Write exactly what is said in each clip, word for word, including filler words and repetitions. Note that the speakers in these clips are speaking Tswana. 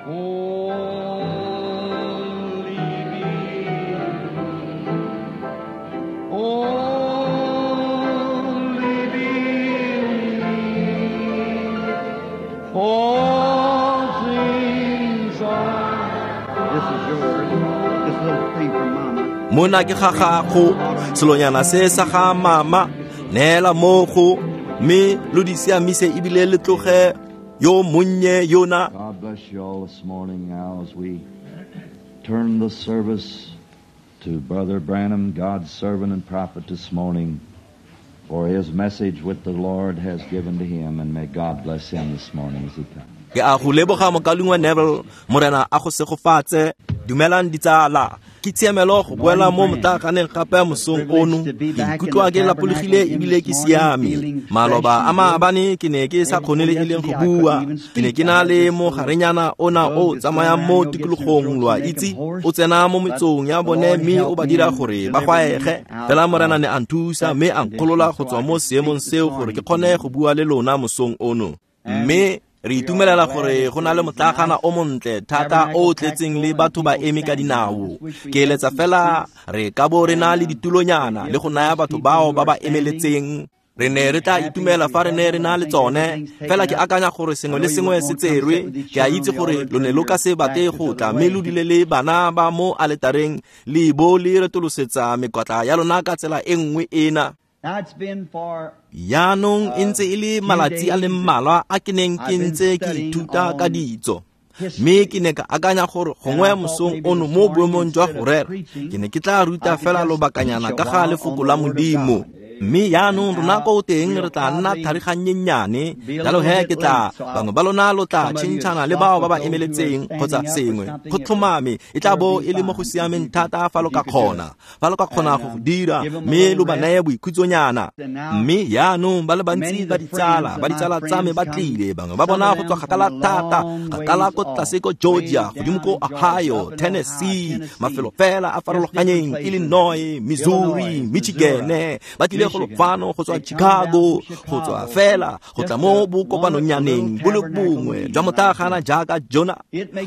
Only believe. Only believe. All things are. This is yours. This little thing from Mama. Mona ke ga gago, selonyana se sa ga mama, neela mo go, mme lo di siamise ebile le tloge yo monnye yona. God bless you all this morning now as we turn the service to Brother Branham, God's servant and prophet this morning, for his message which the Lord has given to him, and may God bless him this morning as he comes. Ke a go leboga mokaulengwe Neville, Morena a go segofatse. Dumelang ditsala. Ke tshiamelo go boela mo motlaganeng gape mosong ono. Ke ikutlwa ke lapologile ebile ke siame. Maloba a maabane ke ne ke sa kgone le e leng go bua. Ke ne ke na le mogarenyana ona o tsamayang mo tikologong, lo a itse, o tsena mo metsong ya bone mme o ba dira gore ba gwaege. Fela Morena ne a nthusa mme a nkgolola go tswa mo seemong seo gore ke kgone go bua le lona mosong ono. Mme re itumelela gore go na le motlagana o montle thata o tletseng le batho ba eme ka dinao. Ke eletsa fela re ka bo re na le ditulonyana le go naya batho bao ba ba emeletseng. Re ne re tla itumela fa re ne re na le tsone, fela ke akanya gore sengwe le sengwe se tserwe. Ke a itse gore lo ne lo ka se batle go tla mme lo dule le bana ba mo aletareng le bo le retolosetsa mekwatla ya lona ka tsela e nngwe ena. Now it's been for Jaanong e ntse e le malatsi a le mmalwa a ke neng ke ntse ke ithuta ka ditso, mme ke ne ka akanya gore gongwe mosong ono mo boemong jwa go rera ke ne ke tla ruta fela lobakanyana ka ga lefoko la Modimo. Mme jaanong rona ko teng re tla nna thariganyennyane, jalo he ke tla bangwe ba lona lo tla tšhentšhana le bao ba ba emeletseng kgotsa sengwe. Go tlhomame e tla bo e le mo go siameng thata fa lo ka kgona, fa lo ka kgona go go dira, mme lo ba neye boikhutsonyana. Mme jaanong ba le bantsi ba ditsala, ba ditsala tsa me ba tlile, bangwe ba bona go tswa kgakala thata, kgakala ko tlase ko Georgia, godimo ko Ohio, Tennessee, mafelo fela a farologaneng, Illinois, Missouri, Michigan, ba tlile go fano go tswa Chicago, go tswa fela go tla mo bokopanonyaneng bo le bongwe jwa motlagana jaaka jona.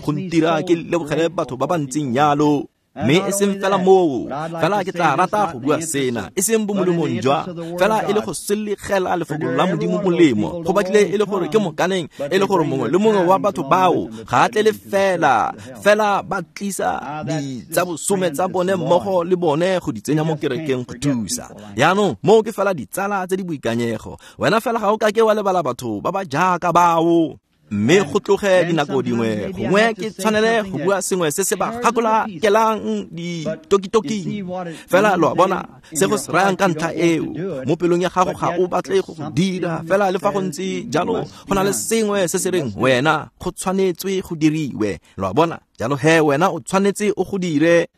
Go ntira ke lebogele batho ba ba ntseng jalo. Mme e seng fela moo, fela ke tla rata go bua sena, e seng bomolemong jwa, fela e le go selegela lefoko la Modimo molemo. Go batlile e le gore ke mokaneng, e le gore mongwe le mongwe wa batho bao ga a tle le fela, fela ba tlisa di tsa bosome tsa bone mmogo le bone go di tsenya mo kerekeng go thusa. Jaanong moo ke fela ditsala tse di boikanyego. Wena fela ga o ka ke wa lebala batho ba ba jaaka bao. Mme go tloge dinako dingwe gongwe ke tshwanele go bua sengwe se se ba gakologelang ditokitoking. Fela lo a bona se go se rayang ka ntlha eo, mo pelong ya gago ga o batle go go dira, fela le fa go ntse jalo go na le sengwe se se reng wena go tshwanetswe go diriwe. Lo a bona, jalo he wena o tshwanetse o go dire.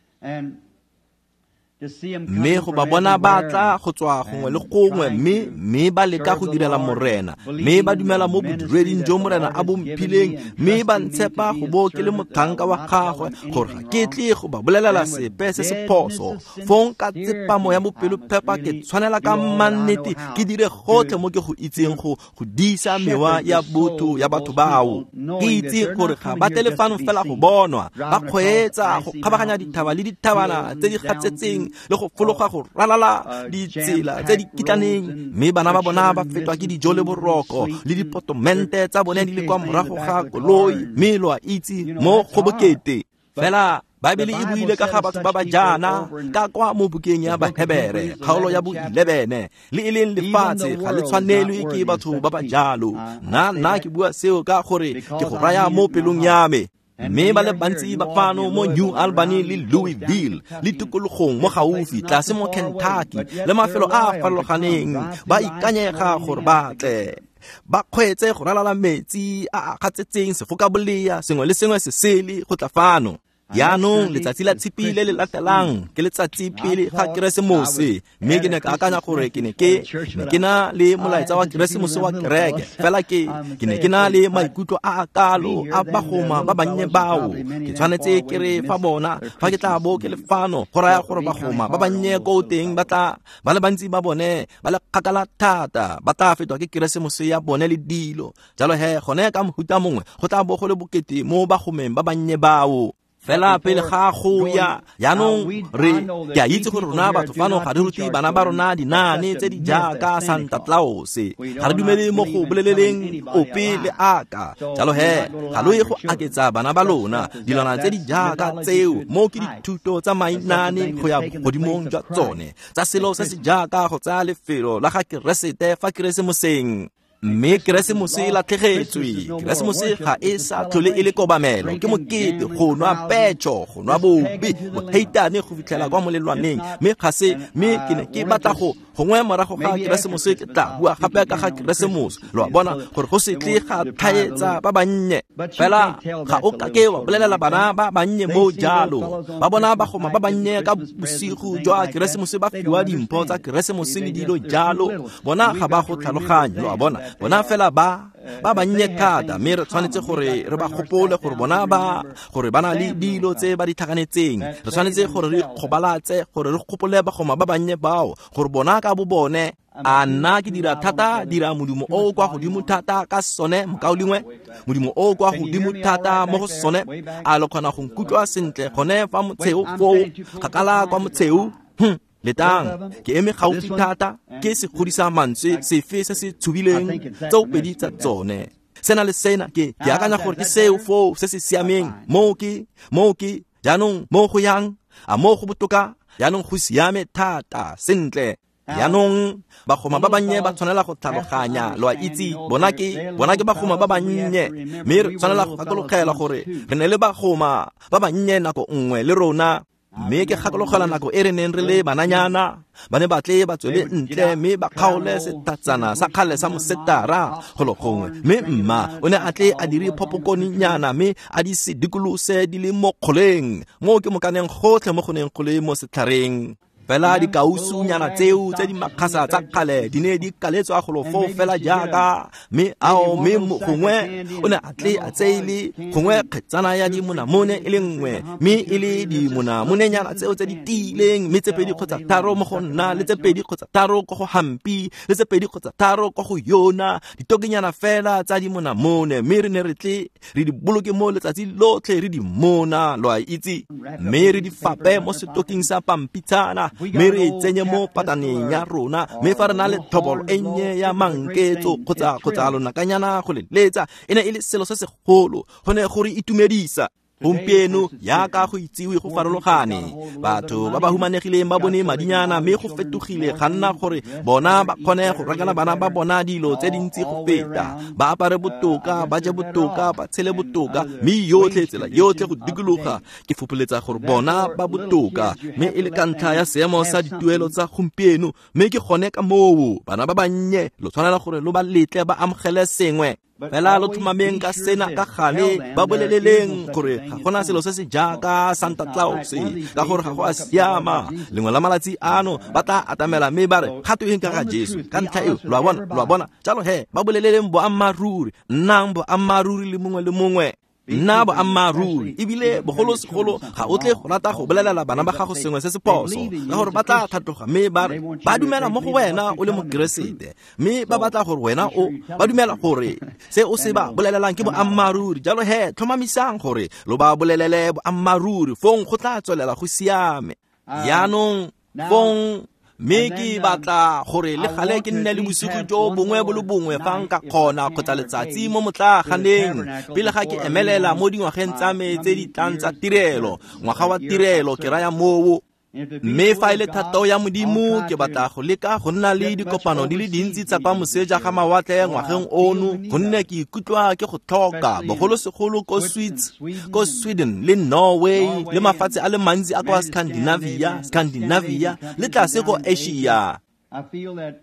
Mme go ba bona ba tla go tswa gongwe le gongwe, mme mme ba leka go direla Morena, mme ba dumela mo bodireding jo Morena a bo mphileng, mme ba ntshepa go bo ke le motlhanka wa gagwe, gore ga ke tle go ba bolelela sepe se se phoso. Fong ka tsepamo ya bopelophepa ke tshwanela ka mannete ke dire gotlhe mo ke go itseng go go disa mewa ya botho ya batho bao. Ke itse gore ga ba tle fano fela go bonwa, ba kgweetsa go kgabaganya dithaba le dithabana tse di gatsetseng le go fologa go ralala ditsela tse di kitlaneng, mme bana ba bona ba fetwa ke dijo le boroko le dipotomente tsa bone di le kwa morago ga koloi, mme lo a itse mo go bokete. Fela Baebele e buile ka ga batho ba ba jaana ka kwa mo bukeng ya Bahebere kgaolo ya bo eleven, le e leng lefatshe ga le tshwanelwe ke batho ba ba jalo. Nna nna ke bua seo ka gore ke go raya mo pelong ya me. Mme ba le bantsi ba fano mo New Albany le Louisville le tikologong mo gaufi tlase mo Kentucky le mafelo a a farologaneng ba ikanyega gore ba tle ba kgweetse go ralala metsi a a gatsetseng sefokabolea sengwe le sengwe se sele go tla fano. Jaanong letsatsi la tshipi le le latelang ke letsatsi pele ga Keresemose, mme ke ne ka akanya gore ke ne ke ne ke na le molaetsa wa Keresemose wa kereke, fela ke ke ne ke na le maikutlo a a kalo a bagoma ba bannye bao. Ke tshwanetse ke re fa bona fa ke tla bo ke le fano, go raya gore bagoma ba bannye ko teng ba tla ba le bantsi ba bone ba le kgakala thata, ba tla fetwa ke Keresemose ya bone le dilo. Jalo he gone ka mohuta mongwe go tla bo go le bokete mo bagomeng ba bannye bao. Fela pele ga go ya jaanong re ke a itse gore rona batho fano ga re rute bana ba rona dinaane tse di jaaka Santa Claus, ga re dumele mo go boleleleng ope le aka. Jalo he ga lo ye go aketsa bana ba lona dilwana tse di jaaka tseo, mo ke dithuto tsa mainane go ya godimong jwa tsone tsa selo se se jaaka go tsaya lefelo la ga Keresete fa Keresemoseng. Mme Keresemose e latlhegetswe. Keresemose ga e sa tlhole e le kobamelo, ke mokete, go nwa petšo, go nwa bobe, boheitane go fitlhela kwa molelwaneng. Mme ga se, mme ke ne ke batla go gongwe morago ga Keresemose ke tla bua gape ka ga Keresemose, lo a bona, gore go se tle ga tlhaetsa ba bannye. Fela ga o ka ke wa bolelela bana ba bannye mo jalo, ba bona bagoma ba bannye ka bosigo jwa Keresemose ba fiwa dimpho tsa Keresemose le dilo jalo, bona ga ba go tlhaloganye, lo a bona. Bona fela ba ba bannye thata, mme re tshwanetse gore re ba gopole gore bona ba gore ba na le dilo tse ba di tlhakanetseng. Re tshwanetse gore re ikgobalatse gore re gopole bagoma ba bannye bao, gore bona ka bo bone. A nna ke dira thata, dira modumo o o kwa godimo thata ka sone, mokaulengwe, modumo o o kwa godimo thata mo go sone. A lo kgona go nkutlwa sentle gone fa motsheo foo, kgakala kwa motsheo? Hm. Letang, ke eme gaufi thata, ke se godisa mantswe sefe se se tshubileng tseo pedi tsa tsone. Sena le sena ke ke akanya gore ke seo foo se se siameng, moo ke moo ke jaanong mo go yang, a mo go botoka, jaanong go siame thata sentle. Jaanong bagoma ba bannye ba tshwanela go tlhaloganya, lo a itse, bona ke bona ke bagoma ba bannye, mme re tshwanela go gakologela gore re ne le bagoma ba bannye nako nngwe le rona. Mme ke gakologela nako e re neng re le bananyana, ba ne ba tle ba tswele ntle mme ba kgaole sethatsana sa kgale sa mosetara golo gongwe, mme mma o ne a tle a dire phopokoninyana mme a di se dikolose di le mo kgoleng, mo ke mokaneng gotlhe mo go neng go le mo setlhareng. Fela dikausunyana tseo tse di makgasa tsa kgale di ne di kaletswa golo foo fela jaaka, mme ao mme gongwe o ne a tle a tseile gongwe kgetsana ya dimonamone e le nngwe, mme e le dimonamonenyana tseo tse di tiileng, mme tse pedi kgotsa tharo mo go nna, le tse pedi kgotsa tharo ko go Hampi, le tse pedi kgotsa tharo ko go yona, ditokenyana fela tsa dimonamone, mme re ne re tle re di boloke mo letsatsi lotlhe re di mona, lo a itse, mme re di fape mo setoking sa pampitshana, mme re tsenye mo pataneng ya rona, mme fa re na le thobolo e nnye ya manketso kgotsa kgotsa lonakanyana go le letsa, e ne e le selo se segolo, go ne go re itumedisa. Gompieno jaaka go itsiwe go farologane, batho ba ba humanegileng ba bone madinyana, mme go fetogile ga nna gore bona ba kgone go rekela bana ba bona dilo tse dintsi go feta, ba apare botoka, ba je botoka, ba tshele botoka, mme yotlhe tsela yotlhe go dikologa ke fopholetsa gore bona ba botoka, mme e le ka ntlha ya seemo sa dituelo tsa gompieno. Mme ke gone ka moo bana ba bannye lo tshwanela gore lo ba letle ba amogele sengwe. Fela lo tlhomameng ka sena ka gale, ba boleleleng gore ga gona selo se se jaaka Santa Claus, ka gore ga go a siama. Lengwe la malatsi ano ba tla atamela mme ba re ga tweng ka ga Jesu, ka ntlha eo, lo a bona, lo a bona. Jalo he ba boleleleng boammaaruri, nnang boammaaruri le mongwe le mongwe. Nna boammaaruri, ebile bogolosegolo ga o tle go rata go bolelela bana ba gago sengwe se se phoso, ka gore ba tla tlhatloga mme ba re ba dumela mo go wena o le mokeresete, mme ba batla gore wena o ba dumela gore se o se ba bolelelang ke boammaaruri. Jalo he tlhomamisang gore lo ba bolelele boammaaruri, fong go tla tswelela go siame. Jaanong fong mme ke batla gore le gale ke nne le bosigo jo bongwe bo le bongwe fa nka kgona kgotsa letsatsi mo motlaaganeng pele ga ke emelela mo dingwageng tsa me tse di tlang tsa tirelo, ngwaga wa tirelo ke raya moo. Mme fa e le thato ya Modimo, ke batla go leka go nna le dikopano di le dintsi tsa kwa moseja ga mawatle ngwageng ono, gonne ke ikutlwa ke go tlhoka, bogolosegolo ko Swiss, ko Sweden le Norway le mafatshe a le mantsi a kwa Scandinavia, Scandinavia le tlase ko Asia. I feel that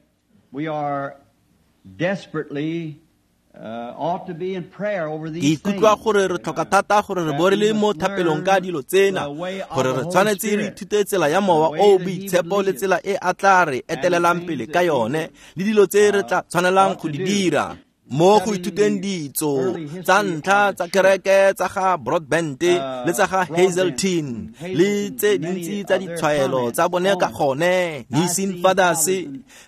we are desperately Ke ikutlwa gore re tlhoka thata gore re bo re le mo thapelong ka dilo tsena, gore re tshwanetse re ithute tsela ya Mowa o o Boitshepo le tsela e a tla re etelelang pele ka yone, le dilo tse re tla tshwanelang go di dira. Mo go ithuteng ditso tsa ntlha tsa kereke tsa ga Broadbent le tsa ga Hazeltine le tse dintsi tsa ditshwaelo tsa bone ka gone Nicene Fathers,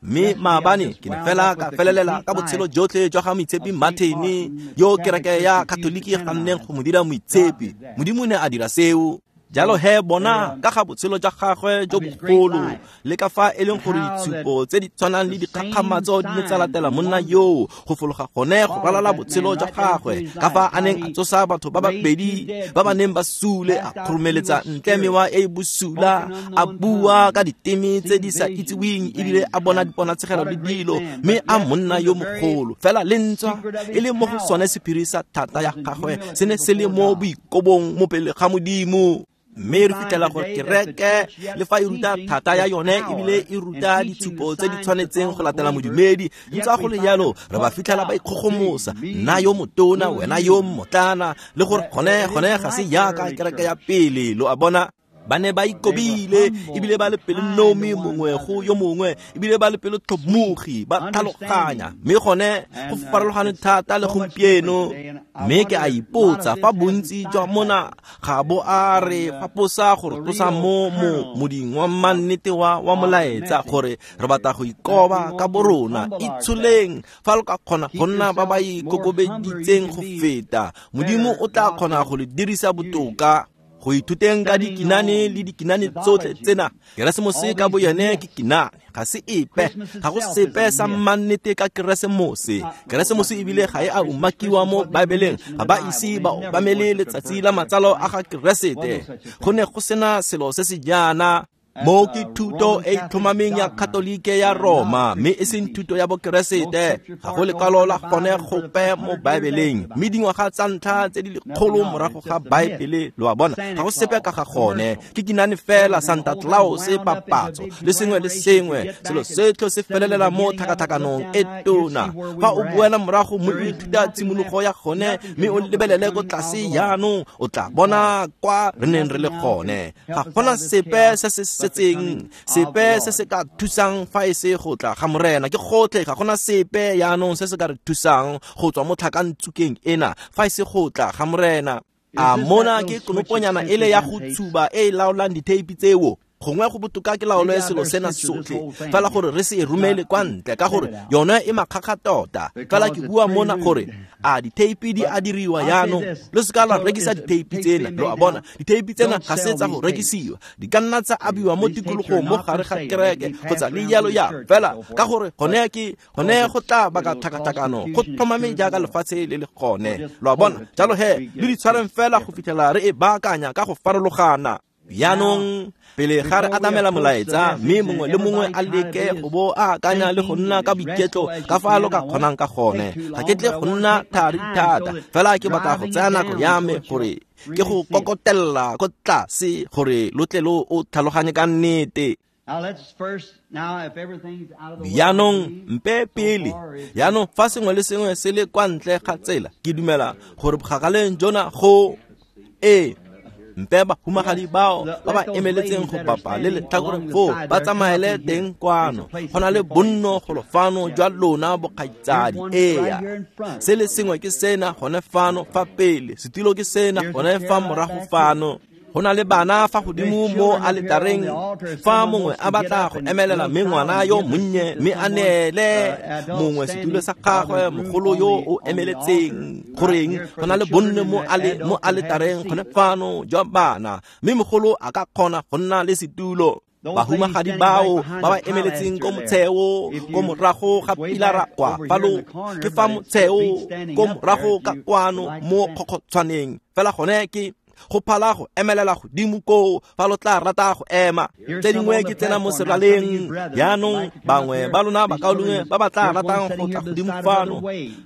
mme maabane ke ne fela ka felelela ka botshelo jotlhe jwa ga Moitshepi Martin, yo kereke ya Katoliki e ganneng go mo dira moitshepi. Modimo ne a dira seo. Jalo he bona ka ga botshelo jwa gagwe jo bogolo le ka fa e leng gore ditshupo tse di tshwanang le dikgakgamatso di ne tsa latela monna yoo go fologa gone go ralala botshelo jwa gagwe, ka fa a neng a tsosa batho ba babedi ba ba neng ba sule, a kgoromeletsa ntle mewa e e bosula, a bua ka diteme tse di sa itsiweng, ebile a bona diponatshegelo le dilo, mme a monna yo mogolo. Fela le ntswa e le mo go sone sephiri sa thata ya gagwe se ne se le mo boikobong mo pele ga Modimo. Mme re fitlhela gore kereke le fa e ruta thata ya yone ebile e ruta ditshupo tse di tshwanetseng go latela modumedi, ntse go le jalo re ba fitlhela ba ikgogomosa, nna yo motona, wena yo mmotlana, le gore gone gone ga se jaaka kereke ya pele. Lo a bona, ba ne ba ikobile ebile ba le pelonomi mongwe go yo mongwe, ebile ba le pelotlhomogi, ba tlhaloganya, mme gone go farologane thata le gompieno. Mme ke a ipotsa fa bontsi jwa mona ga bo a re faposa gore tlosa mo mo moding wa mannete wa wa molaetsa, gore re batla go ikoba ka borona. Itsholeng fa lo ka kgona go nna ba ba ikokobeditseng go feta, Modimo o tla kgona go le dirisa botoka. Go ithuteng ka dikinane le dikinane tsotlhe tsena, Keresemose ka bo yone ke kinane, ga se epe, ga go sepe sa mannete ka Keresemose. Keresemose ebile ga e a umakiwa mo Baebeleng, ga ba ise ba obamele letsatsi la matsalo a ga Keresete. Go ne go sena selo se se jaana. Mo ke thuto e tlhomameng ya Katolike ya Roma, mme e seng thuto ya Bokeresete. Ga go lekwalo la gone gope mo Baebeleng, mme dingwaga tsa ntlha tse di lekgolo morago ga Baebele, lo a bona, ga go sepe ka ga gone. Ke kinane fela, Santa Claus, papatso le sengwe le sengwe, selo setlho se felelela mo tlhakatlhakanong e tona. Fa o boela morago mo o ithuta tshimologo ya gone, mme o lebelele ko tlase jaanong, o tla bona kwa re neng re le gone. Ga gona sepe se se sepe se se ka thusang fa e se go tla ga Morena. Ke gotlhe, ga gona sepe jaanong se se ka re thusang go tswa mo tlhakantsukeng ena fa e se go tla ga Morena. A mona ke konoponyana ele ya go tshuba e e laolang ditheipi tseo. Gongwe go botoka ke laolo selo sena sotlhe, fela gore re se e romele kwa ntle, ka gore yone e makgakga tota. Fela ke bua mona gore a ditheipi di a diriwa jaanong, lo se ka la rekisa ditheipi tsena. Lo a bona, ditheipi tsena ga se tsa go rekisiwa, di ka nna tsa abiwa mo tikologong mo gare ga kereke kgotsa le jalo ya fela, ka gore gone ke gone go tla baka tlhakatlhakano, go tlhomame jaaka lefatshe le le gone. Lo a bona, jalo he le di tshwareng fela go fitlhela re e baakanya ka go farologana. Jaanong pele ga re atamela molaetsa, mme mongwe le mongwe a leke go bo a akanya le go nna ka boiketlo ka fa lo ka kgonang ka gone. Ga ke tle go nna thari thata, fela ke batla go tsaya nako ya me gore ke go kokotella ko tlase gore lo tle lo o tlhaloganye ka nnete. Jaanong mpe pele, jaanong fa sengwe le sengwe se le kwa ntle ga tsela, ke dumela gore bogakaleng jona go e mpe bahumagadi bao ba ba emeletseng go bapa le letlhakore foo ba tsamaele teng kwano. Go na le bonno golo fano jwa lona bokgaitsadi. Eya, se le sengwe ke sena gone fano fa pele, setilo ke sena gone fa morago fano. Go na le bana fa godimo mo aletareng, fa mongwe a batla go emelela mme ngwana yo monnye mme a neele mongwe setulo sa gagwe, mogolo yo o emeletseng. Goreng go na le bonne mo ale mo aletareng gone fano jwa bana, mme mogolo a ka kgona go nna le setulo. Bahumagadi bao ba ba emeletseng ko motsheo ko morago ga pilara kwa falo, ke fa motsheo ko morago ka kwano mo kgokgotshwaneng. Fela gone ke go phala go emelela godimo koo fa lo tla rata go ema. Tse dingwe ke tsena mo seraleng jaanong, bangwe ba lona bakaulengwe ba ba tla ratang go tla godimo fano,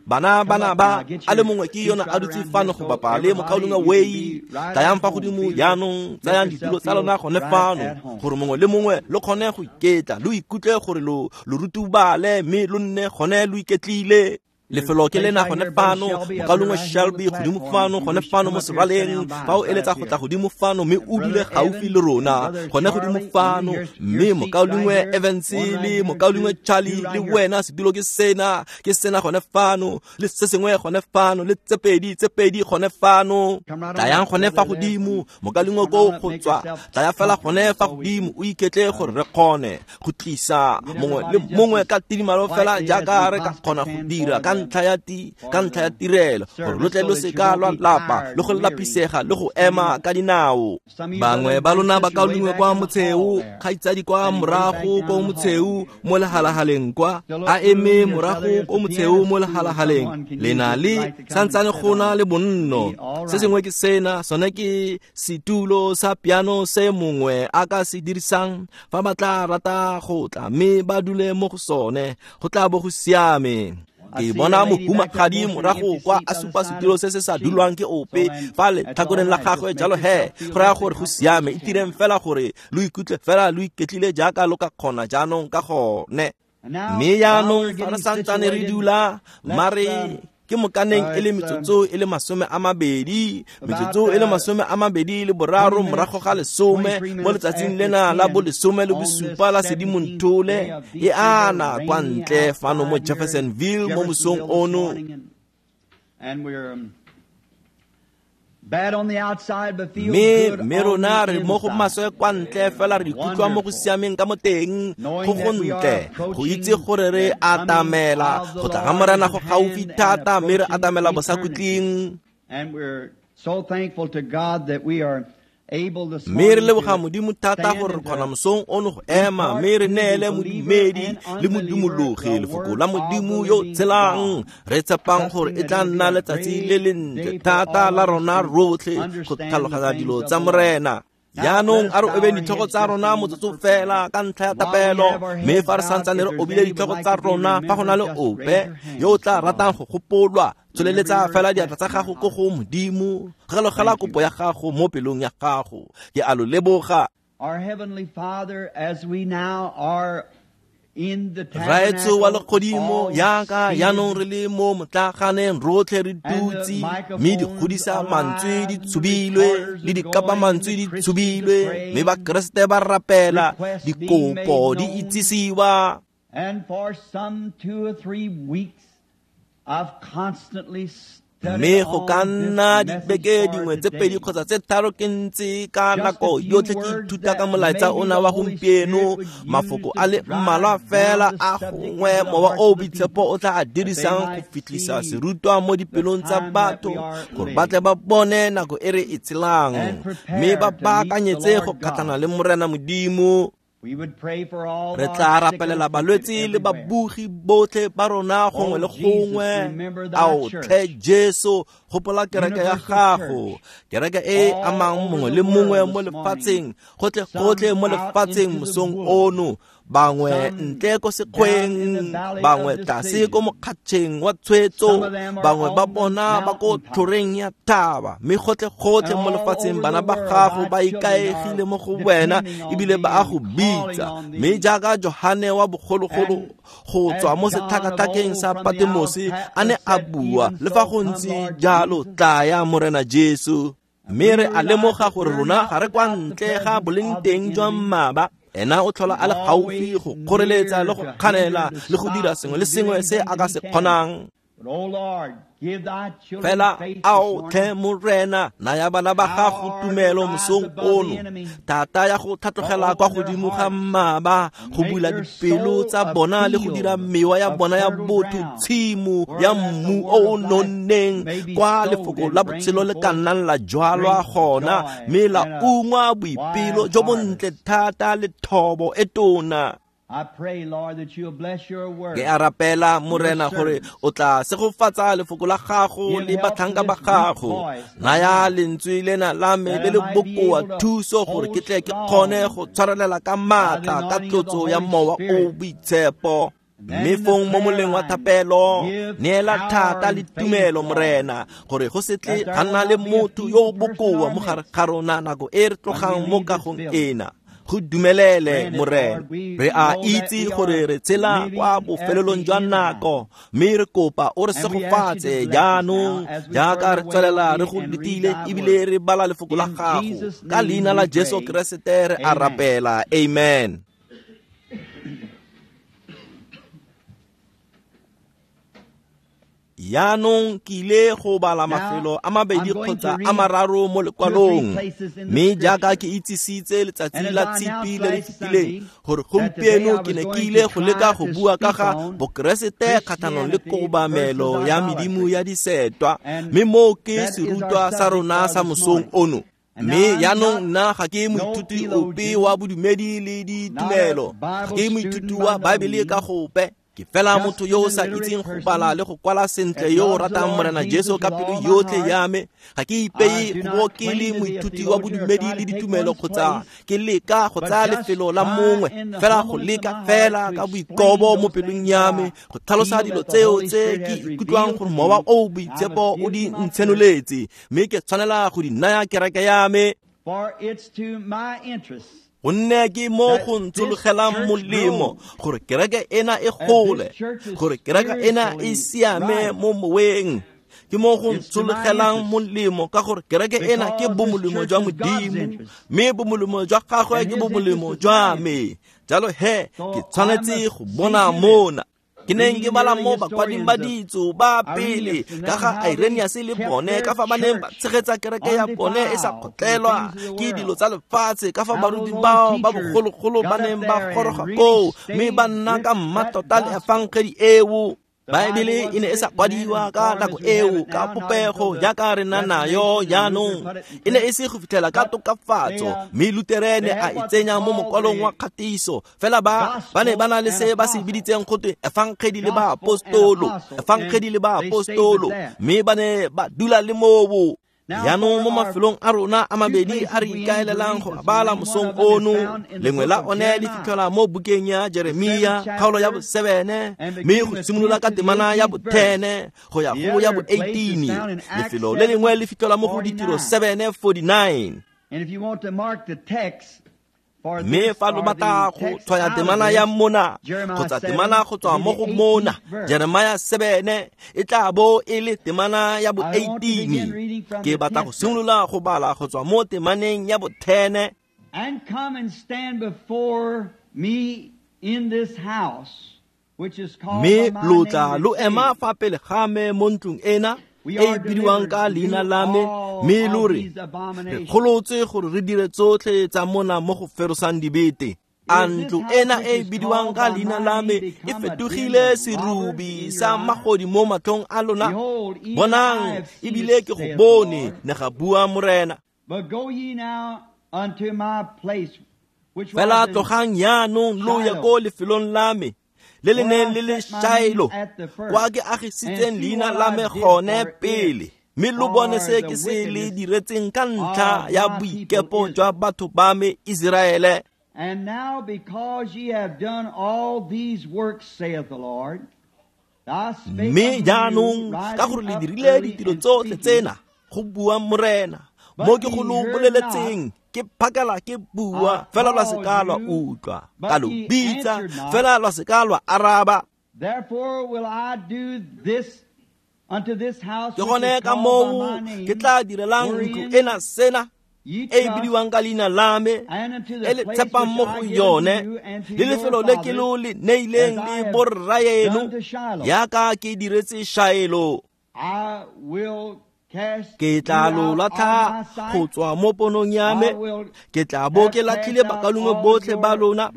bana bana ba a le mongwe ke yona a dutse fano go bapa le mokaulengwe Wei. Tlayang fa godimo jaanong, tsayang ditulo tsa lona gone fano, gore mongwe le mongwe lo kgone go iketla, lo ikutlwe gore lo lo rutubale, mme lo nne gone lo iketlile. Lefelo ke lena gone fano, mokaulengwe Shelby godimo fano, gone fano mo seraleng, fa o eletsa go tla godimo fano mme o dule gaufi le rona, gone godimo fano, mme mokaulengwe Evans le mokaulengwe Charlie le wena, setulo ke sena, ke sena gone fano, le se sengwe gone fano, le tse pedi, tse pedi gone fano. Tlayang gone fa godimo, mokaulengwe ko go tswa, tlaya fela gone fa godimo, o iketle gore re kgone go tlisa mongwe le mongwe ka tidimalo fela jaaka re ka kgona go dira ka ntlha ya ti ka ntlha ya tirelo, gore lo tle lo seka lwa lapa le go lapisega le go ema ka dinao. Bangwe ba lona bakaulengwe kwa motsheo, kgaitsadi kwa morago ko motsheo mo lehalahaleng kwa, a eme morago ko motsheo mo lehalahaleng, le na le santsane go na le bonno. Se sengwe ke sena, sone ke setulo sa piano se mongwe a ka se dirisang fa ba tla rata go tla mme ba dule mo go sone, go tla bo go siame. Ke bona mohumagadi morago kwa a supa setulo se se sa dulwang ke ope fa letlhakoreng la gagwe, jalo he go raya gore go siame. Itireng fela gore lo ikutlwe fela lo iketlile jaaka lo ka kgona jaanong ka gone. Mme jaanong fa re santsane re dula, mare ke mokaneng e le metsotso e le masome a mabedi, metsotso e le masome a mabedi le boraro morago ga lesome mo letsatsing lena la bolesome le bosupa la Sedimonthole e ana kwa ntle fano mo Jeffersonville mo mosong ono. Mme mme rona re mo go maswe kwa ntle fela re ikutlwa mo go siameng ka mo teng, go go ntle go itse gore re atamela go tla ga Morena go gaufi thata, mme re atamela bosakhutleng. Mme re leboga Modimo thata gore re kgona mosong ono go ema mme re neele modumedi le modumologi lefoko la Modimo yo tshelang, re tshepang gore e tla nna letsatsi le lentle thata la rona rotlhe go tlhaloganya dilo tsa Morena. Jaanong a re obeng ditlhogo tsa rona motsotso fela ka ntlha ya tapelo, mme fa re santsane re obile ditlhogo tsa rona, fa go na le ope yo o tla ratang go gopolwa, tsholeletsa fela diatla tsa gago ko go Modimo, galogela kopo ya gago mo pelong ya gago. Ke a lo leboga. Raetso wa legodimo, yaka jaanong re le mo motlaganeng rotlhe re dutse, mme di godisa mantswe di tshubilwe le dikapa mantswe di tshubilwe, mme Bakeresete ba rapela, dikopo di itsisiwa. Mme go ka nna dibeke dingwe tse pedi kgotsa tse tharo ke ntse ka nako yotlhe ke ithuta ka molaetsa ona wa gompieno, mafoko a le mmalwa fela a gongwe mowa o boitshepo o tla a dirisang go fitlhisa serutwa mo dipelong tsa batho gore ba tle ba bone nako e re e tshelang, mme ba baakanyetse go kgatlhana le Morena Modimo. Re tla rapelela balwetse le babugi botlhe ba rona gongwe le gongwe. Ao tlhe Jesu, gopola kereke ya gago, kereke e amang mongwe le mongwe mo lefatsheng, gotlhe gotlhe mo lefatsheng mosong ono, bangwe ntle ko sekgweng, bangwe tlase ko mokgatšheng wa tshwetso, bangwe ba bona ba ko tlhoreng ya thaba, mme gotlhe gotlhe mo lefatsheng bana ba gago ba ikaegile mo go wena ebile ba a go bitsa. Mme jaaka Johane wa bogologolo go tswa mo setlhakatlhakeng sa Patemose a ne a bua, le fa go ntse jalo tlaya Morena Jesu. Mme re a lemoga gore rona ga re kwa ntle ga boleng teng jwa mmaba, ena o tlhola a le gaufi go kgoreletsa le go kganela le go dira sengwe le sengwe se a ka se kgonang. Fela ao tlhe Morena, naya bana ba gago tumelo mosong ono, thata ya go tlhatlogela kwa godimo ga mmaba, go bula dipelo tsa bona le go dira mewa ya bona ya botho tshimo ya mmu o o nonneng, kwa lefoko la botshelo le ka nnang la jwalwa gona, mme la ungwa boipelo jo bontle thata le thobo e tona. Ke a rapela Morena gore o tla segofatsa lefoko la gago le batlhanka ba gago. Naya lentswe lena la me le le bokoa thuso gore ke tle ke kgone go tshwarelela ka maatla ka tlotso ya mowa o boitshepo. Mme fong mo moleng wa thapelo, neela thata le tumelo Morena, gore go se tle ga nna le motho yo o bokoa mo gare ga rona nako e re tlogang mo kagong ena. Go dumelele Morena. Re a itse gore re tshela kwa bofelelong jwa nako, mme re kopa o re segofatse jaanong jaaka re tswelela re go letile ebile re bala lefoko la gago. Ka leina la Jesu Keresete re a rapela. Amen. Jaanong ke ile go bala mafelo a mabedi kgotsa a mararo mo lekwalong, mme jaaka ke itsisitse letsatsi la Tshipi le le fetileng gore gompieno ke ne ke ile go leka go bua ka ga Bokeresete kgatlhanong le kobamelo ya medimo ya disetwa, mme moo ke serutwa sa rona sa mosong ono. Mme jaanong nna ga ke moithuti ope wa bodumedi le ditumelo, ga ke moithuti wa Baebele ka gope. Ke fela motho yo o sa itseng go bala le go kwala sentle yo o ratang Morena Jesu ka pelo yotlhe ya me. Ga ke ipeye go bo ke le moithuti wa bodumedi le ditumelo kgotsa ke leka go tsaya lefelo la mongwe, fela go leka fela ka boikobo mo pelong ya me go tlhalosa dilo tseo tse ke ikutlwang gore Mowa o o Boitshepo o di ntshenoletse, mme ke tshwanela go di naya kereke ya me. Gonne ke mo go ntshologelang molemo gore kereke ena e gole, gore kereke ena e siame mo moweng. Ke mo go ntshologelang molemo ka gore kereke ena ke bomolemo jwa Modimo, mme bomolemo jwa gagwe ke bomolemo jwa me. Jalo he, ke tshwanetse go bona mona. Ke neng ke bala mo bakwading ba ditso ba pele ka ga Irenaeus le bone, ka fa ba neng ba tshegetsa kereke ya bone e sa kgotlelwa ke dilo tsa lefatshe, ka fa baruti bao ba bogologolo ba neng ba goroga koo mme ba nna ka mmatota le efangedi eo. Baebele e ne e sa kwadiwa ka nako eo ka popego jaaka re na nayo jaanong, e ne e se go fitlhela ka tokafatso, mme Luterene a e tsenya mo mokwalong wa kgatiso. Fela ba ba ne ba na le se ba se biditseng gotwe efangedi le baapostolo, efangedi le baapostolo, mme ba ne ba dula le moo. Jaanong mo mafelong a rona a mabedi a re ikaelelang go bala mosong ono, lengwe la one le fitlhelwa mo bukeng ya Jeremia kgaolo ya bosebene, mme go simolola ka temana ya botene go ya go ya bo eighteen. Lefelo le lengwe le fitlhelwa mo go Ditiro seven forty-nine. Mme fa lo batla go tshwaya temana ya mona kgotsa temana go tswa mo go mona, Jeremia seven e tla bo e le temana ya bo eighteen. Ke batla go simolola go bala go tswa mo temaneng ya bo ten. And come and stand before me in this house, which is called Mme by my lo tla name, lo ema fa pele ga me mo ntlong ena e e bidiwang ka leina la me, mme lo re, re golotse gore re dire tsotlhe tsa mona mo go ferosang dibete. A ntlo ena e e bidiwang ka leina la me e fetogile serubi sa magodi mo matlhong a lona? Bonang, ebile ke go bone, ne ga bua Morena. Fela tlogang jaanong lo ye ko lefelong la me le le neng le le Shailo, kwa ke agisitseng leina la me gone pele, mme lo bone se ke se le diretseng ka ntlha ya boikepo jwa batho ba me Iseraele. And now because ye have done all these works, saith the Lord, Mme jaanong ka gore le dirile ditiro tsotlhe tsena, go bua Morena, mo ke go lo boleletseng ke phakela ke bua, fela lwa se ka lwa utlwa, ka lo bitsa, fela lwa se ka lwa araba. Therefore will I do this unto this house Ke gone ka moo ke tla direlang ntlo ena sena e e bidiwang ka leina la me, e le tshepang mo go yone, le lefelo le ke lo le neileng le borraeno, jaaka ke diretse Shaelo. I will Ke tla lo latlha go tswa mo ponong ya me, ke tla bo ke latlhile bakalongwe botlhe ba lona,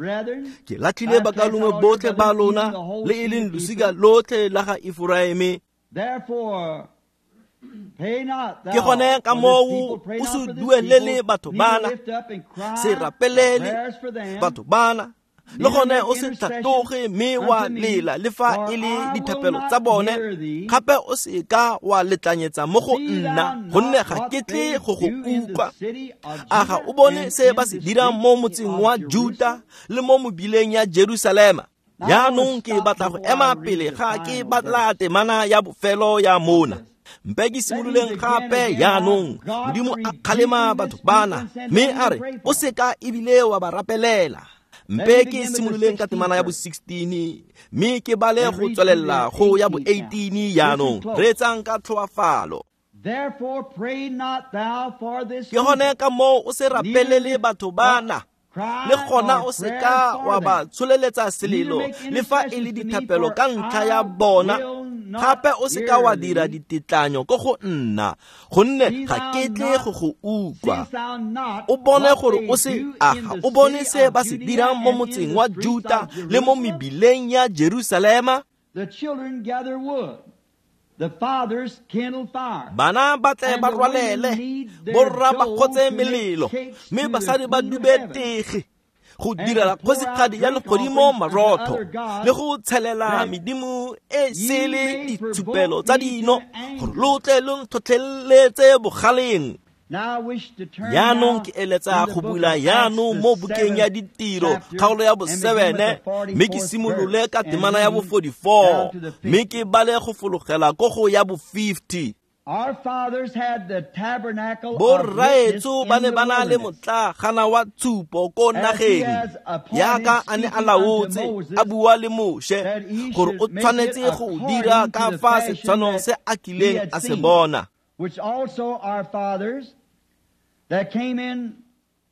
ke latlhile bakalongwe botlhe ba lona, le e leng losika lotlhe la ga Efraime. Ke gone ka moo o se duelele batho bana, se rapelele batho bana, le gone o se tlhatoge mme wa lela le fa e le dithapelo tsa bone, gape o se ka wa letlanyetsa mo go nna, gonne ga ke tle go go utlwa. A ga o bone se ba se dirang mo motseng wa Juta le mo mobileng ya Jerusalema? Jaanong ke batla go ema pele ga ke batla temana ya bofelo ya mona. Mpe ke simololeng gape jaanong. Modimo a kgalema batho bana mme a re o seka ebile wa ba rapelela. Mpe ke simololeng ka temana ya bo sixteen mme ke bale go tswelela go ya bo eighteen jaanong. Reetsang ka tlhoafalo. Therefore pray not thou for this Ke gone ka moo o se rapelele batho bana, le gona o seka wa ba tsholeletsa selelo le fa e le dithapelo ka ntlha ya bona. Gape o seka wa dira ditetlanyo ko go nna, gonne ga ke tle go go utlwa. O bone gore o se aga, o bone se ba se dirang mo motseng wa Juta le mo mebileng ya Jerusalema. The children gather wood, the fathers kindle fire. Bana ba tle ba rwalele, borra ba kgotse melelo, mme basadi ba dube tege go direla kgosigadi ya legodimo marotho le go tshelela medimo e sele ditshupelo tsa dino, gore lo tle lo ntlhotlheletse bogaleng. Jaanong ke eletsa go bula jaanong mo bukeng ya Ditiro kgaolo ya bo seven, mme ke simolole ka temana ya bo forty-four mme ke bale go fologela ko go ya bo fifty. Our fathers had the tabernacle of Borraetsho ba ne witness in ba the na le wilderness. motlagana wa tshupo ko As he nageng, has appointed, yaka a ne a speaking unto laotse Moses, a bua le Moshe that he gore should o make tshwanetse it go according dira to ka the fa fashion setshwanong that se a he kileng had a se seen, bona. which also our fathers that came in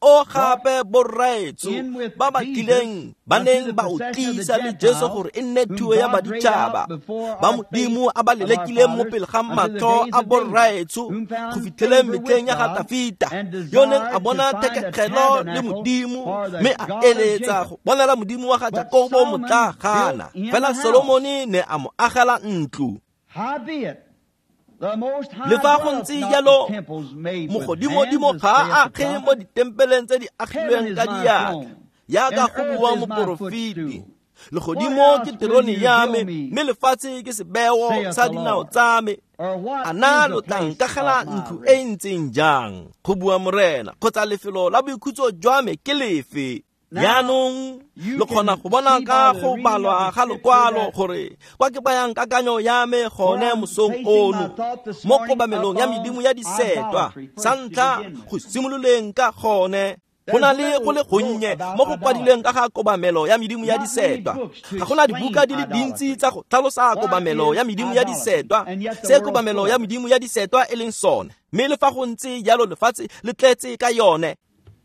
O gape borraetsho in with ba ba Jesus tlileng ba unto neng the ba o possession of the tlisa le Jesu Gentiles, gore e nne whom thuo ya God prayed baditšhaba out before ba our Modimo face a ba of our lelekileng mo fathers pele ga unto the matlho days a of David, borraetsho whom found go fitlheleng favor with metlheng ya ga God Tafita, and yo neng a desired to bona find a thekegelo le tabernacle Modimo for the mme a God of eletsa Jacob. go bonela Modimo wa ga But Jakobo Solomon motlagana. built him Fela a house. Solomone ne a mo agela ntlo. Howbeit, the Most High Le fa go dwelleth ntse not jalo, in temples made with mogodimodimo hands, ga a saith the age mo prophet. ditempeleng tse di Heaven agilweng is ka my diatla, throne, yaka and go earth bua is my moporofeti. footstool. What Legodimo house ke will terone you ya build me, me, mme lefatshe ke sebeo saith sa the dinao Lord? tsa me. Or what A na is lo the tla place nkagela of my ntlo e rest? e ntseng jang? Go bua Morena, kgotsa lefelo la boikhutso jwa me ke lefe? Now, Jaanong you lo kgona can go bona see ka by the go reading of balwa the ga scripture lokwalo that gore kwa ke bayang kakanyo ya me where gone I'm mosong placing my ono thought this mo morning kobamelong ya upon medimo ya disetwa. idolatry Sa first to ntlha begin with. go simololeng ka gone, go na There's le go little le wrote gonnye about mo go kwadilweng idolatry. ka ga kobamelo ya medimo ya Not many disetwa. books to Ga gona explain dibuka di le dintsi idolatry. tsa go tlhalosa What kobamelo is ya medimo ya idolatry? disetwa, And yet the se world's kobamelo full ya of it. medimo ya disetwa e leng sone. Mme le fa go ntse jalo lefatshe le tletse ka yone.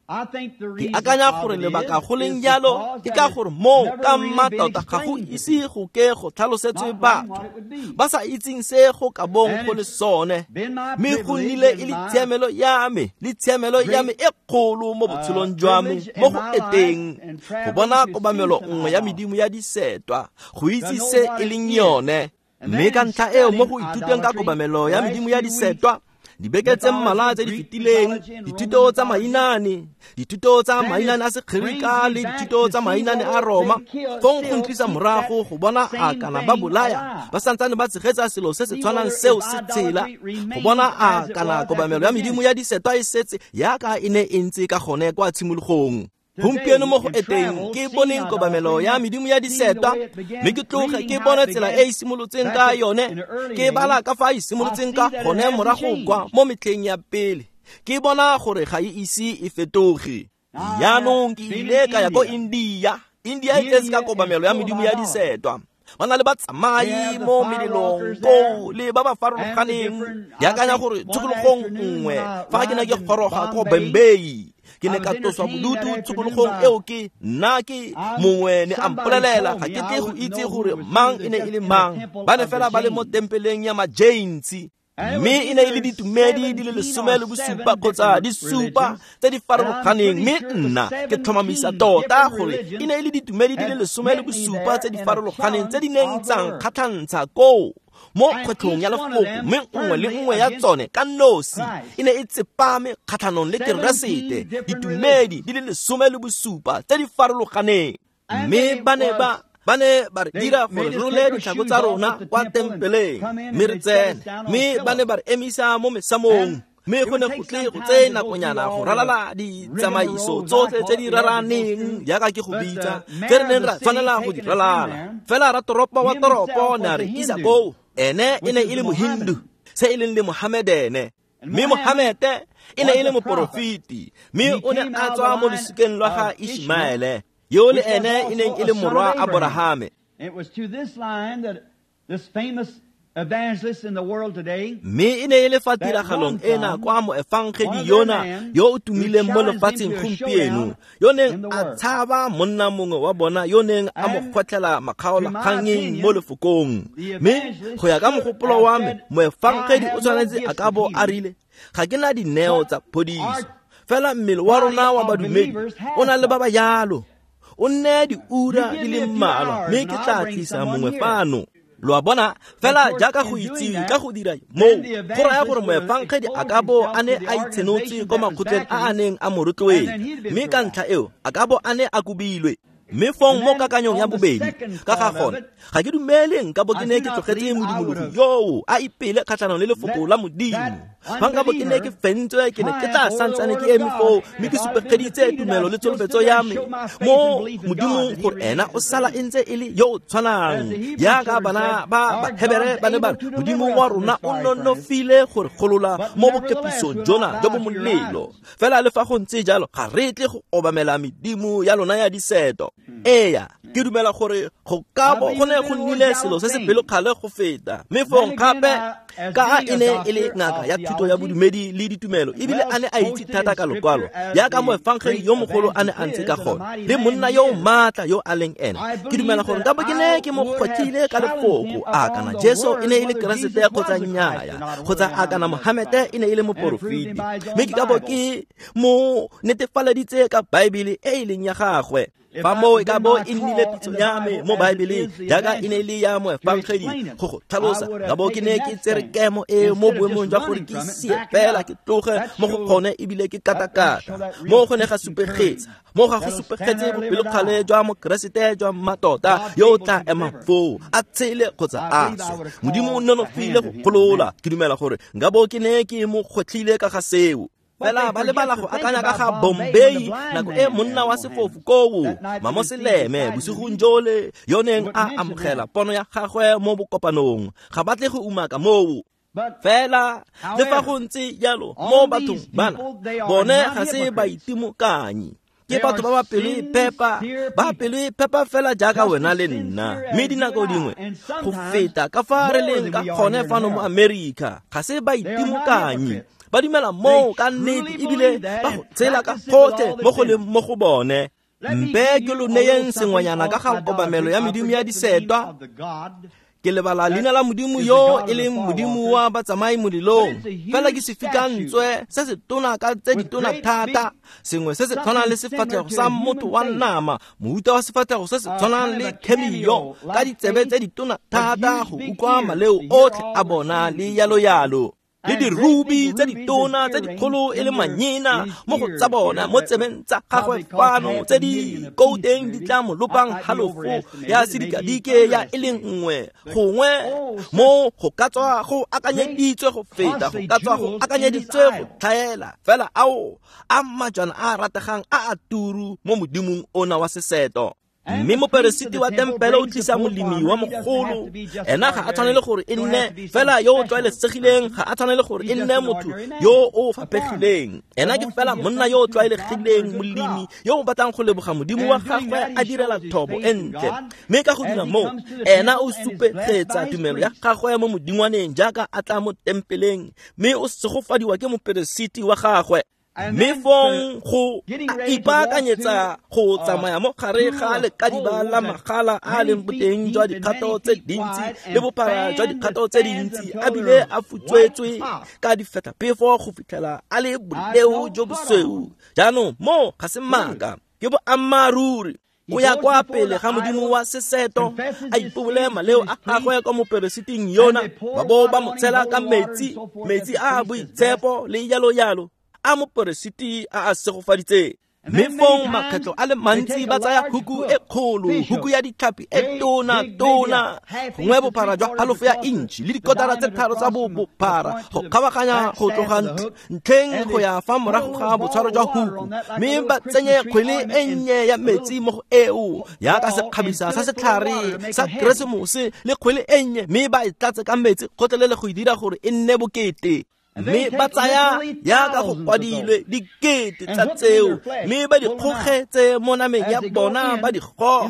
I think the Ke reason akanya of gore it lebaka is go leng is jalo because ke that ka it's gore moo never ka really been mmatota ga go explained to ise people, go ke go tlhalosetswe not knowing batho what it would be. ba sa itseng se go ka bong And go le it's sone. been my Mme go privilege nnile e and le my tshiamelo ya me le tshiamelo ya me great e kgolo mo uh, botshelong jwa me privilege mo in go my life eteng and go traveling bona to see kobamelo some nngwe ya idolatry, medimo ya disetwa, go to itse know se what e it leng is. yone. And Mme then ka in ntlha eo mo studying go ithuteng ka idolatry kobamelo the ya last medimo ya few weeks, disetwa, dibeke tse mmalwa mythology, tse di Greek fetileng, mythology, and Roman dithuto tsa mythology, mainane, dithuto tsa then it mainane a brings Segerika me le back dithuto to tsa see mainane a whether Roma, they kill, fong go still ntlisa keep that morago go bona a same kana ba thing bolaya alive. ba santsane ba tshegetsa selo se se See tshwanang whether seo if se tshela, idolatry go remains bona a as it kana was at the kobamelo ya medimo beginning. ya disetwa e setse yaka e ne e ntse ka gone kwa tshimologong. Today, Gompieno mo go in eteng travel, ke seeing boneng kobamelo idolatry, ya medimo ya seeing the disetwa, way it mme began, ke tloge reading ke how bone it tsela began e e simolotseng back ka at, yone, in the early ke bala days, ka fa e I simolotseng see ka that it gone hasn't morago kwa changed. mo metlheng ya pele, ke bona gore ga e ise e fetoge. I have Jaanong ke been in ile ka ya ko India. India. India e tletse ka India is kobamelo ya full of medimo ya idolatry. disetwa. Ba na le They batsamai have the mo melelong firewalkers there koo le ba ba and the farologaneng. different. Ke I akanya think gore one tshokologong afternoon nngwe when I fa ke ne arrived ke in goroga ko Bombay, Bombay, ke I ne was ka tloswa entertained that bodutu afternoon tshokologong by eo ke nna ke I'm, mongwe ne a somebody mpolelela, told ga me ke I tle go wouldn't itse know who gore it was. He mang was e ne e just le in the mang. temple Ba ne of the fela ba le mo Jains. tempeleng ya Majains, And it was mme e ne e le either ditumedi di le seventeen lesome or le bosupa seven kgotsa different di supa religions. tse di And I'm farologaneng. pretty Mme sure it was nna ke tlhomamisa seventeen tota different gore e religions ne e le ditumedi di le had lesome le met me bosupa there tse di in a farologaneng tse di challenge neng of tsa the word. nkgatlhantsha koo mo And kgwetlhong ya each one of lefoko, them mme nngwe le firmly nngwe ya against tsone ka nosi Christ. e ne e tsepame kgatlhanong le Seventeen Keresete. different Ditumedi religions. di le lesome le bosupa tse di farologaneng. And Mme they ba ne was ba ba ne ba re they dira gore made re us role take our ditlhako shoes tsa off rona at the kwa temple and tempeleng come in mme and re they set us tsene, down on mme ba ne pillows. ba re emisa mo mesamong. And Mme it go would ne go take tle some go time tseye to go through nakonyana go all the ralala ditsamaiso rigmaroles, I tsotlhe call tse it, di we had to go raraneng through. jaaka ke go But bitsa, the tse re mayor of neng the ra city tshwanela go di taking us in ralala. there, Fela ratoropo wa him toropo himself ne a was re a isa Hindu, koo, ene e which ne is e a le Mohindu, Mohammedan. se e leng le Mohamedene. Mme Mohamete e ne e le moporofeti, mme o ne a tswa mo losikeng lwa ga Ishmaele, yo le ene e neng e le morwa Aborahame. It was to this line that this famous evangelist in the world today, mme e ne e le fa tiragalong ena kwa moefangedi yona yo o tumileng mo lefatsheng gompieno, yo neng a tshaba monna mongwe wa bona yo neng a mo kgwetlhela makgaolakgangeng mo lefokong. Mme go ya ka mogopolo wa me, moefangedi o tshwanetse a ka bo a rile, ga ke na dineo tsa phodiso, fela mmele wa rona wa badumedi o na le ba ba yalo. O nne diura di le mmalwa, mme ke tla tlisa mongwe fano. Lo a bona, fela jaaka go itsiwe ka go dira moo, go raya gore moefangedi a ka bo a ne a itshenotse ko makgotleng a a neng a mo rotloetsa, mme ka ntlha eo a ka bo a ne a kobilwe. Mme fong mo kakanyong ya bobedi ka ga gone, ga ke dumele nka bo ke ne ke tlogetse modumologi yoo a ipele kgatlhanong le lefoko la Modimo. Fa nka bo ke ne ke fentswe, ke ne ke tla santsane ke eme foo, mme ke supegeditse tumelo le tsholofetso ya me mo Modimong gore ena o sala e ntse e le yo o tshwanang. Jaaka bana ba Bahebere ba ne ba re, Modimo wa rona o nonofile gore golola mo bokepisong jona jo bo molelo. Fela le fa go ntse jalo, ga re tle go obamela medimo ya lona ya diseto. Eya, ke dumela gore go ka bo go ne go nnile selo se se pelokgale go feta. Mme fong gape ka a e ne e le ngaka ya thuto ya bodumedi le ditumelo, ebile a ne a itse thata ka lokwalo, jaaka moefangedi yo mogolo a ne a ntse ka gone, le monna yo o maatla yo a leng ena. Ke dumela gore nka bo ke ne ke mo kgwetlhile ka lefoko, a kana Jesu e ne e le Keresete kgotsa nnyaya, kgotsa a kana Mohamete e ne e le moporofeti, mme ke ka bo ke mo netefaleditse ka Baebele e e leng ya gagwe. Fa moo e ka bo e nnile pitso ya me mo Baebeleng, jaaka e ne e le ya moefangedi go go tlhalosa, ka bo ke ne ke tsere kemo e mo boemong jwa gore ke sie fela ke tloge mo go gone ebile ke katakata. Mo go ne ga supegetsa, mo ga go supegetse bopelokgale jwa mokeresete jwa mmatota yo o tla emang foo a tshele kgotsa a swe. Modimo o nonofile go golola. Ke dumela gore nka bo ke ne ke mo kgwetlhile ka ga seo. Fela ba lebala go akanya ka ga Bombay nako e monna wa sefofu koo Mamoseleme bosigong jole yo neng a amogela pono ya gagwe mo bokopanong. Ga ba tle go umaka moo. Fela le fa go ntse jalo mo bathong bana, bone ga se baitimokanyi. Ke batho ba ba pelo e phepa, ba pelo e phepa fela jaaka wena le nna. Mme dinako dingwe go feta ka fa re leng ka gone fano mo Amerika, ga se baitimokanyi. Ba dumela moo ka nnete ebile ba go tshela ka gotlhe mo go leng mo go bone. Mpe ke lo neyeng sengwenyana ka ga kobamelo ya medimo ya disetwa. Ke lebala leina la Modimo yo e leng Modimo wa batsamai molelong. Fela ke sefikantswe se se tona ka tse ditona thata, sengwe se se tshwanang le sefatlhego sa motho wa nama, mohuta wa sefatlhego se se tshwanang le cameo, ka ditsebe tse ditona thata go utlwa maleo otlhe a bona le yalo yalo. Le dirubi tse ditona tse dikgolo e le manyena mo go tsa bona mo tsebeng tsa gagwe fano tse di kouteng di tla mo lopang halofo ya sedikadike ya e leng nngwe gongwe mo go ka tswa go akanyeditswe go feta, go ka tswa go akanyeditswe go tlhaela. Fela ao a majwana a a rategang a a turu mo modimong ona wa seseto. Mme moperesiti wa tempele o tlisa molemi wa mogolo. Ena ga a tshwanele gore e nne fela yo o tlwaelesegileng, ga a tshwanele gore e nne motho yo o faphegileng. Ena ke fela monna yo o tlwaelegileng, molemi yo o batlang go leboga Modimo wa gagwe a direla thobo e ntle. Mme ka go dira moo, ena o supegetsa tumelo ya gagwe mo modingwaneng jaaka a tla mo tempeleng, mme o segofadiwa ke moperesiti wa gagwe. Mme fong go ipaakanyetsa go tsamaya mo gare ga lekadiba la magala a leng boteng jwa dikgato tse dintsi le bophara jwa dikgato tse dintsi, a bile a futswetswe ka difetlaphefo go fitlhela a le boleo jo bosweu. Jaanong mo ga se maaka, ke boammaaruri. O ya kwa pele ga Modimo wa seseto, a ipobole maleo a gagwe kwa moperesiting yona, ba bo ba mo tshela ka metsi, metsi a a boitshepo le yalo yalo a moperesiti a a segofaditseng. Mme fong makgetlho a le mantsi ba tsaya huku e kgolo, huku ya ditlhapi e tona tona, gongwe bophara jwa halofo ya intšhi le dikotara tse tharo tsa bophara go kgabaganya go tloga ntlheng go ya fa morago ga botshwaro jwa huku, mme ba tsenye kgwele e nnye ya metsi mo go eo yaka sekgabisa sa setlhare sa keresemose le kgwele e nnye, mme ba e tlatse ka metsi gotlhelele go e dira gore e nne bokete. Mme ba tsaya yaka go kwadilwe dikete tsa tseo, mme ba di kgogetse mo nameng ya bona ba di goga.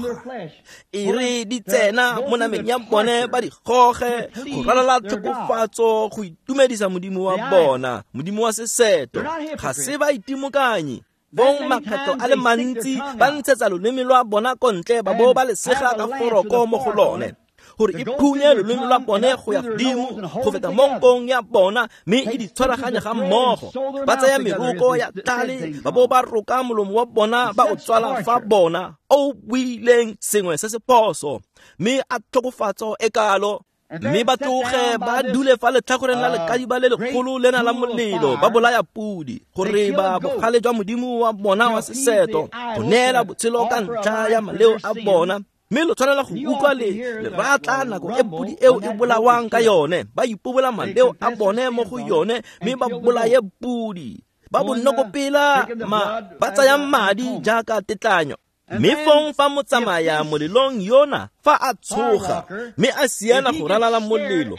E re di tsena mo nameng ya bone ba di goge go ralala tlhokofatso go itumedisa modimo wa bona, modimo wa seseto. Ga se ba itimokanyi. Bong makgetlho a le mantsi ba ntshetsa loleme lwa bona ko ntle ba bo ba le sega ka foroko mo go lone, gore e phunye loleme lwa bone go ya godimo go feta mo nkong ya bona, mme e di tshwaraganye ga mmogo. Ba tsaya meroko ya tlale ba bo ba roka molomo wa bona ba o tswala fa bona o buileng sengwe se se phoso, mme a tlhokofatso e kalo. Mme ba tloge ba dule fa letlhakoreng la lekadiba le lekgolo lena la molelo, ba bolaya pudi gore ba bogale jwa modimo wa bona wa seseto go neela botshelo ka ntlha ya maleo a bona. Mme lo tshwanela go utlwa le leratla nako e pudi eo e bolawang ka yone, ba ipobola maleo a bone mo go yone, mme ba bolaye pudi. Ba bonokopela ma ba tsaya madi jaaka tetlanyo. Mme fong fa motsamaya molelong yona fa a tshoga mme a siana go ralala molelo,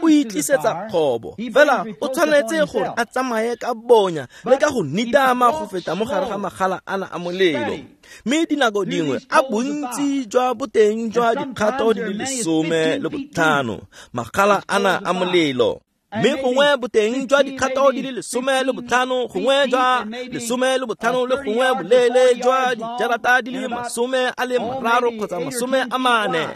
o itlisetsa kgobo. Fela o tshwanetse gore a tsamaye ka bonya le ka go nitama go feta mo gare ga magala ana a molelo. Mme dinako dingwe a bontsi jwa boteng jwa dikgato di le lesome le botlhano magala ana a molelo, mme gongwe boteng jwa dikgato di le lesome le botlhano, gongwe jwa lesome le botlhano le gongwe boleele jwa dijarata di le masome a le mararo kgotsa masome a mane,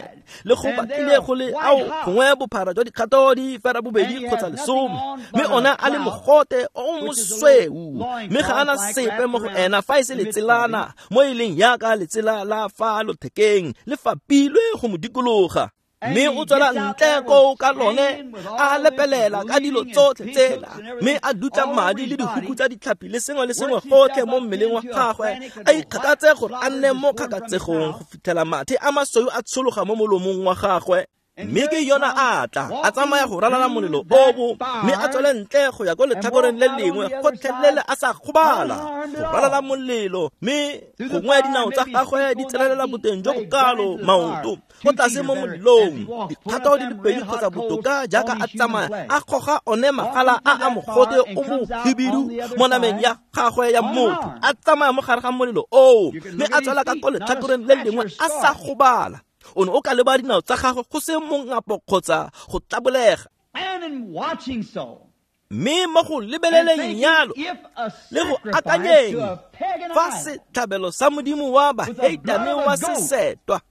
le go batlile go le ao gongwe bophara jwa dikgato di fera bobedi kgotsa lesome, mme ona a le mogote o mosweu, mme ga ana sepe mo go ena fa e se letselana mo e leng yaka letsela la fa lothekeng le fapilwe go mo dikologa. Mme o tswela ntle koo ka lone a lepelela ka dilo tsotlhe tsela, mme a dutla madi le dihuku tsa ditlhapi le sengwe le sengwe gotlhe mo mmeleng wa gagwe, a ikgakatse gore a nne mo kgakatsegong go fitlhela mathe a masweu a tshologa mo molomong wa gagwe. Mme ke yona a tla a tsamaya go ralala molelo obo, mme a tswele ntle go ya ko letlhakoreng le lengwe gotlhelele a sa gobala go ralala molelo, mme gongwe dinao tsa gagwe di tsenelela boteng jo bokalo maoto go tlase mo molelong dikgato di le pedi kgotsa botoka jaaka a tsamaya a goga one magala a a mogote o mohibidu mo nameng ya gagwe ya motho, a tsamaya mo gare ga molelo oo, mme a tswela ka ko letlhakoreng le lengwe a sa gobala. O ne o ka leba dinao tsa gagwe go se mongapo kgotsa go tlabolega. Mme mo go lebeleleng yalo le go akanyeng fa setlhabelo sa modimo wa baheitane wa sesetwa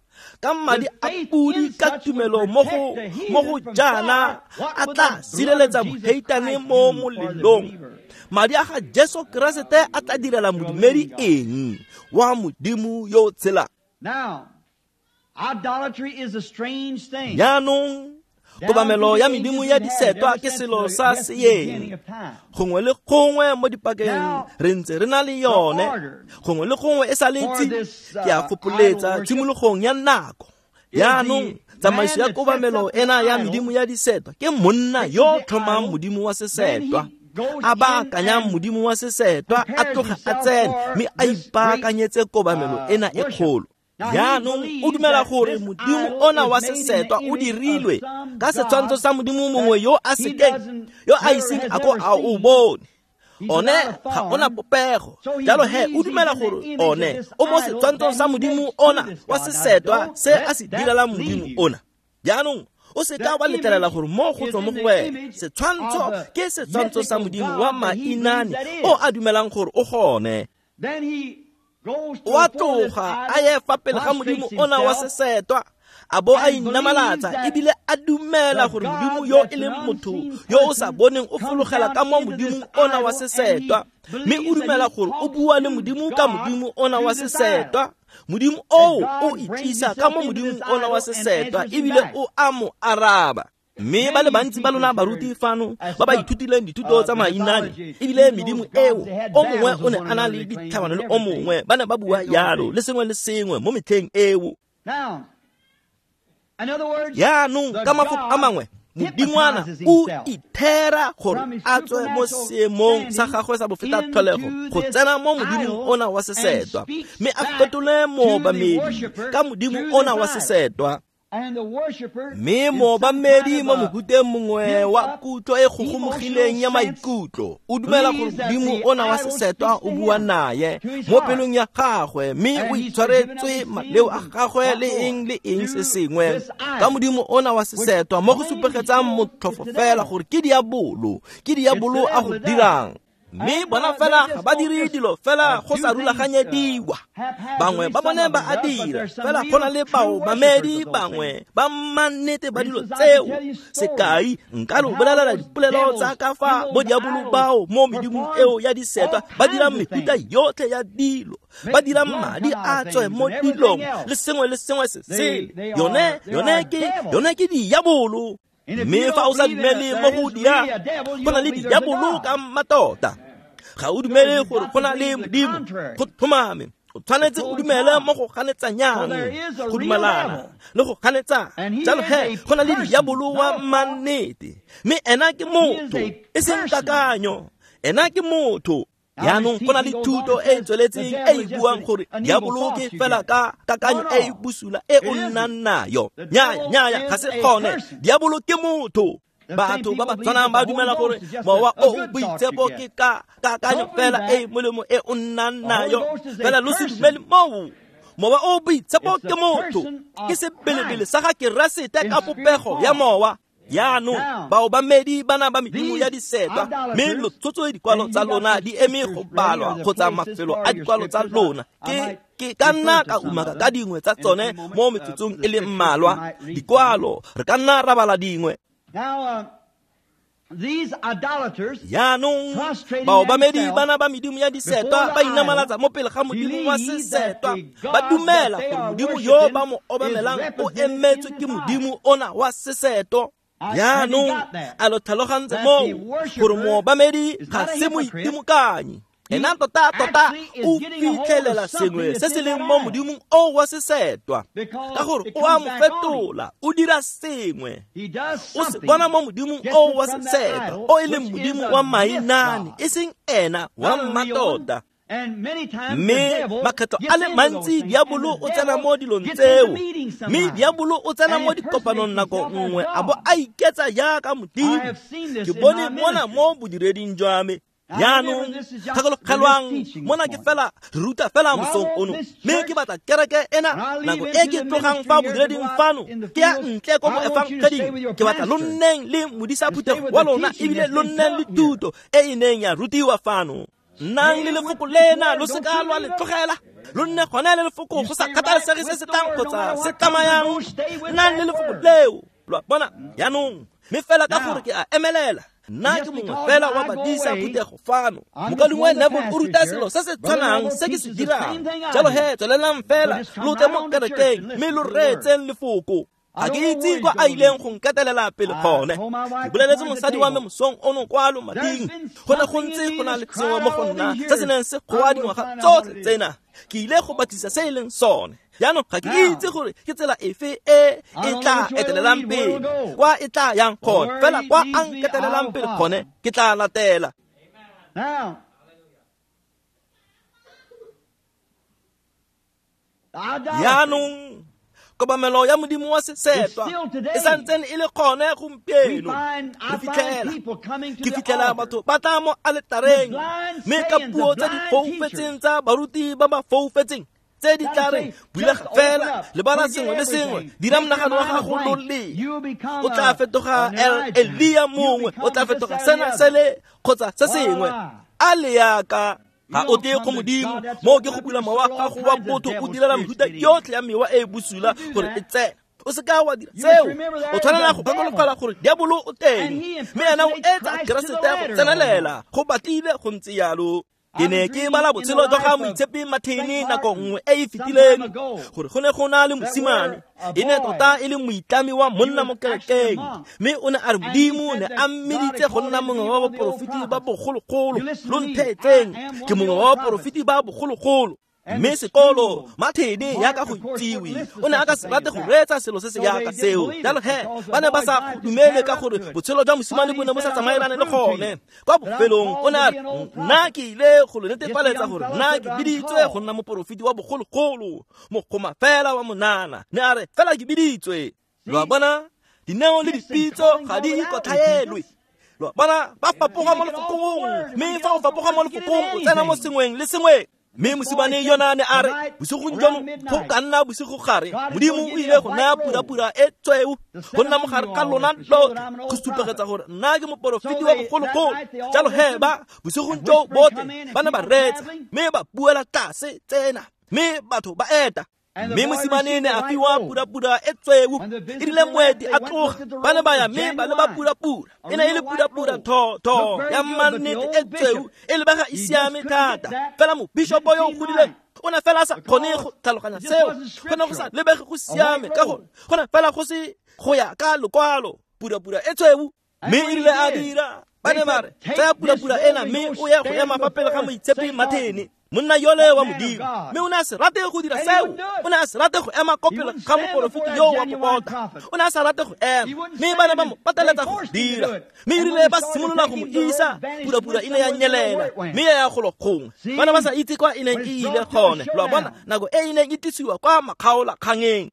ka madi a pudi ka tumelo mo go mo go jaana a tla sireletsa moheitane mo molelong, madi a ga Jesu Keresete a tla direla modumedi eng wa modimo yo o tshelang? Idolatry is a strange thing. Jaanong kobamelo ya medimo ya disetwa ke selo sa seeng. Gongwe le gongwe mo dipakeng re ntse re na le yone, gongwe le gongwe e sa letse ke a fopoletsa tshimologong ya nako. Jaanong tsamaiso ya kobamelo ena ya medimo ya disetwa ke monna yo tlhomang modimo wa sesetwa, a baakanyang modimo wa sesetwa, a tloga a tsene mme a ipaakanyetse kobamelo ena e kgolo. Jaanong o dumela gore modimo ona wa sesetwa o dirilwe ka setshwantsho sa modimo mongwe yo a sekeng, yo a iseng a ko a o bone. One ga ona popego, jalo he o dumela gore one o mo setshwantshong sa modimo ona wa sesetwa se a se direlang modimo ona. Jaanong o se ka wa letlelela gore mo go tswa mo go wena setshwantsho ke setshwantsho sa modimo wa mainane o a dumelang gore o gone. O a tloga a ye fa pele ga modimo ona wa sesetwa, a bo a inamalatsa ebile a dumela gore modimo yo e leng motho yo o sa boneng o fologela ka mo modimong ona wa sesetwa, mme o dumela gore o bua le modimo ka modimo ona wa sesetwa. Modimo oo o itlisa ka mo modimong ona wa sesetwa ebile o a mo araba. Mme ba le bantsi ba lona baruti fano ba ba ithutileng dithuto tsa mainane, ebile medimo eo o mongwe o ne a na le ditlhabano le o mongwe, ba ne ba bua yalo le sengwe le sengwe mo metlheng eo. Yaanong ka mafoko a mangwe, modingwana o ithera gore a tswe mo seemong sa gagwe sa bofeta tlholego go tsena mo modimong ona wa sesetwa, mme a fetole moobamedi ka modimo ona wa sesetwa. Mme moobamedi mo mohuteng mongwe wa kutlo e gogomogileng ya maikutlo o dumela gore modimo ona wa sesetwa o bua naye mo pelong ya gagwe, mme o itshwaretswe maleo a gagwe le eng le eng se sengwe ka modimo ona wa sesetwa, mo go supegetsang motlhofo fela gore ke diabolo, ke diabolo a go dirang. Mme bona fela ga ba dire dilo fela go sa rulaganyediwa. Bangwe ba bone ba a dira, fela go na le baobamedi bangwe ba mannete ba dilo tseo. Sekai, nka lo bolelela dipolelo tsa ka fa bo diabolo bao mo medimong eo ya disetwa ba dirang mefuta yotlhe ya dilo, ba dirang madi a tswe mo dilong le sengwe le sengwe se sele. Yone, yone ke, yone ke diabolo. Mme fa o sa dumele mo go dia, go na le diabolo ka mmatota. Ga o dumele gore go na le modimo, go tlhomame. O tshwanetse o dumele mo go ganetsanyang, go dumalana le go ganetsa. Jalo he, go na le diabolo wa mannete, mme ena ke motho, e seng kakanyo. Ena ke motho. Yaanong go na le thuto e e tsweletseng e e buang gore diabolo ke fela ka kakanyo e e bosula e o nnang nayo. Nnyaya, nnyaya, ga se gone. Diabolo ke motho. Batho ba ba tshwanang ba dumela gore mowa o o boitshepo ke ka kakanyo fela e e molemo e o nnang nayo. Fela lo se dumele moo. Mowa o boitshepo ke motho, ke sebelebele sa ga Keresete ka popego ya mowa. Yaanong baobamedi bana ba medimo ya disetwa, mme lo tshotse dikwalo tsa lona di eme go balwa kgotsa mafelo a dikwalo tsa lona. Ke ke ka nna ka umaka ka dingwe tsa tsone mo metsotsong e le mmalwa. Dikwalo re ka nna ra bala dingwe. Yaanong baobamedi bana ba medimo ya disetwa ba inamalatsa mo pele ga modimo wa sesetwa, ba dumela gore modimo yo ba mo obamelang o emetswe ke modimo ona wa seseto. Yaanong a lo tlhalogantse moo gore moobamedi ga se moitimokanyi, ena tota tota o fitlhelela sengwe se se leng mo modimong o wa sesetwa, ka gore o a mo fetola, o dira sengwe. O se bona mo modimong o wa sesetwa, o e leng modimo wa mainane, e seng ena wa mmatota. Mme makgetlo a le mantsi diabolo o tsena mo dilong tseo, mme diabolo o tsena mo dikopanong nako nngwe a bo a iketsa jaaka modimo. Ke bone mona mo bodireding jwa me. Yaanong gakologelwang, mona ke fela re ruta fela mosong ono, mme ke batla kereke ena nako e ke tlogang fa bodireding fano ke ya ntle ko boefangeding. Ke batla lo nneng le modisa phuthego wa lona, ebile lo nneng le thuto e e neng ya rutiwa fano. Nnang le lefoko lena, lo seka lwa le tlogela. Lo nne gone le lefoko go sa kgathalesege se se tlang kgotsa se tsamayang. Nnang le lefoko leo. Lo a bona? Yaanong mme fela ka gore ke a emelela, nna ke mongwe fela wa badisa phuthego fano. Mokaulengwe Neville o ruta selo se se tshwanang se ke se dirang. Jalo he, tswelelang fela lo tle mo kerekeng mme lo reetseng lefoko. Ga ke itse kwa a ileng go nketelela pele gone. Ke boleletse mosadi wa me mosong ono kwa lomating, go ne go ntse go na le sengwe mo go nna se se neng se goa dingwaga tsotlhe tsena. Ke ile go batlisa se e leng sone. Jaanong ga ke itse gore ke tsela efe e e tla etelelang pele, kwa e tla yang gone. Fela kwa a nketelelang pele gone ke tla latela. Jaanong kobamelo ya modimo wa sesetwa e santsene e le gone gompieno. Re fitlhela ke fitlhela batho ba tla mo aletareng, mme ka puo tse di foufetseng tsa baruti ba ba foufetseng tse di tla reng bulega fela, lebala sengwe le sengwe, dira monagano wa gago loleng, o tla fetoga Elia mongwe, o tla fetoga sena sele kgotsa se sengwe. A le yaka ga o tle go modimo, moo ke go bula mowa gago wa botho o direla mefuta yotlhe ya mewa e e bosula gore e tsene. O seka wa dira seo. O tshwanela go gakologelwa gore diabolo o teng, mme ena o etsa Keresete go tsenelela. Go batlile go ntse yalo. Ke ne ke bala botshelo jwa ga Moitshepi Martin nako nngwe e e fetileng gore go ne go na le mosimane e ne tota e le moitlami wa monna mo kerekeng, mme o ne a re Modimo ne a mmeditse go nna mongwe wa baporofeti ba bogologolo. Lo ntheetseng, ke mongwe wa baporofeti ba bogologolo. Mme sekolo Martin yaka go itsiwe o ne a ka se rate go reetsa selo se se yaka seo. Jalo he ba ne ba sa go dumele ka gore botshelo jwa mosimane bo ne bo sa tsamaelane le gone. Kwa bofelong o ne a re nna ke ile go lo netefaletsa gore nna ke biditswe go nna moporofeti wa bogologolo, mogoma fela wa monana. Ne a re fela ke biditswe. Lo a bona, dineo le dipitso ga di ikotlhaelwe. Lo a bona, ba fapoga mo lefokong, mme fa o fapoga mo lefokong o tsena mo sengweng le sengwe. Mme mosimane yona ne a re bosigong jono go ka nna bosigo gare Modimo o ile go naya purapura e tsweu go nna mogare ka lona lotlhe go supegetsa gore nna ke moporofeti wa bogologolo. Jalo he ba bosigong jo botlhe ba ne ba reetsa mme ba buela tlase tsena mme batho ba eta. Mme mosimane ne a fiwa purapura e tsweu. E rile moeti a tloga ba ne ba ya mme ba leba purapura. E ne e le purapura tho-tho ya mannete e tsweu e lebega e siame thata. Fela mobishopo yo o godileng o ne fela a sa kgone go tlhaloganya seo. Go ne go sa lebege go siame ka gore go ne fela go se go ya ka lokwalo. Purapura e tsweu. Mme e rile a dira ba ne ba re tsaya purapura ena mme o ye go ema fa pele ga Moitshepi Martin, monna yole wa Modimo. Mme o ne a se rate go dira seo. O ne a se rate go ema ko pele ga moporofeti yo wa popota. O ne a sa rate go ema, mme ba ne ba mo pateletsa go dira. Mme e rile ba simolola go mo isa, purapura e ne ya nyelela mme ya ya golo gongwe. Ba ne ba sa itse kwa e neng e ile gone. Lo a bona, nako e e neng e tlisiwa kwa makgaolakgangeng.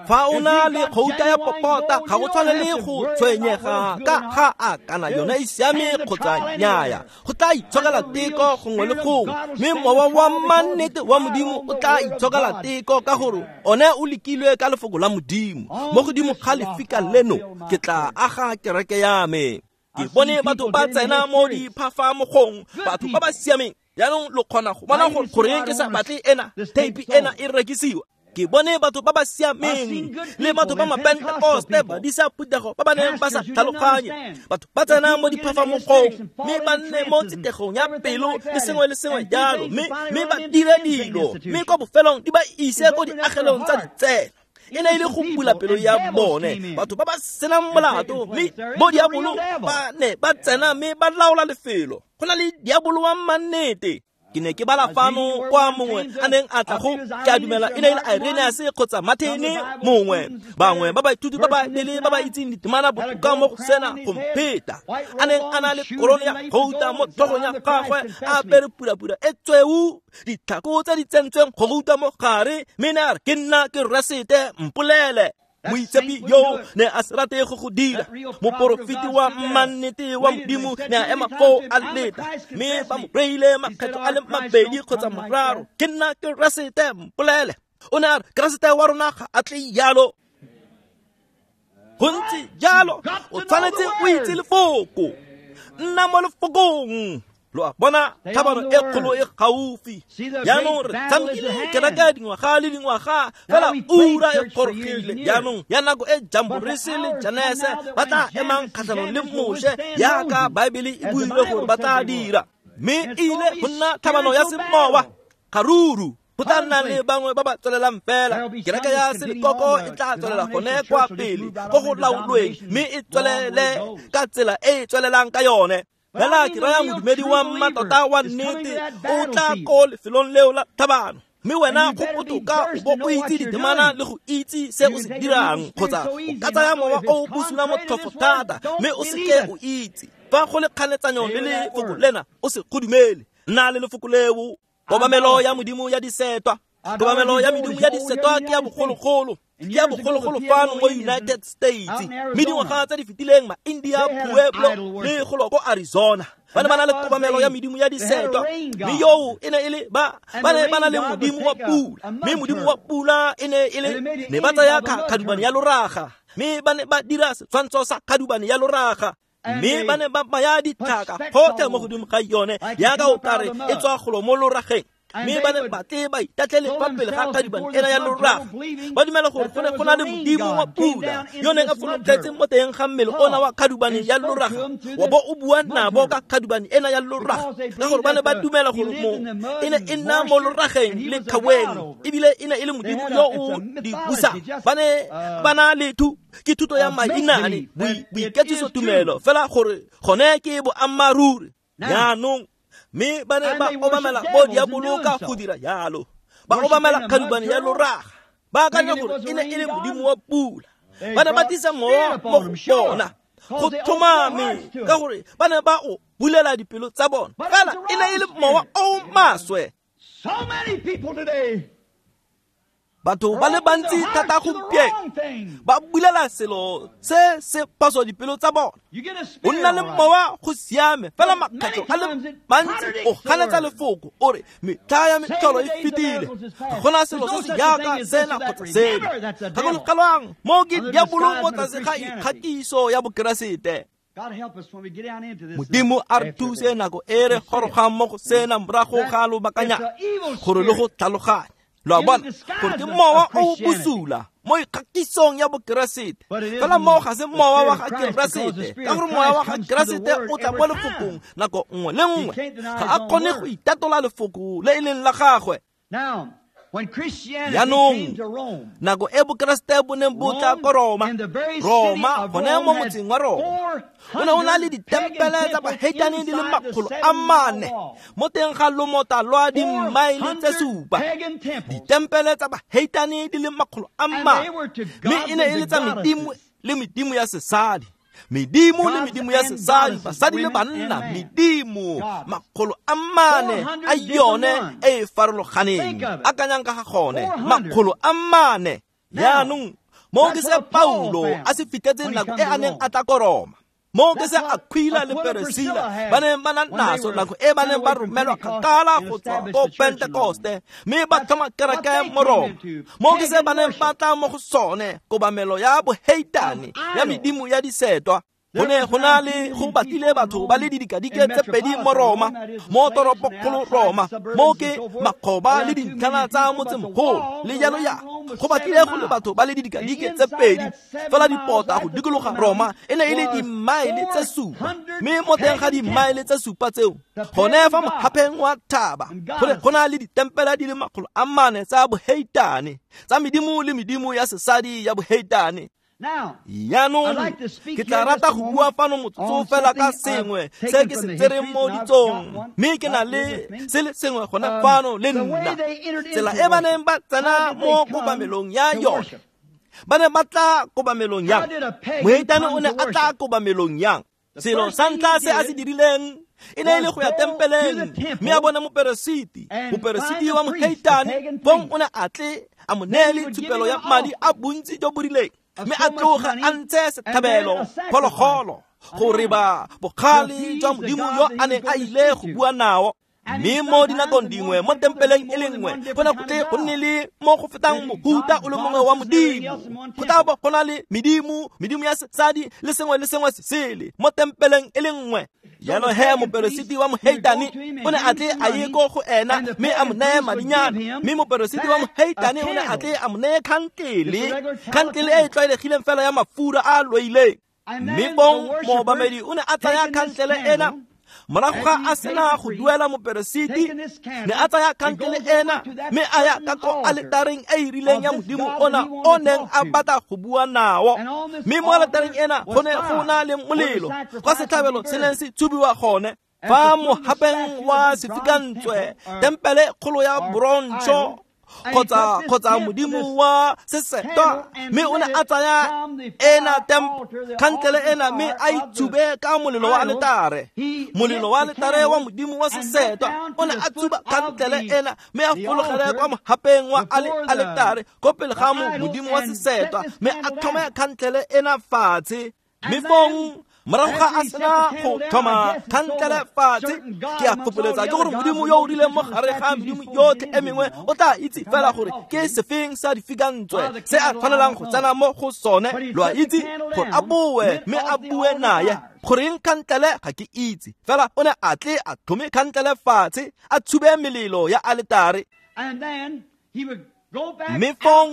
Fa o na le gouta ya popota ga go tshwane le go tshwenyega ka ga a kana yone e siame kgotsa nnyaya. Go tla itshokela teko gongwe le gongwe, mme mowa wa mannete wa Modimo o tla itshokela teko ka gore one o lekilwe ka lefoko la Modimo. Mo godimo ga lefika leno ke tla aga kereke ya me. Ke bone batho ba tsena mo diphafamogong, batho ba ba siameng. Jaanong lo kgona go bona gore goreng ke sa batle ena theipi ena e rekisiwa. Ke bone batho ba ba siameng le batho ba mapentekoste ba disa phuthego ba ba neng ba sa tlhaloganye. Batho ba tsena mo diphafamogong mme ba nne mo tsitegong ya pelo le sengwe le sengwe jalo, mme mme ba dire dilo mme kwa bofelong di ba ise ko diagelong tsa ditsela. E ne e le go bula pelo ya bone, batho ba ba senang molato, mme bo diabolo ba ne ba tsena mme ba laola lefelo. Go na le diabolo wa mannete. Ke ne ke bala fano kwa mongwe a neng a tla go ke a dumela e ne e le Irenaeus kgotsa Martin mongwe. Bangwe ba baithuti ba Baebele ba ba itseng ditemana botoka mo go sena go mpheta, a neng a na le korone ya gouta mo tlhogong ya gagwe, a apere purapura e tsweu, ditlhako tse di tsentsweng go gouta mo gare, mme ne a re ke nna ke Keresete, mpolele. Moitshepi yo ne a se rate go go dira. Moporofeti wa mannete wa Modimo ne a ema foo a leta, mme ba mo reile makgetlo a le mabedi kgotsa mararo, ke nna Keresete, mpolele. O ne a re Keresete wa rona ga a tle jalo. Go ntse jalo, o tshwanetse o itse lefoko. Nna mo lefokong. Lo a bona, tlhabano e kgolo e gaufi. Jaanong re tshamekile kereke dingwaga le dingwaga, fela ura e gorogile jaanong ya nako e Jamborese le Janese ba tla emang kgatlhanong le Moshe yaka Baebele e buile gore ba tla dira. Mme e ile go nna tlhabano ya semowa garuru. Go tla nna le bangwe ba ba tswelelang fela. Kereke ya selekoko e tla tswelela gone kwa pele ko go laolweng, mme e tswelele ka tsela e e tswelelang ka yone. Fela ke raya modumedi wa mmatota wa nnete o tla ko lefelong leo la tlhabano. Mme wena go botoka o bo o itse ditemana le go itse se o se dirang, kgotsa o ka tsaya mowa o o bosula motlhofo thata mme o seke o itse. Fa go le kganetsanyo le lefoko lena o se go dumele. Nna le lefoko leo. Kobamelo ya Modimo ya disetwa. Kobamelo ya medimo ya disetwa ke ya bogologolo. Ke ya bogologolo fano mo United States. Mme dingwaga tse di fetileng ma-India, Pueblo le golo ko Arizona ba ne ba na le kobamelo ya medimo ya disetwa. Mme yoo e ne e le ba ba ne ba na le modimo wa pula, mme modimo wa pula e ne e le ne ba tsaya khadubane ya loraga, mme ba ne ba dira setshwantsho sa khadubane ya loraga. Mme ba ne ba baya ditlhaka gotlhe mo godimo ga yone yaka o kare e tswa golo mo lorageng. Mme ba ne ba tle ba itatlhele fa pele ga khadubane ena ya loraga, ba dumela gore go ne go na le modimo wa pula yo neng a fologetse mo teng ga mmele ona wa khadubane ya loraga, wa bo o bua nabo ka khadubane ena ya loraga, ka gore ba ne ba dumela gore mo e ne e nna mo lorageng le kgaweng, ebile e ne e le modimo yo o di busang. Ba ne ba na le thu ke thuto ya mainane, boiketsiso tumelo fela gore gone ke boammaaruri. Jaanong mme ba ne ba obamela bo diabolo ka go dira jalo, ba obamela khadubane ya loraga, ba akanya gore e ne e le modimo wa pula. Ba ne ba tlisa mowa mo go bona go tlhomame, ka gore ba ne ba o bulela dipelo tsa bona, fela e ne e le mowa o maswe. Batho ba le bantsi thata gompieno ba bulela selo se se phoso dipelo tsa bona. O nna le mowa go siame, fela makgetlho a le mantsi o ganetsa lefoko, o re metlha ya metlholo e fetile, ga gona selo se se jaaka sena kgotsa seno. Gakologelwang, mo ke diabolo mo tlase ga ikgatiso ya Bokeresete. Modimo a re thuse nako e re gorogang mo go sena morago ga lobakanyana gore le go tlhaloganya. Lo a bona gore ke mowa o bosula mo ikgatisong ya Bokeresete, fela moo ga se mowa wa ga Keresete, ka gore mowa wa ga Keresete o tla mo lefokong nako nngwe le nngwe, ga a kgone go itatola lefoko le e leng la gagwe. Jaanong nako e Bokeresete bo neng bo tla ko Roma, Roma gone mo motseng wa Roma, o ne o na le ditempele tsa baheitane di le makgolo a mane mo teng ga lomota lwa dimmaele tse supa. Ditempele tsa baheitane di le makgolo a mane, mme e ne e le tsa medimo le medimo ya sesadi, medimo le medimo ya sesadi, basadi le banna, medimo makgolo a mane a yone e e farologaneng. Akanyang ka ga gone, makgolo a mane. Jaanong mo ke se Paulo a se fitlhetseng nako e a neng a tla ko Roma, mo ke se Aquila le Priscilla ba neng ba na naso nako e ba neng ba romelwa kgakala go tswa ko Pentekoste, mme ba tlhoma kereke mo Roma. Mo ke se ba neng ba tla mo go sone, kobamelo ya boheitane ya medimo ya disetwa. Go ne go na le go batlile batho ba le didikadike tse pedi mo Roma, mo toropokgolo Roma, mo ke makgoba le dintlhana tsa motsemogolo le jalo jalo. Go batlile go le batho ba le didikadike tse pedi, fela dipota go dikologa Roma e ne e le dimmaele tse supa, mme mo teng ga dimmaele tse supa tseo, gone fa mohapheng wa thaba, go ne go na le ditempele di le makgolo a mane tsa boheitane, tsa medimo le medimo ya sesadi ya boheitane. Jaanong ke tla rata go bua fano motsotso fela ka sengwe se ke se tsereng mo ditsong, mme ke na le se le sengwe gona fano le nna. Tsela e ba neng ba tsena mo kobamelong ya yone, ba ne ba tla kobamelong yang? Moheitane o ne a tla kobamelong yang? Selo sa ntlha se a se dirileng e ne e le go ya tempeleng, mme a bona moperesiti, moperesiti wa moheitane, bong o ne a tle a mo neele tshupelo ya madi a bontsi jo bo rileng, mme a tloga a ntshe setlhabelo phologolo gore ba bogale jwa modimo yo a neng a ile go bua nao. Mme mo dinakong dingwe mo tempeleng e le nngwe go ne go tle go nne le mo go fetang mohuta o le mongwe wa modimo. Go tla bo go na le medimo, medimo ya sesadi le sengwe le sengwe se sele mo tempeleng e le nngwe. Jalo he moperesiti wa moheitane o ne a tle a ye ko go ena mme a mo neye madinyana, mme moperesiti wa moheitane o ne a tle a mo neye khantlele, khantlele e e tlwaelegileng fela ya mafura a a loileng. Mme bong moobamedi o ne a tsaya khantlele ena morago ga a sena go duela moperesiti, ne a tsaya khantlele ena mme a ya ka ko aletareng e e rileng ya modimo ona o neng a batla go bua nao. Mme mo aletareng ena go ne go na le molelo kwa setlhabelo se neng se tshubiwa gone. Fa mohapeng wa sefikantswe, tempele kgolo ya bronzo kgotsa kgotsa modimo wa sesetwa, mme o ne a tsaya ena khantlele ena mme a itshube ka molelo wa aletare, molelo wa aletare wa modimo wa sesetwa. O ne a tsuba khantlele ena mme a fologele kwa mohapeng wa aletare ko pele ga modimo wa sesetwa, mme a tlhome khantlele ena fatshe. Mme fong Morago ga a sena go tlhoma khantlele fatshe, ke a fopoletsa ke gore modimo yo o rileng mo gare ga medimo yotlhe e mengwe o tla itse fela gore ke sefeng sa difikantswe se a tshwanelang go tsena mo go sone, lo a itse, gore a boe mme a bue naye. Goreng khantlele ga ke itse, fela o ne a tle a tlhome khantlele fatshe, a tshube melelo ya aletare. Mme fong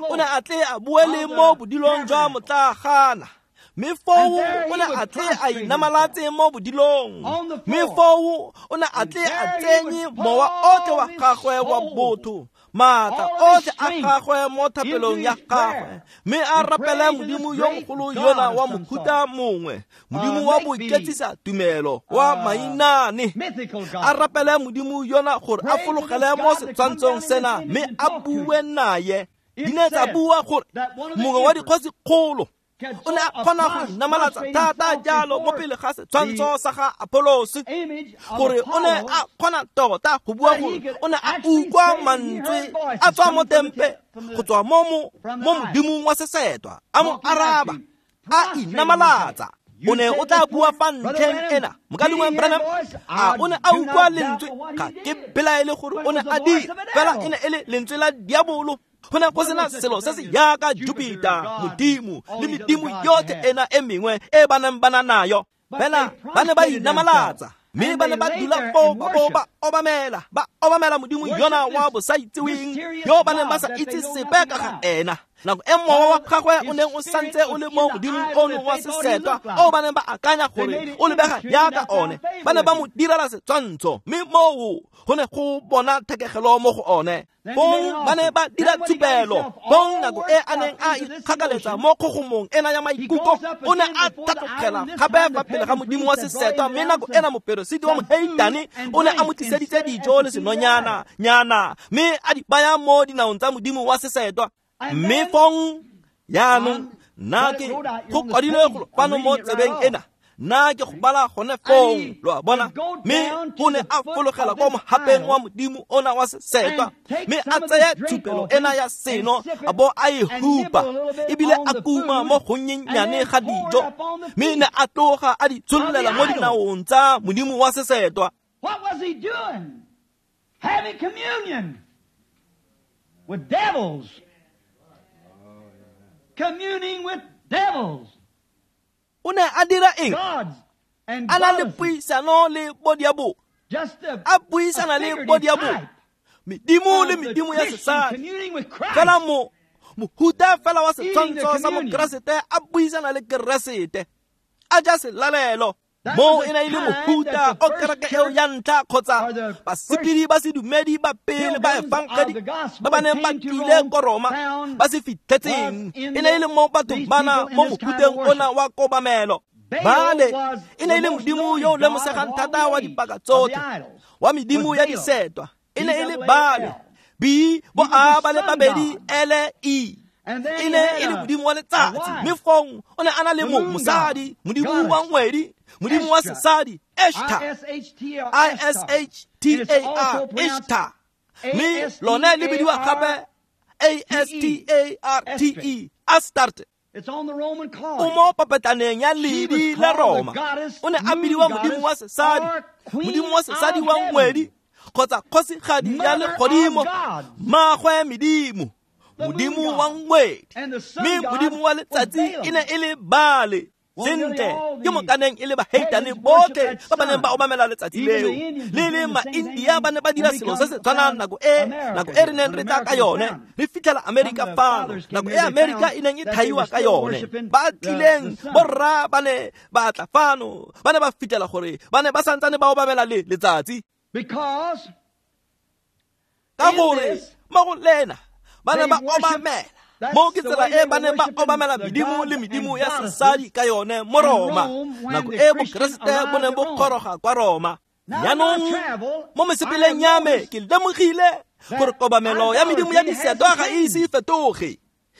o ne a tle a bue le mo bodilong jwa motlagana. Mme foo o ne a tle a inamalatse mo bodilong. Mme foo o ne a tle a tsenye mowa otlhe wa gagwe wa botho, maatla otlhe a gagwe mo thapelong ya gagwe, mme a rapele modimo yo mogolo yona wa mohuta mongwe, modimo wa boiketsisa tumelo wa mainane. A rapele modimo yona gore a fologele mo setshwantshong sena mme a bue naye. Di ne tsa bua gore mongwe wa dikgosikgolo o ne a kgona go inamalatsa thata jalo mo pele ga setshwantsho sa ga Apollos, gore o ne a kgona tota go bua gore o ne a utlwa mantswe a tswa mo tempe go tswa mo mo modimong wa sesetwa, a mo araba, a inamalatsa. O ne o tla bua fa ntlheng ena, mokalengwe Branham, a o ne a utlwa lentswe? Ga ke belaele gore o ne a dira, fela e ne e le lentswe la diabolo. Go ne go sena selo se se yaka Jupiter, modimo, le medimo yotlhe ena e mengwe e ba neng ba na nayo. Fela ba ne ba inamalatsa, mme ba ne ba dula foo ba bo ba obamela, ba obamela modimo yona wa bosaitseweng yo ba neng ba sa itse sepe ka ga ena. Nako e mowa wa gagwe o neng o santse o le mo modimong ono wa sesetwa o ba neng ba akanya gore o lebega yaka one, ba ne ba mo direla setshwantsho, mme moo go ne go bona thekegelo mo go one. Fong ba ne ba dira tshupelo. Fong nako e a neng a ikgakaletsa mo kgogomong ena ya maikutlo, o ne a tlhatlogela gape fa pele ga modimo wa sesetwa, mme nako ena moperesiti wa moheitane o ne a mo tliseditse dijo le senonyana nyana, mme a di baya mo dinaong tsa modimo wa sesetwa. Mme fong yaanong nna ke go kwadilwe golo fano mo tsebeng ena, nna ke go bala gone fong, lo a bona. Mme o ne a fologela kwa mohapeng wa modimo ona wa sesetwa, mme a tsaya tshupelo ena ya seno a bo a e hupa, ebile a kuma mo gonnyenyane ga dijo, mme ne a tloga a di tshollela mo dinaong tsa modimo wa sesetwa. What was he doing? Having communion with devils. Communing with devils. O ne a dira eng? A na le puisano le bodiabo. A buisana le bodiabo. Medimo le medimo ya sesadi. Fela mo mohuta fela wa setshwantsho sa mokeresete a buisana le keresete. A ja selalelo. Mo e ne e le mohuta o kereke eo ya ntlha kgotsa basepedi ba sedumedi ba pele ba efangedi ba ba neng ba tlile ko Roma ba se fitlhetseng. E ne e le mo bathong bana mo mohuteng ona wa kobamelo. Baale e ne e le modimo yo o lemosegang thata wa dipaka tsotlhe, wa medimo ya disetwa. E ne e le Baale, B bo A ba le babedi L E. E ne e le modimo wa letsatsi, mme fong o ne a na le mo mosadi, modimo wa ngwedi, modimo wa sesadi, Ishtar, I S H T A R, Ishtar. Mme lone le bidiwa gape A S T A R T E, Astarte. O mo papetlaneng ya ledi la Roma. O ne a bidiwa modimo wa sesadi, modimo wa sesadi wa ngwedi, kgotsa kgosigadi ya legodimo, mmagwe medimo, modimo wa ngwedi. Mme modimo wa letsatsi e ne e le Baale. Sentle, ke mokaneng e le baheitane botlhe ba ba neng ba obamela letsatsi leo. Le le ma-India ba ne ba dira selo se se tshwanang nako e nako e re neng re tla ka yone, re fitlhela Amerika fano, nako e Amerika e neng e thaiwa ka yone. Ba tlileng borra ba ne ba tla fano, ba ne ba fitlhela gore ba ne ba santsane ba obamela le letsatsi. Ka gore mo go lena ba ne ba obamela mo ke tsela e ba neng ba obamela medimo le medimo ya sesadi ka yone mo Roma, nako e bokeresete bo neng bo goroga kwa Roma. Jaanong mo mesepeleng ya me ke lemogile gore kobamelo ya medimo ya disetwa ga e ise e fetoge,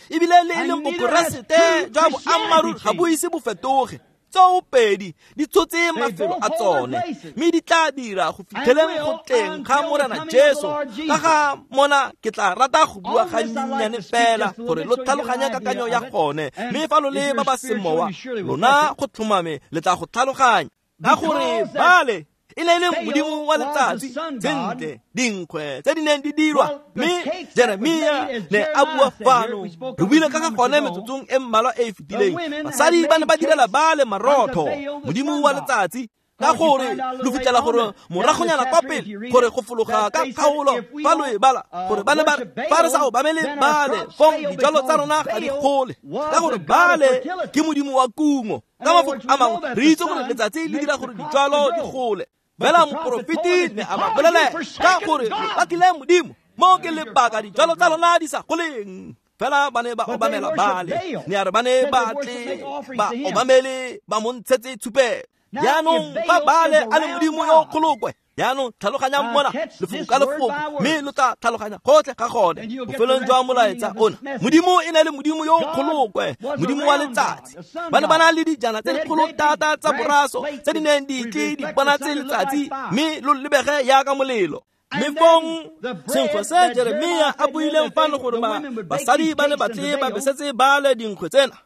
ebile le e leng bokeresete jwa boammaaruri ga bo ise bo fetoge. Tsoopedi di tshotse mafelo a tsone, mme di tla dira go fitlheleng go tleng ga Morena Jesu. Ka ga mona ke tla rata go bua gannyane fela gore lo tlhaloganye kakanyo ya gone, mme fa lo le ba ba semowa lona go tlhomame le tla go tlhaloganya. Ka gore Baale e ne e le modimo wa letsatsi, sentle dinkgwe tse di neng di dirwa, mme Jeremia ne a bua fano, re buile ka ga gone metsotsong e mmalwa e e fetileng. Basadi ba ne ba direla Baale marotho, modimo wa letsatsi. Ka gore lo fitlhela gore moragonyana kwa pele gore go fologa ka kgaolo fa lo e bala gore ba ne ba fa re sa obamele Baale, fong dijalo tsa rona ga di gole, ka gore Baale ke modimo wa kungo. Ka mafoko a mangwe re itse gore letsatsi le dira gore dijalo di gole. Fela moporofeti ne a ba bolelela ka gore lo latlhile modimo, mo ke lebaka dijalo tsa lona di sa goleng. Fela ba ne ba obamela Baale, ne a re ba ne ba tle ba obamele ba mo ntshetse tshupelo. Jaanong fa Baale a le modimo yo kgolokwe, jaanong tlhaloganyang mona lefoko ka lefoko, mme lo tla tlhaloganya gotlhe ga gone bofelong jwa molaetsa ona. Modimo e ne le modimo yo kgolokwe, modimo wa letsatsi. Ba ne ba na le dijana tse dikgolo thata tsa boraso tse di neng di tle di bonatse letsatsi, mme lo lebege jaaka molelo. Mme fong senkgwe se Jeremia a buileng fano gore basadi ba ne ba tle ba besetse Baale dinkgwe tsena,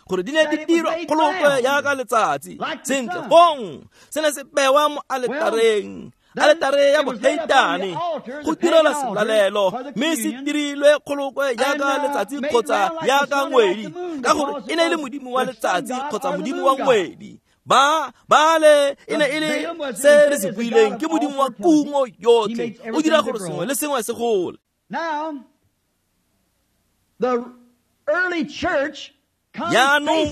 gore di ne di dirwa kgolokwe jaaka letsatsi. Sentle fong se ne se bewa mo aletareng, aletare ya boheitane, go direla selalelo, mme se dirilwe kgolokwe jaaka letsatsi kgotsa jaaka ngwedi, ka gore e ne e le modimo wa letsatsi kgotsa modimo wa ngwedi. Ba Baale e ne e le se re se buileng, ke modimo wa kungo yotlhe, o dira gore sengwe le sengwe se gole. Now, the early church Jaanong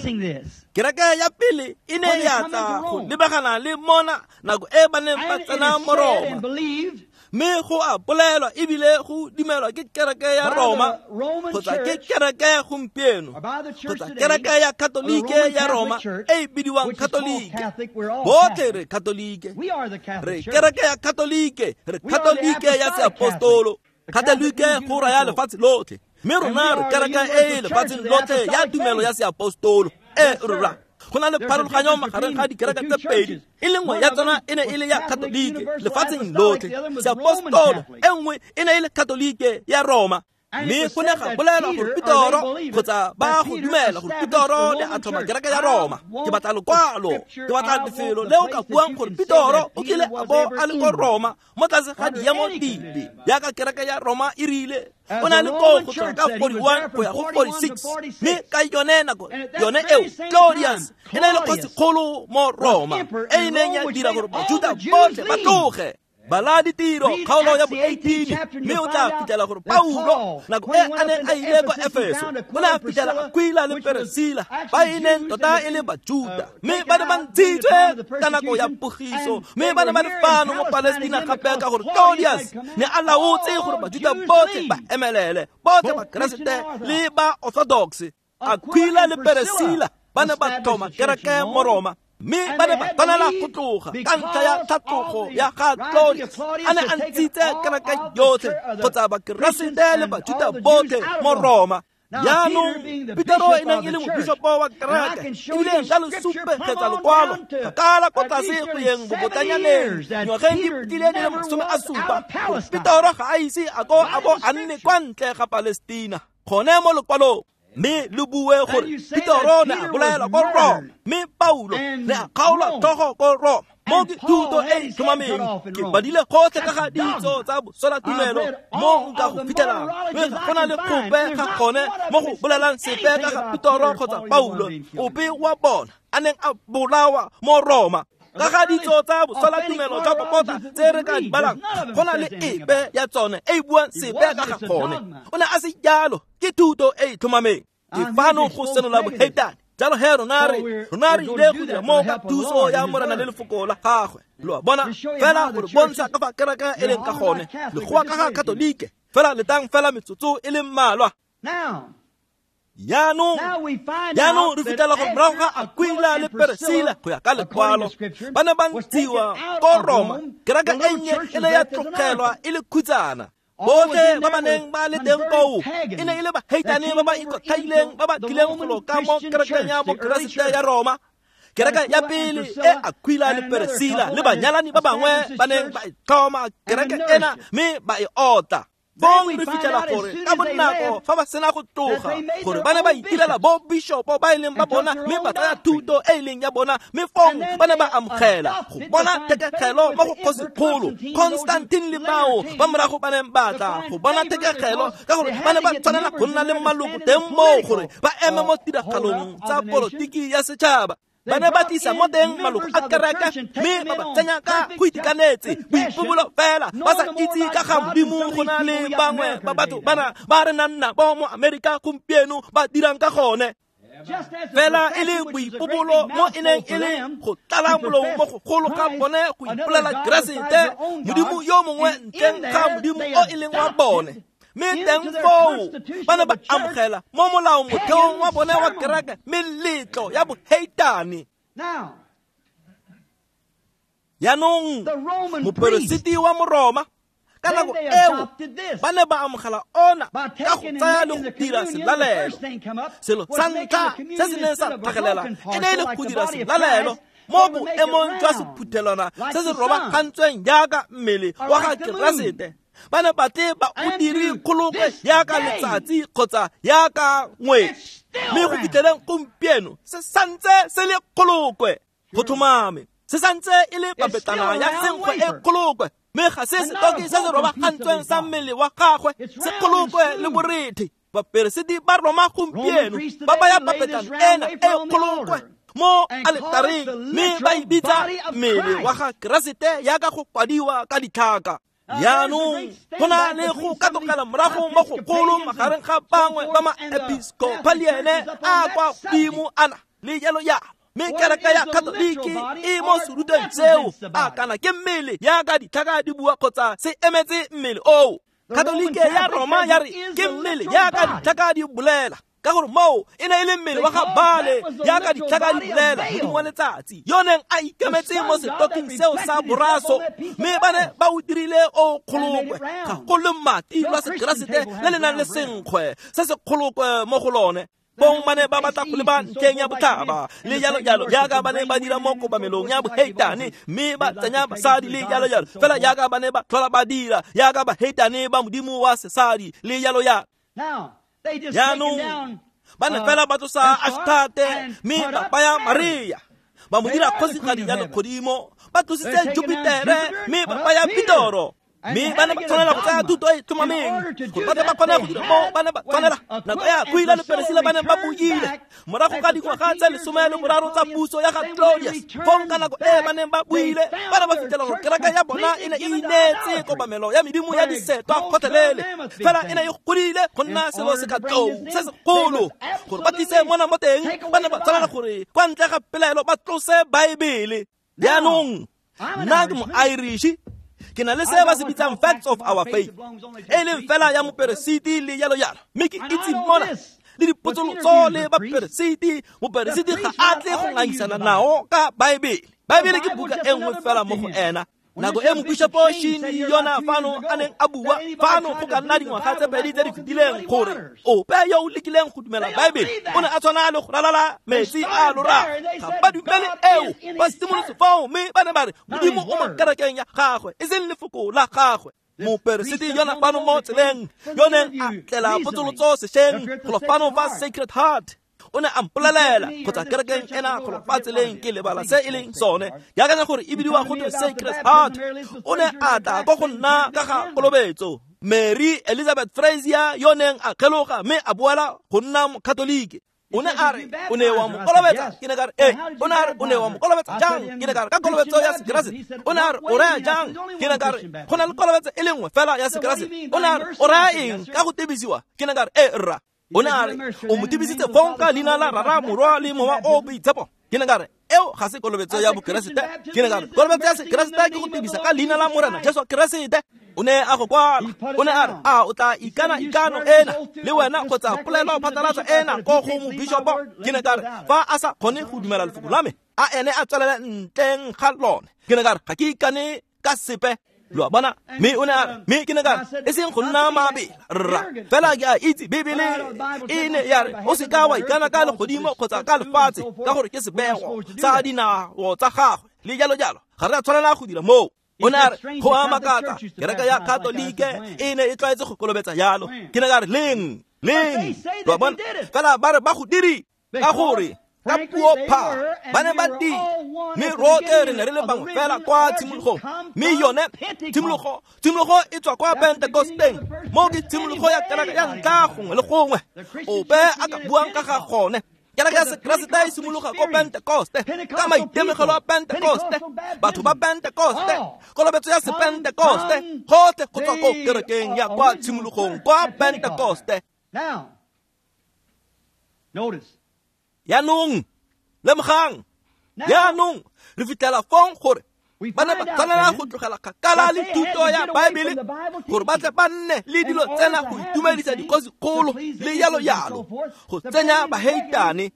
kereke ya pele e ne ya tla go lebagana le mona nako e ba neng ba tsena mo Roma, mme go a bolelwa ebile go dumelwa ke kereke ya Roma kgotsa ke kereke gompieno kgotsa kereke ya Katolike ya Roma e e bidiwang Katolike. Botlhe re Katolike, re kereke ya Katolike, re Katolike ya seapostolo. Katolike go raya lefatshe lotlhe, mme rona re kereke e lefatsheng lotlhe ya tumelo ya seapostolo. E rra, go na le pharologanyo magareng ga dikereke tse pedi, e le nngwe ya tsona e ne e le ya Katolike lefatsheng lotlhe seapostolo, e nngwe e ne e le Katolike ya Roma. Mme go ne ga bolelwa gore Petoro kgotsa ba go dumela gore Petoro ne a tlhoma kereke ya Roma. Ke batla lokwalo, ke batla lefelo le o ka buang gore Petoro o kile a bo a le ko Roma mo tlase ga diemo dipe jaaka kereke ya Roma e rile. O ne a le koo go tloga ka forty-one go ya go forty-six, mme ka yone nako yone eo Claudius e ne e le kgosikgolo mo Roma e e neng ya dira gore Bajuda botlhe ba tloge. Bala ditiro kgaolo ya bo eighteen, mme o tla fitlhela gore Paulo nako e a neng a ile kwa Efeso o ne a fitlhela Aquila le Peresila ba e neng tota e le Bajuda, mme ba ne ba ntshitswe ka nako ya pogiso, mme ba ne ba le fano mo Palestina gape ka gore Claudius ne a laotse gore Bajuda botlhe ba emelele, botlhe ba Keresete le ba Orthodox. Aquila le Peresila ba ne ba tlhoma kereke mo Roma, mme ba ne ba tshwanela go tloga ka ntlha ya tlhatlogo ya ga Claudius a ne a ntshitse kereke yotlhe kgotsa Bakeresete le Bajuda botlhe mo Roma. Jaanong Petero e neng e le mobishopo wa kereke ebile nka lo supegetsa lokwalo kgakala ko tlase go yeng bobotanyaneng ngwageng di fetileng di le masome a supa, Petero ga a ise a ko a bo a nne kwa ntle ga Palestina gone mo lokwalong. Mme lo bue gore Petoro ne a bolaelwa ko Roma, mme Paulo ne a kgaolwa tlhogo ko Roma. Mo ke thuto e e tlhomameng, ke badile gotlhe ka ga ditso tsa boswelatumelo mo nka go fitlhelang, mme ga go na le gope ga gone mo go bolelang sepe ka ga Petoro kgotsa Paulo ope wa bona a neng a bolawa mo Roma. Ka ga ditso tsa boswelatumelo jwa popota tse re ka di balang, go na le epe ya tsone e e buang sepe ka ga gone. O ne a se jalo, ke thuto e e tlhomameng. Ke fano go senola boheitane. Jalo he rona re rona re ile go dira mo ka thuso ya Morena le lefoko la gagwe. Lo a bona fela gore bontsha ka fa kereke e leng ka gone, le goa ka ga Katolike. Fela letang fela metsotso e le mmalwa. Jaanong jaanong re fitlhela gore morago ga Aquila le Peresila go ya ka lekwalo ba ne ba ntshiwa ko Roma, kereke e nnye e ne ya tlogelwa e le khutsana. Botlhe ba ba neng ba le teng koo e ne e le baheitane ba ba ikotlhaileng ba ba tlileng golo ka mo kerekeng ya Bokeresete ya Roma. Kereke ya pele e Aquila le Priscilla le banyalani ba bangwe ba neng ba e tlhoma kereke ena mme ba e otla. Bong re fitlhela gore ka bonako fa ba sena go tloga gore ba ne ba itirela bo bishopo ba e leng ba bona mme ba tsaya thuto e e leng ya bona mme fong ba ne ba amogela go bona thekegelo mo go kgosikgolo Constantine le bao ba morago ba neng ba tla go bona thekegelo ka gore ba ne ba tshwanela go nna le maloko teng moo gore ba eme mo tiragalong tsa polotiki ya setšhaba. Ba ne ba tlisa mo teng maloko a kereke mme ba ba tsenya ka go itekanetse boipobolo fela ba sa itse ka ga Modimo go na le bangwe ba batho bana ba re nang nabo mo Amerika gompieno ba dirang ka gone. Fela e le boipobolo mo e neng e le go tlala molomo mo gogolo ga bone go ipolela Keresete Modimo yo mongwe ntleng ga Modimo o e leng wa bone. Mme teng foo ba ne ba amogela mo molaomotheong wa bone wa kereke meletlo ya boheitane. Jaanong moperesiti wa Moroma ka nako eo ba ne ba amogela ona ka go tsaya le go dira selalelo. Selo sa ntlha se se neng sa tlhagelela e ne e le go dira selalelo mo boemong jwa sephuthelwana se se robagantsweng jaaka mmele wa ga Keresete. Ba ne ba tle ba o dire kgolokwe jaaka letsatsi kgotsa jaaka ngwedi, mme go fitlheleng gompieno se santse se le kgolokwe. Go tlhomame se santse e le papetlana ya senkgwe e kgolokwe, mme ga se setoki se se robagantsweng sa mmele wa gagwe se kgolokwe le borethe. Baperesiti ba Roma gompieno ba baya papetlana ena e kgolokwe mo aletareng mme ba e bitsa mmele wa ga Keresete jaaka go kwadiwa ka ditlhaka. Jaanong go na le go katogela morago mo gogolo magareng ga bangwe ba maepiskopaliene a kwa godimo ana le jalo jalo, mme kereke ya Katoliki e mo serutweng seo a kana ke mmele jaaka ditlhaka di bua kgotsa se emetse mmele oo. Katolike ya Roma ya re ke mmele jaaka ditlhaka di bolela, ka gore moo e ne e le mmele wa ga Baale jaaka ditlhaka di bolela, modimo wa letsatsi yo neng a ikemetse mo setoking seo sa boraso, mme ba ne ba o dirile o kgolokwe. Ga go le mati lwa Sekeresete le le nang le senkgwe se se kgolokwe mo go lone. Bong ba ne ba batla go leba ntlheng ya botlhaba le jalo jalo jaaka ba ne ba dira mo kobamelong ya boheitane, mme ba tsenya basadi le jalo jalo fela jaaka ba ne ba tlhola ba dira jaaka baheitane ba modimo wa sesadi le jalo jalo. Jaanong ba ne fela ba tlosa Ashtate mme ba baya Maria ba mo dira kgosigadi ya legodimo, ba tlositse Jupitere mme ba baya Pitoro. Mme ba ne ba tshwanela go tsaya thuto e e tlhomameng gore ba tle ba kgone go dira mo ba ne ba tshwanela. Nako ya Aquila le Priscilla ba ne ba buile morago ga dingwaga tse lesome le boraro tsa puso ya ga Claudius. Fong ka nako e ba neng ba buile ba ne ba fitlhela gore kereke ya bona e ne e ineetse kobamelo ya medimo ya disetwa gotlhelele, fela e ne e godile go nna selo se ka tlou se segolo. Gore ba tlise mona mo teng ba ne ba tshwanela gore kwa ntle ga pelaelo ba tlose Baebele. Jaanong nna ke mo-Irish, ke na le se ba se bitsang facts of our faith, e leng fela ya moperesiti le jalo jalo, mme ke itse mona le dipotsolotso le baperesiti. Moperesiti ga a tle go ngangisana nao ka Baebele. Baebele ke buka e nngwe fela mo go ena. Nako e mopishopo Shini yona fano a neng a bua fano go ka nna dingwaga tse pedi tse di fetileng gore ope yo o lekileng go dumela Baebele o ne a tshwana le go ralala metsi a lorago. Ga ba dumele eo, ba simolotse fao mme ba ne ba re Modimo o mo kerekeng ya gagwe e seng lefoko la gagwe. Moperesiti yona fano mo tseleng yo neng a tlela potsolotso sešweng golo fano fa Sacred Heart o ne a mpolelela kgotsa kerekeng ena golo fa tseleng ke lebala se e leng sone, ke akanya gore e bidiwa go twe Sacred Heart. O ne a tla ko go nna ka ga kolobetso. Mary Elizabeth Frazier yo neng a kgeloga mme a boela go nna Mokatolike. O ne a re o ne wa mo kolobetsa, ke ne ka re ee. O ne a re o ne wa mo kolobetsa jang, ke ne ka re ka kolobetso ya Sekeresete. O ne a re o raya jang, ke ne ka re go na le kolobetso e le nngwe fela ya Sekeresete. O ne a re o raya eng ka go tebisiwa, ke ne ka re ee rra. O ne a re o mo tebisitse fong ka leina la Rara, Morwa le Mowa o Boitshepo. Ke ne ka re eo ga se kolobetso ya Bokeresete. Ke ne ka re kolobetso ya Sekeresete ke go tebisa ka leina la Morena Jesu Keresete. O ne a go kwala, o ne a re a o tla ikana ikano ena le wena kgotsa polelo phatlalatsa ena ko go mobishopo. Ke ne ka re fa a sa kgone go dumela lefoko la me a ene a tswelele ntleng ga lone. Ke ne ka re ga ke ikane ka sepe. Lo a bona? Mme o ne a re, mme ke ne ka re, e seng go nna mabela, rra, fela ke a itse Bibele e ne ya re o se ka wa ikana ka legodimo kgotsa ka lefatshe ka gore ke sebego sa dinao tsa gagwe le jalo jalo. Ga re a tshwanela go dira moo. O ne a re, go a makatsa, kereke ya Katolike e ne e tlwaetse go kolobetsa jalo. Ke ne ka re, leng, leng, lo a bona? Fela ba re ba go diri ka gore ka puo pha ba ne ba di, mme rotlhe re ne re le bangwe fela kwa tshimologong. Mme yone tshimologo tshimologo e tswa kwa Pentekosteng, mo ke tshimologo ya kereke ya ntlha gongwe le gongwe ope a ka buang ka ga gone. Kereke ya Sekeresete e simologa ko Pentekoste, ka maitemogelo a Pentekoste, batho ba Pentekoste, kolobetso ya Sepentekoste, gotlhe go tswa ko kerekeng ya kwa tshimologong kwa Pentekoste. Jaanong lemogang, jaanong re fitlhela fong gore ba ne ba tshwanela go tlogela kgakala le thuto ya Baebele gore ba tle ba nne le dilo tsena go itumedisa dikgosikgolo le jalo jalo, go tsenya baheitane.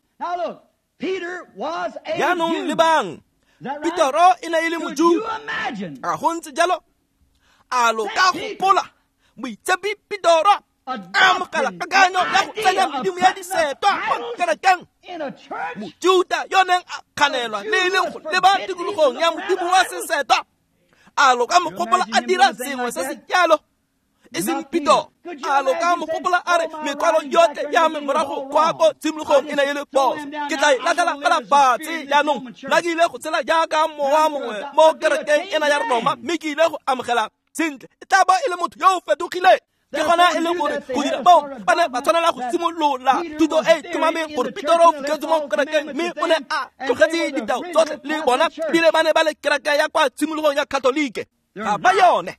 Jaanong lebang, Petero e ne e le Mojuda, a go ntse jalo? A lo ka gopola moitshepi Petero a amogela kakanyo ya go tsenya medimo ya disetwa mo kerekeng? Mojuda yo neng a kganelwa le e leng go leba tikologong ya modimo wa sesetwa, a lo ka mo gopola a dira sengwe se se jalo? E seng Petero. A lo ka mo gopola a re, mekwalo yotlhe ya me morago kwa ko tshimologong e ne e le phoso, ke tla e latlhela fela fatshe jaanong. Nna ke ile go tshela jaaka mowa mongwe mo kerekeng ena ya Roma, mme ke ile go amogela sentle, e tla ba e le motho yo o fetogileng. Ke gona e leng gore go dira moo ba ne ba tshwanela go simolola thuto e e tlhomameng gore Petero o fitlhetswe mo kerekeng, mme o ne a tlogetse ditao tsotlhe le bona, ebile ba ne ba le kereke ya kwa tshimologong ya Katolike. Ga ba yone,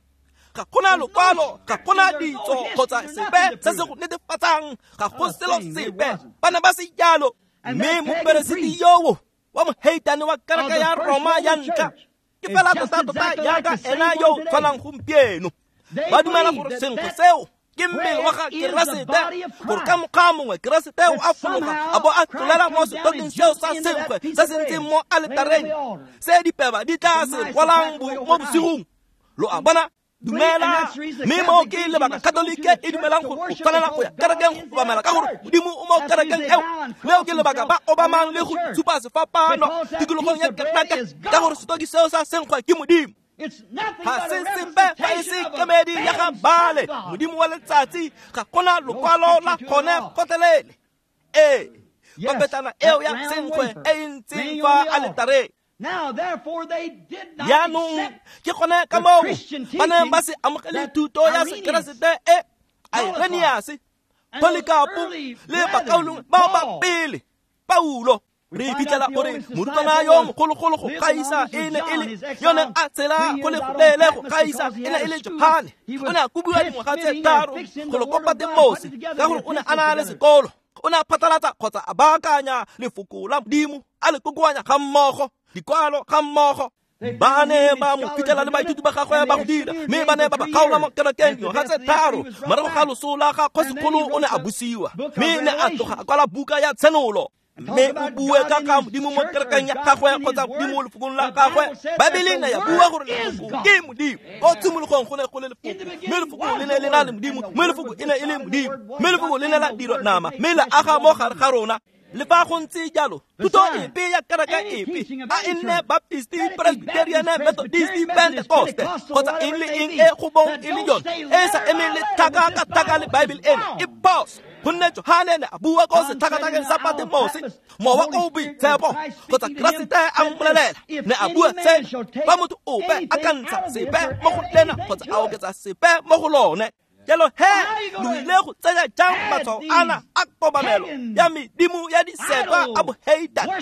ga gona lokwalo, ga gona ditso kgotsa sepe se se go netefatsang, ga go selo sepe, ba ne ba se jalo. Mme moperesiti yoo wa moheitane wa kereke ya Roma ya ntlha ke fela tota-tota jaaka ena yo o tshwanang gompieno. Ba dumela gore senkgwe seo ke mmele wa ga Keresete, gore ka mokgwa mongwe Keresete o a fologa a bo a tlolela mo setokeng seo sa senkgwe se se ntseng mo aletareng, se dipeba di tla se rwalang mo bosigong. Lo a bona? Dumela. Mme mo ke lebaka Katolike e dumelang gore o tshwanela go ya kerekeng go obamela ka gore Modimo o mo kerekeng eo. Leo ke lebaka ba obamang le go tshupa sefapano tikologong ya kereke, ka gore setoki seo sa senkgwe ke Modimo. Ga se sepe fa e se kemedi ya ga Baale, modimo wa letsatsi. Ga gona lokwalo la gone gotlhelele. Ee, papetlana eo ya senkgwe e e ntseng fa aletareng. Jaanong ke gone ka moo ba neng ba se amogele thuto ya Sekeresete e Irenaeus, Polycarp le bakaulengwe bao ba pele, Paulo. Re fitlhela gore morutwana yo mogologolo go gaisa e ne e le yo neng a tshela go le goleele go gaisa e ne e le Johane. O ne a kobiwa dingwaga tse tharo go lo kopa Patmose ka gore o ne a na le sekolo. O ne a phatlalatsa kgotsa a baakanya lefoko la Modimo, a le kokoanya ga mmogo, dikwalo ga mmogo. Ba ne ba mo fitlhela le baithuti ba gagwe ba go dira, mme ba ne ba ba kgaola mo kerekeng dingwaga tse tharo. Morago ga loso la ga kgosikgolo o ne a busiwa, mme ne a tloga a kwala buka ya Tshenolo. Mme o bue ka ga Modimo mo kerekeng ya gagwe kgotsa Modimo lefokong la gagwe. Baebele ne ya bua gore lefoko ke Modimo. Ko tshimologong go ne go le lefoko, mme lefoko le ne le na le Modimo, mme lefoko e ne e le Modimo, mme lefoko le ne la dirwa nama, mme la aga mo gare ga rona. Le fa go ntse jalo, thuto epe ya kereke epe, a e nne Baptist, Presbyterian, Methodist, Pentecost, kgotsa eng le eng e go bong e le yone, e sa emeng le tlhaka ka tlhaka le Baebele eno, e phoso. Gonne Johane ne a bua ko setlhakatlhakeng sa Patmose, mowa o boitshepo kgotsa Keresete a mmolelela, ne a bua sena: fa motho ope a ka ntsha sepe mo go lena kgotsa a oketsa sepe mo go lone. Jalo he, lo ile go tsenya jang matshwao ana a kobamelo ya medimo ya disetwa a boheitane,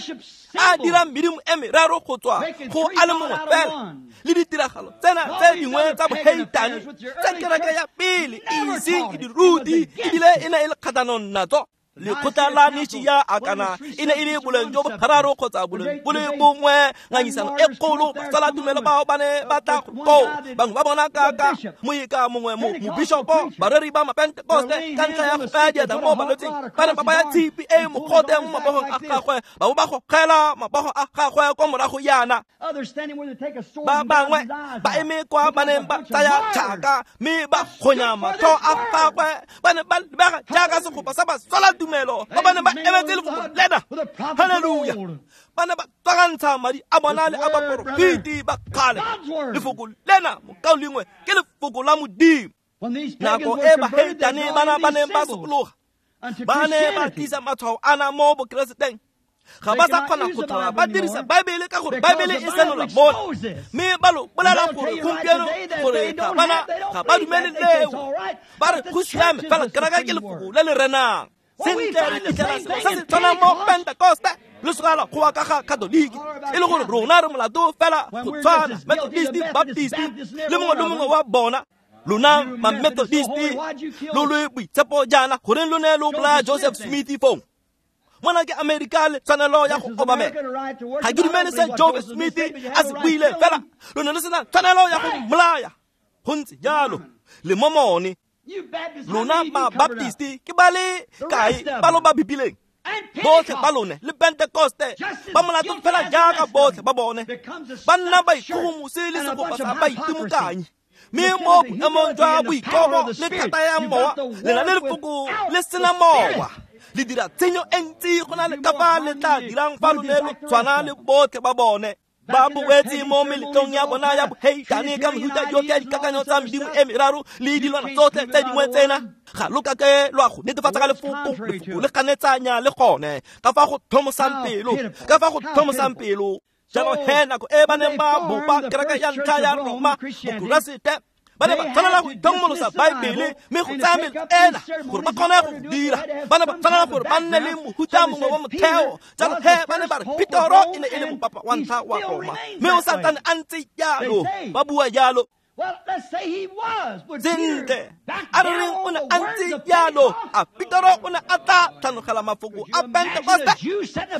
a dirang medimo e meraro go tswa go a le mongwe fela, le ditiragalo tsena tse dingwe tsa boheitane tse kereke ya pele e iseng e di rute ebile e ne e le kgatlhanong natso? Lekgotla la Nishia a kana e ne e le boleng jo bogararo kgotsa boleng bo le bongwe ngangisano e kgolo batsala tumelo bao ba ne ba tla koo bangwe ba bona kaka moeka mongwe mo mobishopo bareri ba mapentekoste ka ntlha ya go baya diatla mo balwetseng ba ne ba baya tshipi e mogote mo mabogong a gagwe ba bo ba gogela mabogo a gagwe kwa morago yana ba bangwe ba eme kwa ba neng ba tsaya tšhaka mme ba kgonya matlho a gagwe ba ne ba lebega jaaka segopa sa batswala tumelo ba ba ne ba emetse lefoko lena haleluya ba ne ba tswakantsha madi a bona le a baporofeti ba kgale lefoko lena mokaulengwe ke lefoko la Modimo nako e baheitane bana ba neng ba sokologa ba ne ba tlisa matshwao ana mo bokereseteng ga ba sa kgona go tlhola ba dirisa Baebele ka gore Baebele e senola mona mme ba lo bolela gore gompieno gore ga bana ga ba dumele leo ba re go siame fela keraka ke lefoko le le renang sentle re fitlhela selo se se tshwanang mo Pentekoste le segala go wa ka ga Katoliki e le gore rona re molato fela go tshwana Methodist Baptist le mongwe le mongwe wa bona lona ma-Methodist lo le boitshepo jaana goreng lo ne lo bolaya Joseph Smith fong mona ke Amerika le tshwanelo ya go obamela ga ke dumele se Joseph Smith a se buile fela lo ne lo sena tshwanelo ya go mmolaya go ntse jalo le momone lona ma-Baptist ke ba le kae ba lo ba bipileng botlhe ba lone le Pentekoste ba molato fela jaaka botlhe ba bone ba nna ba ikgogomose le segopa sa baitimokanyi mme mo boemong jwa boikobo le thata ya mowa le na le lefoko le sena mowa le dira tshenyo e ntsi go na le ka fa le tla dirang fa lo ne lo tshwana le botlhe ba bone ba boetse mo meletlong ya bona ya boheitane ka mehuta yotlhe ya dikakanyo tsa medimo e meraro le dilwana tsotlhe tse dingwe tsena ga lo kake lwa go netefatsa ka lefoko lefoko le ganetsanya le gone ka fa go tlhomosang pelo ka fa go tlhomosang pelo jalo he nako e ba neng ba bopa kereke ya ntlha ya Roma bokeresete ba ne ba tshwanela go itlhokomolosa Baebele mme go tsaya mele ena gore ba kgone go dira ba ne ba tshwanela gore ba nne le mohuta mongwe wa motheo jalo he ba ne ba re Petoro e ne e le mopapa wa ntlha wa Roma mme o santsane a ntse jalo ba bua jalo sentle a re reng o ne a ntse jalo a Petoro o ne a tla tlhanogela mafoko a Pentekoste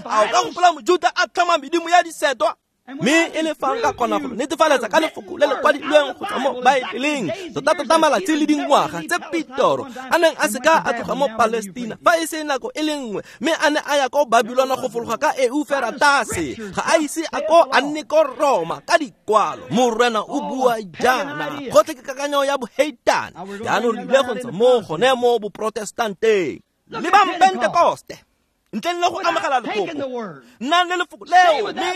a o ka gopola Mojuta a tlhoma medimo ya disetwa mme e le fa nka kgona go netefaletsa ka lefoko le le kwadilweng go tswa mo Baebeleng tota-tota malatsi le dingwaga tse Petoro a neng a seka a tloga mo Palestina fa e se nako e le nngwe mme a ne a ya ko Babilona go fologa ka Euferatase ga a ise a ko a nne ko Roma ka dikwalo Morena o bua jaana gotlhe ke kakanyo ya boheitane jaanong re ile go ntsha mo gone mo boprotestanteng le ba Pentekoste ntleng le go amogela lefoko nnang le lefoko leo mme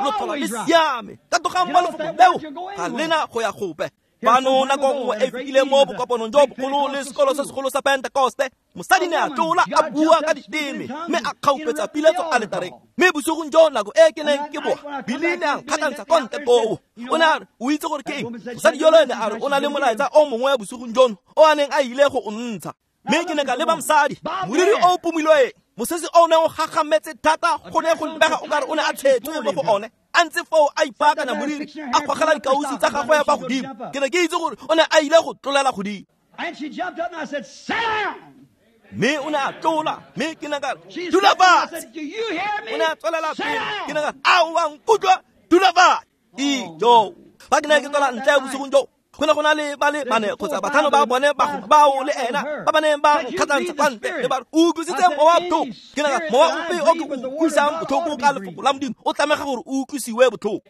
lo tlhola le siame tatogang mo lefoko leo ga lena go ya gope fano nako nngwe e fetileng mo bokopanong jo bogolo le sekolo se segolo sa Pentekoste mosadi ne a tlola a bua ka diteme mme a kgaupetsa piletso aletareng mme bosigong jo nako e ke neng ke boa Bili ne a nkgatlhantsha kwa ntle koo o ne a re o itse gore ke eng mosadi yolo ene a re o na le molaetsa o mongwe bosigong jono o a neng a ile go o ntsha mme ke ne ka leba mosadi moriri o pomilweng mosese o neng o gagametse thata go ne go lebega o kare o ne a tshetswe mo go one a ntse foo a ipaakanya moriri a gogela dikausi tsa gagwe fa godimo ke ne ke itse gore o ne a ile go tlolela godimo mme o ne a tlola mme ke ne ka re dula fatshe o ne a tswelela pele ke ne ka re a o a nkutlwa dula fatshe ijo fa ke ne ke tswela ntle bosigong jo go ne go na le ba le bane kgotsa batlhano ba bone ba bao le ena ba ba neng ba nkgatlhantsha kwa ntle le ba re o utlwisitse mowa botlhoko ke ne ka mowa ope o ke o utlwisang botlhoko ka lefoko la Modimo o tlamega gore o utlwisiwe botlhoko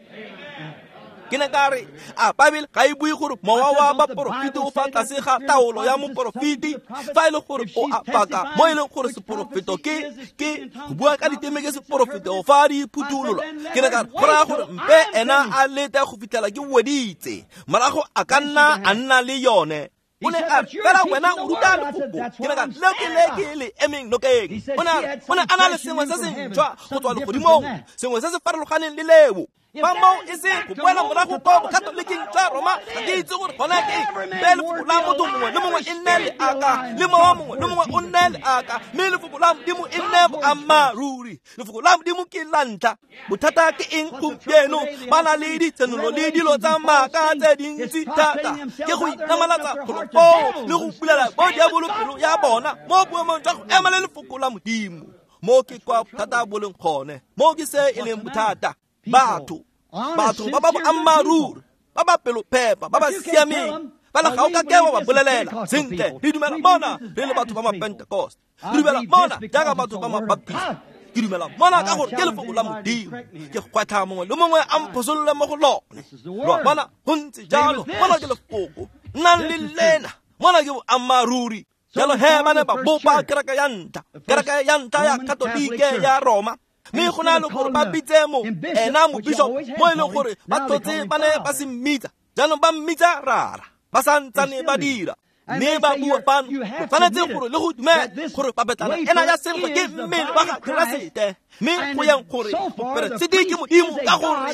ke ne ka re a Baebele ga e bue gore mowa wa baporofeti o fa tlase ga taolo ya moporofeti fa e le gore o a paka mo e leng gore seporofeto ke ke go bua ka diteme ke seporofeto fa di phuthololwa ke ne ka re go raya gore mpe ena a lete go fitlhela ke weditse morago a ka nna a nna le yone o ne a re fela wena o ruta lefoko ke ne ka re leo ke le ke le emeng nokeng o ne a re o ne a na le sengwe se se ntšhwa go tswa legodimong sengwe se se farologaneng le leo Fa moo e se go boela morago kwa bokatoliking jwa Roma, ga ke itse gore gona ke eng. Mpe lefoko la motho mongwe le mongwe e nne leaka, le mowa mongwe le mongwe o nne leaka, mme lefoko la Modimo e nne boammaaruri. Lefoko la Modimo ke la ntlha. Bothata ke eng gompieno? Ba na le ditshenolo le dilo tsa maaka tse dintsi thata, ke go inamalatsa golo foo le go bulela bo diabolo pelo ya bona mo boemong jwa go ema le lefoko la Modimo. Mo ke kwa bothata bo leng gone, mo ke se e leng bothata. Batho, batho ba ba boammaaruri, ba ba pelophepa, ba ba siameng, fela ga o ka ke wa ba bolelela sentle. Re dumela mona re le batho ba ma-Pentecost, re dumela mona jaaka batho ba ma-Baptist, ke dumela mona ka gore ke lefoko la Modimo. Ke gwetlha mongwe le mongwe a mphosolole mo go lone. Lo a bona, go ntse jalo. Mona ke lefoko, nnang le lena, mona ke boammaaruri. Jalo he ba ne ba bopa kereke ya ntlha, kereke ya ntlha ya Katolike ya Roma. Mme go na le gore ba bitse mo ena mobishop, mo e leng gore ba tlotse ba ne ba se mmitsa, jaanong ba mmitsa rara, ba sa ntsane ba dira. Mme ba bua fano, lo tshwanetse gore le go dumela gore papetlana ena ya senkgwe ke mmele wa ga Keresete, mme go yang gore moperesiti ke Modimo, ka gore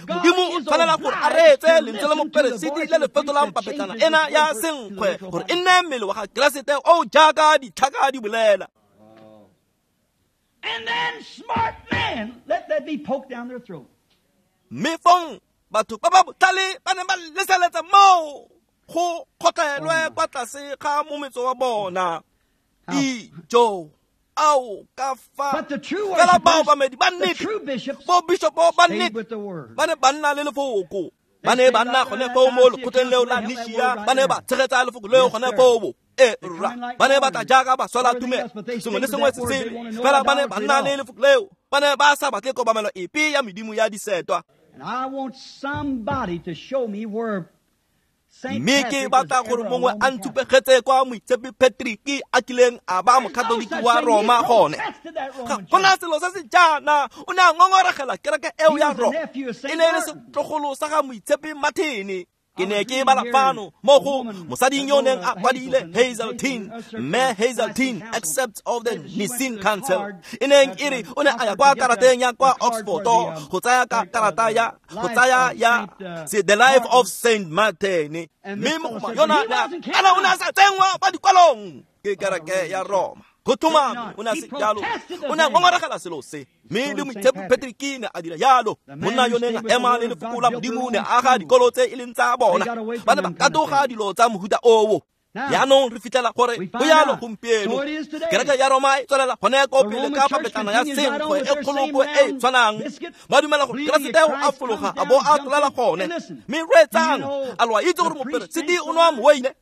Modimo o tshwanela gore a reetse lentswe la moperesiti le le fetolang papetlana ena ya senkgwe gore e nne mmele wa ga Keresete o jaaka ditlhaka di bolela. And then smart men let that be poked down their throat. Mme fong batho ba ba botlhale ba ne ba leseletsa moo go kgotlelwe kwa tlase ga mometso wa bona. Ijo, ao ka fa. Fela baobamedi ba nnete, bo bishopo ba nnete, ba ne ba nna le lefoko. Ba ne ba nna gone foo mo lekgotleng leo la Nishia, ba ne ba tshegetsa lefoko leo gone foo. E rra, ba ne ba tla jaaka baswela tumelo, sengwe le sengwe se sele, fela ba ne ba nna le lefoko leo. Ba ne ba sa batle kobamelo epe ya medimo ya disetwa. Mme ke batla gore mongwe a ntshupegetse kwa Moitshepi Patrick a kileng a ba mokatoliki wa Roma gone. Ga gona selo se se jaana. O ne a ngongoregela kereke eo ya Roma. E ne e le setlogolo sa ga Moitshepi Martin. Ke ne ke bala fano mo go mosading yo neng a kwadile Hazeltine, mme Hazeltine accepts of the Nicene Council. E neng e re o ne a ya kwa karateng ya kwa Oxford go tsaya ka karata ya go tsaya ya The Life of Saint Martin. Mme mogoma yona kana o ne a sa tsenngwa kwa dikwalong ke kereke ya Roma. Go tlhomame o ne a se jalo, o ne a ngongoregela selo se. Mme le Moitshepi Patrick ne a dira jalo. Monna yo neng a ema le lefoko la Modimo ne a aga dikolo tse e leng tsa bona. Ba ne ba katoga dilo tsa mohuta oo. Jaanong re fitlhela gore go jalo gompieno. Kereke ya Roma e tswelela gone ko pele ka papetlana ya senkgwe e kgolokwe e e tshwanang. Ba dumela gore Keresete o a fologa a bo a tlolela gone. Mme reetsang, a lo a itse gore moperesiti o nwa moweine,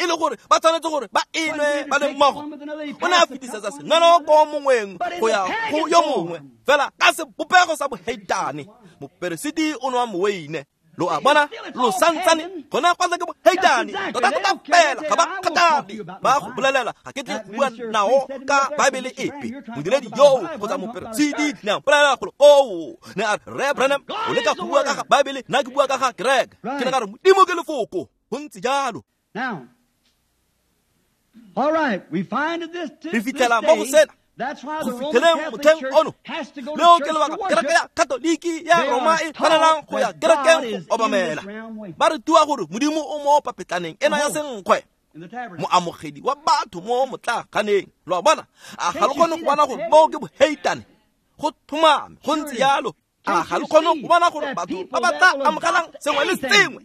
e le gore ba tshwanetse gore ba enwe ba le mmogo. O ne a fetisetsa senwelo ko mongweng go ya go yo mongwe, fela ka sebopego sa boheitane. Moperesiti o nwa moweine. Lo a bona, lo santsane gona kwa ke boheitane tota-tota fela, ga ba kgathale. Ba go bolelela ga ke tle go bua nao ka Baebele epe. Modiredi yoo kgotsa moperesiti ne a mpolelela gore oo, ne a re, Rre Branham, o leka go bua ka ga Baebele, nna ke bua ka ga kereke. Ke ne ka re Modimo ke lefoko. Go ntse jalo. Now, all right, we find this to Re this fitlhela mo go day. sena. That's why Go the Roman fitlheleng Catholic motlheng Church ono. has to go to Leo ke church to lebaka kereke worship. ya Katoliki ya They Roma are e tshwanelang taught go ya that kerekeng God go is in obamela. this round wafer. Ba rutiwa gore Modimo o mo papetlaneng ena ya senkgwe, In the tabernacle. moamogedi wa batho mo motlaaganeng. Lo a bona, a ga lo Can't you kgone see go bona that gore moo ke boheitane? Go tlhomame, go ntse jalo. A ga lo kgone go bona gore That batho people ba ba that tla will amogelang adopt sengwe le anything, sengwe,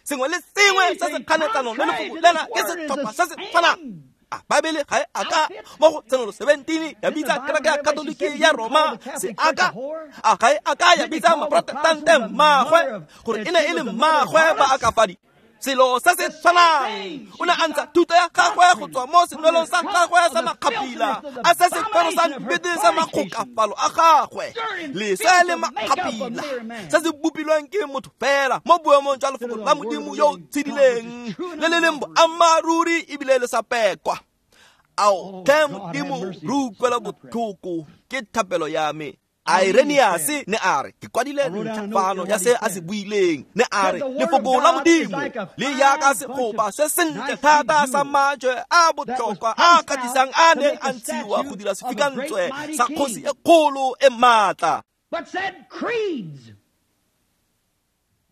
sengwe le sengwe se se anything kganetsanong le contrary lefoko to lena this ke word is setlhopha the se se tshwanang. same A Baebele ga e aka outfit. mo go Tshenolo seventeen ya Didn't the bitsa Bible kereke ya in Revelation Katoliki say ya you call Roma the Catholic se Church a aka? whore? A ga e aka ya Didn't they bitsa call the maprotestante Protestants the mmaagwe mother of gore that e ne she e was le the mother of mmaagwe ba harlots? akafadi? Selo se se The same tshwanang. thing. O ne She a ntsha got thuto ya gagwe go doctrine tswa mo from the senwelong sa crop gagwe of sa the makgapila, filthiness of the a se sekwero sa abomination of her nnete sa fornication. makgokafalo a gagwe, Dirt and leswe filth le to make up a makgapila mere man. se se bopilweng ke motho fela mo boemong jwa Instead lefoko of la the word of Modimo the yo o living God, which is tshedileng true and le le leng unadulterated. boammaaruri ebile le sa pekwa. Ao Oh, tlhe God, have Modimo, mercy. re utlwela This is my prayer. botlhoko, ke thapelo ya me. I read his Irenaeus prayer. ne a re, ke kwadile I wrote down a ntlha note fano here ya what se he a se said. buileng. Ne a Said re the word of lefoko la God is Modimo like a le yaka fine bunch segopa of se sentle nicely thata sa jewels majwe a that was botlhokwa a placed out kgatlhisang a to neng make a a ntshiwa go statue dira of a great sefikantswe mighty sa kgosi king. e kgolo e maatla. But said creeds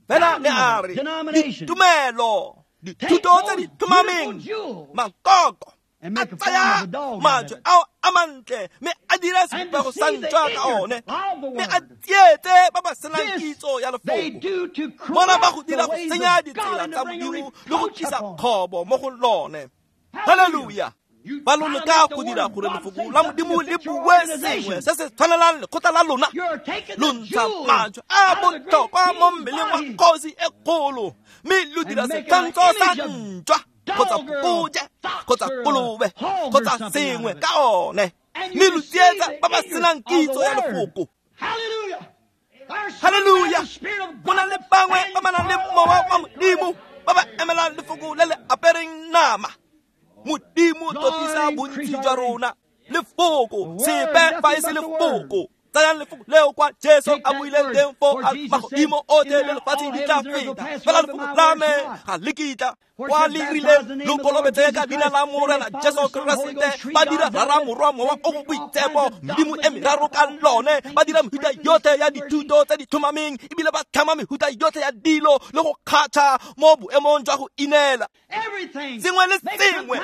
Fela ne a re ditumelo, dithuto tse di tlhomameng, makoko a tsaya majwe ao a mantle mme a dira sebopego sa ntšwa ka one, mme a tsietse ba ba senang kitso ya lefoko. Mona ba go dira go senya ditsela tsa Modimo le go tlisa kgobo mo go lone. Haleluya! Ba lo leka go dira gore lefoko la Modimo le bue sengwe se se tshwanelang lekgotla la lona. Lo ntsha majwe a botlhokwa mo mmeleng wa kgosi e kgolo, mme lo dira setshwantsho sa ntšwa kgotsa phokojwe kgotsa kolobe kgotsa sengwe ka one, mme lo tsietsa ba ba senang kitso ya lefoko. Haleluya! Go na le bangwe ba ba nang le mowa wa Modimo ba ba emelang lefoko le le apereng nama. Modimo totisa bontsi jwa rona lefoko, sepe fa e se lefoko. Tsayang lefoko leo kwa Jesu a buileng teng foo a magodimo otlhe le lefatshe di tla feta, fela lefoko la me ga le kitla. Kwa le rileng lo kolobetse ka leina la Morena Jesu Keresete, ba dira Rara, Morwa, Mowa o o Boitshepo, medimo e meraro ka lone. Ba dira mehuta yotlhe ya dithuto tse di tlhomameng, ebile ba tlhama mehuta yotlhe ya dilo le go kgatšha mo boemong jwa go ineela. Sengwe le sengwe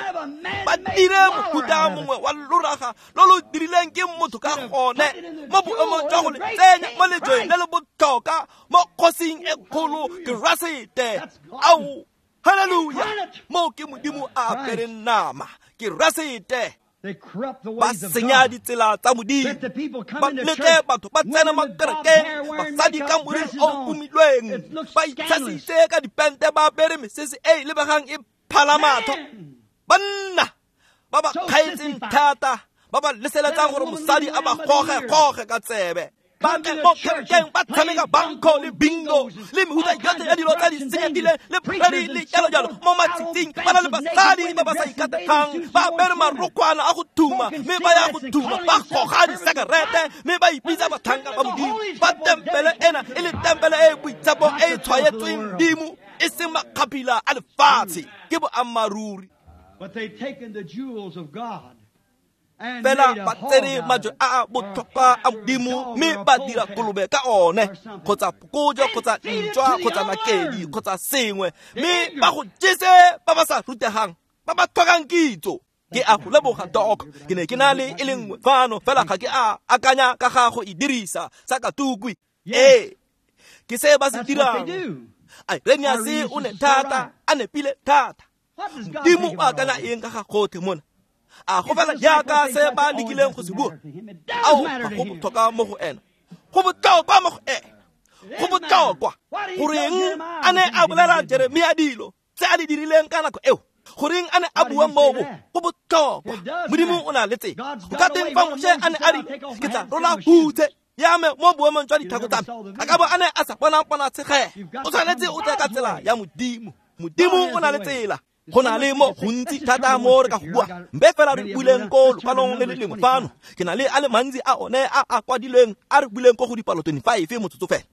ba dire mohuta mongwe wa loraga lo lo dirileng ke motho ka gone mo boemong jwa go le tsenya mo lejweng le le botlhokwa mo kgosing e kgolo Keresete. Ao, haleluya! Moo ke Modimo a apereng nama, Keresete. Ba senya ditsela tsa Modimo, ba letle batho ba tsena mo kerekeng, basadi ka moriri o pomilweng, ba itshasitse ka dipente, ba apere mesese e e lebegang e phala matlho. Banna ba ba kgaetseng thata, ba ba leseletsang gore mosadi a ba goge-goge ka tsebe. Ba tle mo kerekeng ba tshameka banko le bingo le mehuta yotlhe ya dilo tsa di senyegileng le preri le jalo-jalo mo matsatsing. Ba na le basadi ba ba sa ikategang, ba apere marokgwana a go thuma, mme ba ya go thuma, ba goga disekerete, mme ba ipitsa batlhanka ba Modimo. Ba tempele ena e le tempele e e boitshepo e e tshwaetsweng Modimo, e seng makgapila a lefatshe. Ke boammaaruri. But they've taken the jewels of God Fela ba tsere majwe a a botlhokwa a Modimo mme ba dira kolobe ka one, kgotsa phokojwe kgotsa ntšwa kgotsa nakedi kgotsa sengwe, mme ba go jese ba ba sa rutegang, ba ba tlhokang kitso. Ke a go leboga, Doc. Ke ne ke na le e le nngwe fano, fela ga ke a akanya ka ga go e dirisa sa katukwi. Ee, ke se ba se dirang. Irenaeus o ne thata, a nepile thata. Modimo o akanya eng ka ga gotlhe mona? A go fela jaaka se ba lekileng go se bua? Ao, ga go botlhokwa mo go ena. Go botlhokwa mo go ena. Go botlhokwa. Goreng a ne a bolela Jeremia dilo tse a di dirileng ka nako eo? Goreng a ne a bua moo? Go botlhokwa. Modimo o na le tsela. Go ka teng fa Moshe a ne a rile, ke tla rola hutshe ya me mo boemong jwa ditlhako tsa me, a ka bo a ne a sa bona ponatshegelo. O tshwanetse o tle ka tsela ya Modimo. Modimo o na le tsela. Go na le mo gontsi thata mo re ka go bua, mpe fela re buileng ko lokwalong le le lengwe fano. Ke na le a le mantsi a one a a kwadilweng a re buileng ko go dipalo twenty-five motsotso fela.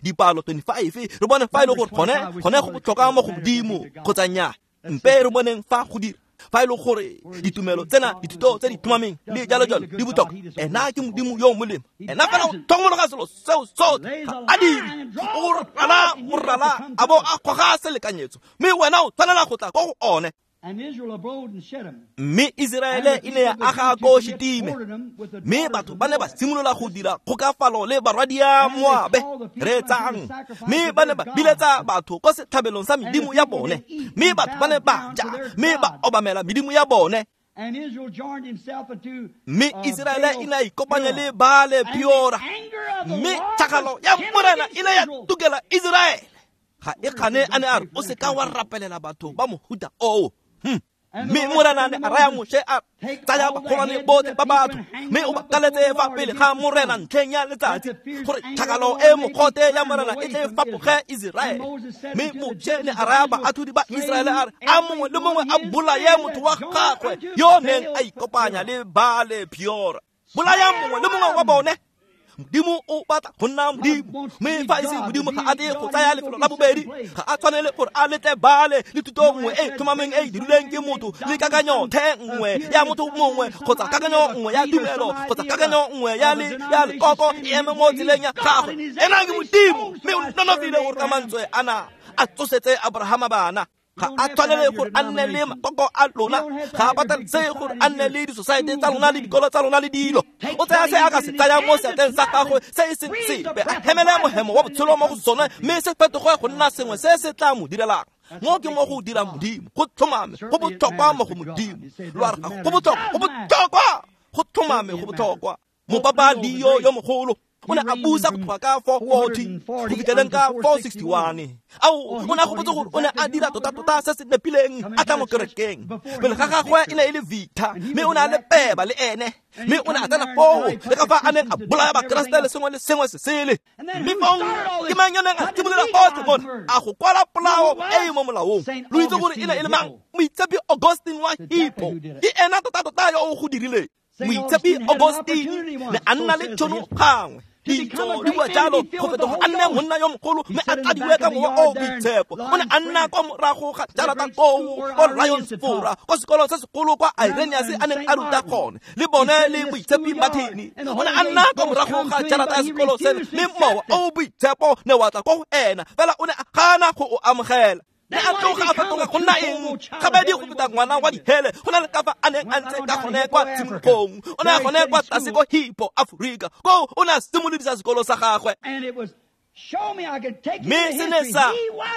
Dipalo twenty-five re bone fa e le gore gone gone go botlhokwa mo go Modimo kgotsa nnyaa. Mpe re boneng fa go dira, fa e le gore ditumelo tsena, dithuto tse di tlhomameng le jalo-jalo di botlhokwa. Ena ke Modimo yo o molemo. Ena fela o tlhokomologa selo seo sotlhe, ga a dire. O rala morala a bo a goga selekanyetso, mme wena o tshwanela go tla ko go one. Mme Iseraele e ne ya aga ko Shitime, mme batho ba ne ba simolola go dira kgokafalo le barwadia Moabe. Reetsang, mme ba ne ba biletsa batho ko setlhabelong sa medimo ya bone, mme batho ba ne ba ja mme ba obamela medimo ya bone. Mme Iseraele e ne ya ikopanya le Baale Peora, mme tšhakgalo ya Morena e ne ya tukela Iseraele. Ga e kgane a ne a re o seka wa rapelela batho ba mohuta oo. Mme Morena ne a raya Moshe a tsaya bagolwane botlhe ba batho, mme o ba kaletse fa pele ga Morena ntlheng ya letsatsi, gore tšhakgalo e mogote ya Morena e tle fapoge Iseraele. Mme Moshe ne a raya baatlhodi ba Iseraele a re, a mongwe le mongwe a bolaye motho wa gagwe yo neng a ikopanya le Baale Peora. Bolayang mongwe le mongwe wa bone. Modimo o batla go nna Modimo, mme fa e se Modimo ga a tle go tsaya lefelo la bobedi, ga a tshwanele gore a letle bale le thuto nngwe e tlhomameng e e dirilweng ke motho le kakanyo the nngwe ya motho mongwe kgotsa kakanyo nngwe ya tumelo kgotsa kakanyo nngwe ya le ya lekoko e eme mo tseleng ya gagwe. Ena ke Modimo, mme o nonofile gore ka mantswe ana a tsosetse Abrahama bana. Ga a tshwanele gore a nne le makoko a lona, ga a patelesege gore a nne le disosaete tsa lona le dikolo tsa lona le dilo. O tsaya se a ka se tsayang mo seatleng sa gagwe se e seng sepe, a hemele mohemo wa botshelo mo go sone, mme se fetoge go nna sengwe se se tla mo direlang. Mo ke mo go dirang Modimo, go tlhomame, go botlhokwa mo go Modimo. Lo a re go botlhokwa, go botlhokwa, go tlhomame, go botlhokwa. Mopapa Leo yo mogolo o ne a busa go tloga ka four forty go fitlheleng ka four sixty-one. Ao, o ne a gopotse gore o ne a dira tota-tota se se nepileng a tla mo kerekeng. Pele ga gagwe e ne e le Victor, mme o ne a le peba le ene, mme o ne a tsena foo le ka fa a neng a bolaya Bakeresete le sengwe le sengwe se sele. Mme fong ke mang yo neng a simolola gotlhe mona a go kwala polao e e mo molaong? Lo itse gore e ne e le mang? Moitshepi Augustine wa Hippo. Ke ena tota-tota yo o go dirileng. Moitshepi Augustine ne a nna le tšhono gangwe. Ditso di bua jalo go fetoga a nne monna yo mogolo, mme a tladiwe ka mowa o boitshepo. O ne a nna kwa morago ga jarata koo ko Lyons Fora, ko sekolo se segolo kwa Irenaeus a neng a ruta gone, le bone le Moitshepi Martin. O ne a nna kwa morago ga jarata ya sekolo seno, mme mowa o boitshepo ne wa tla ko go ena, fela o ne a gana go o amogela. Ne a tloga a fetoga go nna eng? Gabedi go feta ngwana wa dihele, go na le ka fa a neng a ntse ka gone kwa tshimologong. O ne a gone kwa tlase ko Hippo, Aforika, koo o ne a simolodisa sekolo sa gagwe. Mme se ne sa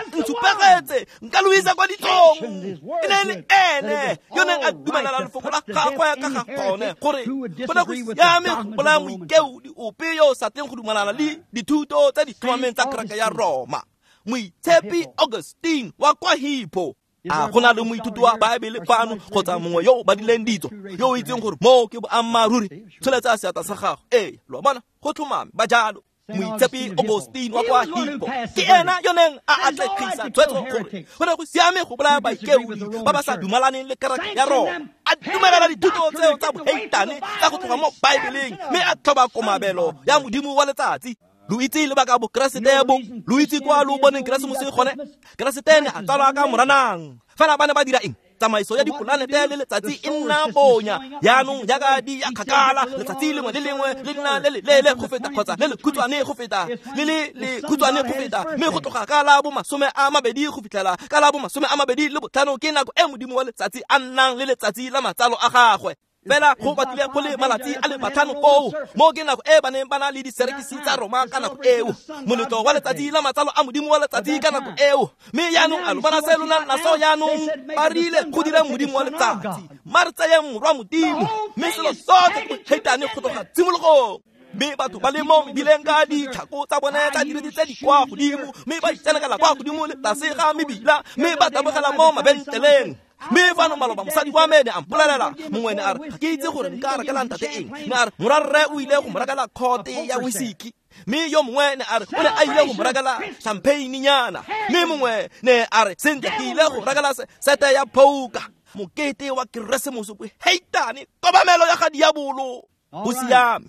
ntshupegetse, nka lo isa kwa ditsong. E ne e le ene yo neng a dumelela lefoko la gagwe ka ga gone gore go ne go siame go bolaya moikeodi ope yo o sa tleng go dumelana le dithuto tse di tlhomameng tsa kereke ya Roma. Moitshepi Augustine wa kwa Hippo. A go na le moithuti wa Baebele fano kgotsa mongwe yo o badileng ditso yo o itseng gore moo ke boammaaruri? Tsholetsa seatla sa gago. Ee, lo a bona, go tlhomame ba jalo. Moitshepi Augustine wa kwa Hippo ke ena yo neng a atlegisa tshwetso gore go ne go siame go bolaya baikeodi ba ba sa dumalaneng le kereke ya Roma. A dumelela dithuto tseo tsa boheitane tsa go tloga mo Baebeleng, mme a tlhoba komabelo ya Modimo wa letsatsi. Lo itse lebaka Bokeresete bo, lo itse kwa lo boneng Keresemose gone. Keresete ne a tsalwa ka Moranang. Fela ba ne ba dira eng? Tsamaiso ya dipolanete le letsatsi e nna bonya. Jaanong jaaka di ya kgakala, letsatsi lengwe le lengwe le nna le le leele go feta kgotsa le le khutshwane go feta, le le le khutshwane go feta, mme go tloga ka la bo masome a mabedi go fitlhela ka la bo masome a mabedi le botlhano ke nako e Modimo wa letsatsi a nnang le letsatsi la matsalo a gagwe. Fela go batlile go le malatsi a le matlhano koo, mo ke nako e ba neng ba na le diserekisi tsa Roma ka nako eo, moletlo wa letsatsi la matsalo a Modimo wa letsatsi ka nako eo. Mme jaanong a lo bona se lo nang naso jaanong? Ba rile go dira Modimo wa letsatsi, mma re tsayeng morwa Modimo, mme selo sotlhe ke boheitane go tloga tshimologong. Mme batho ba le mo mebileng ka ditlhako tsa bone tsa diriti tse di kwa godimo, mme ba itsenekela kwa godimo le tlase ga mebila, mme ba tabogela mo mabentleleng. Mme fano maloba mosadi wa me ne a mpolelela, mongwe ne a re ga ke itse gore nka rekela ntate eng, ne a re morwarre o ile go mo rekela khote ya whisky, mme yo mongwe ne a re o ne a ile go mo rekela champagne-nyana, mme mongwe ne a re sentle ke ile go rekela sete ya poker. Mokete wa Keresemose boheitane, kobamelo ya ga diabolo. Go siame.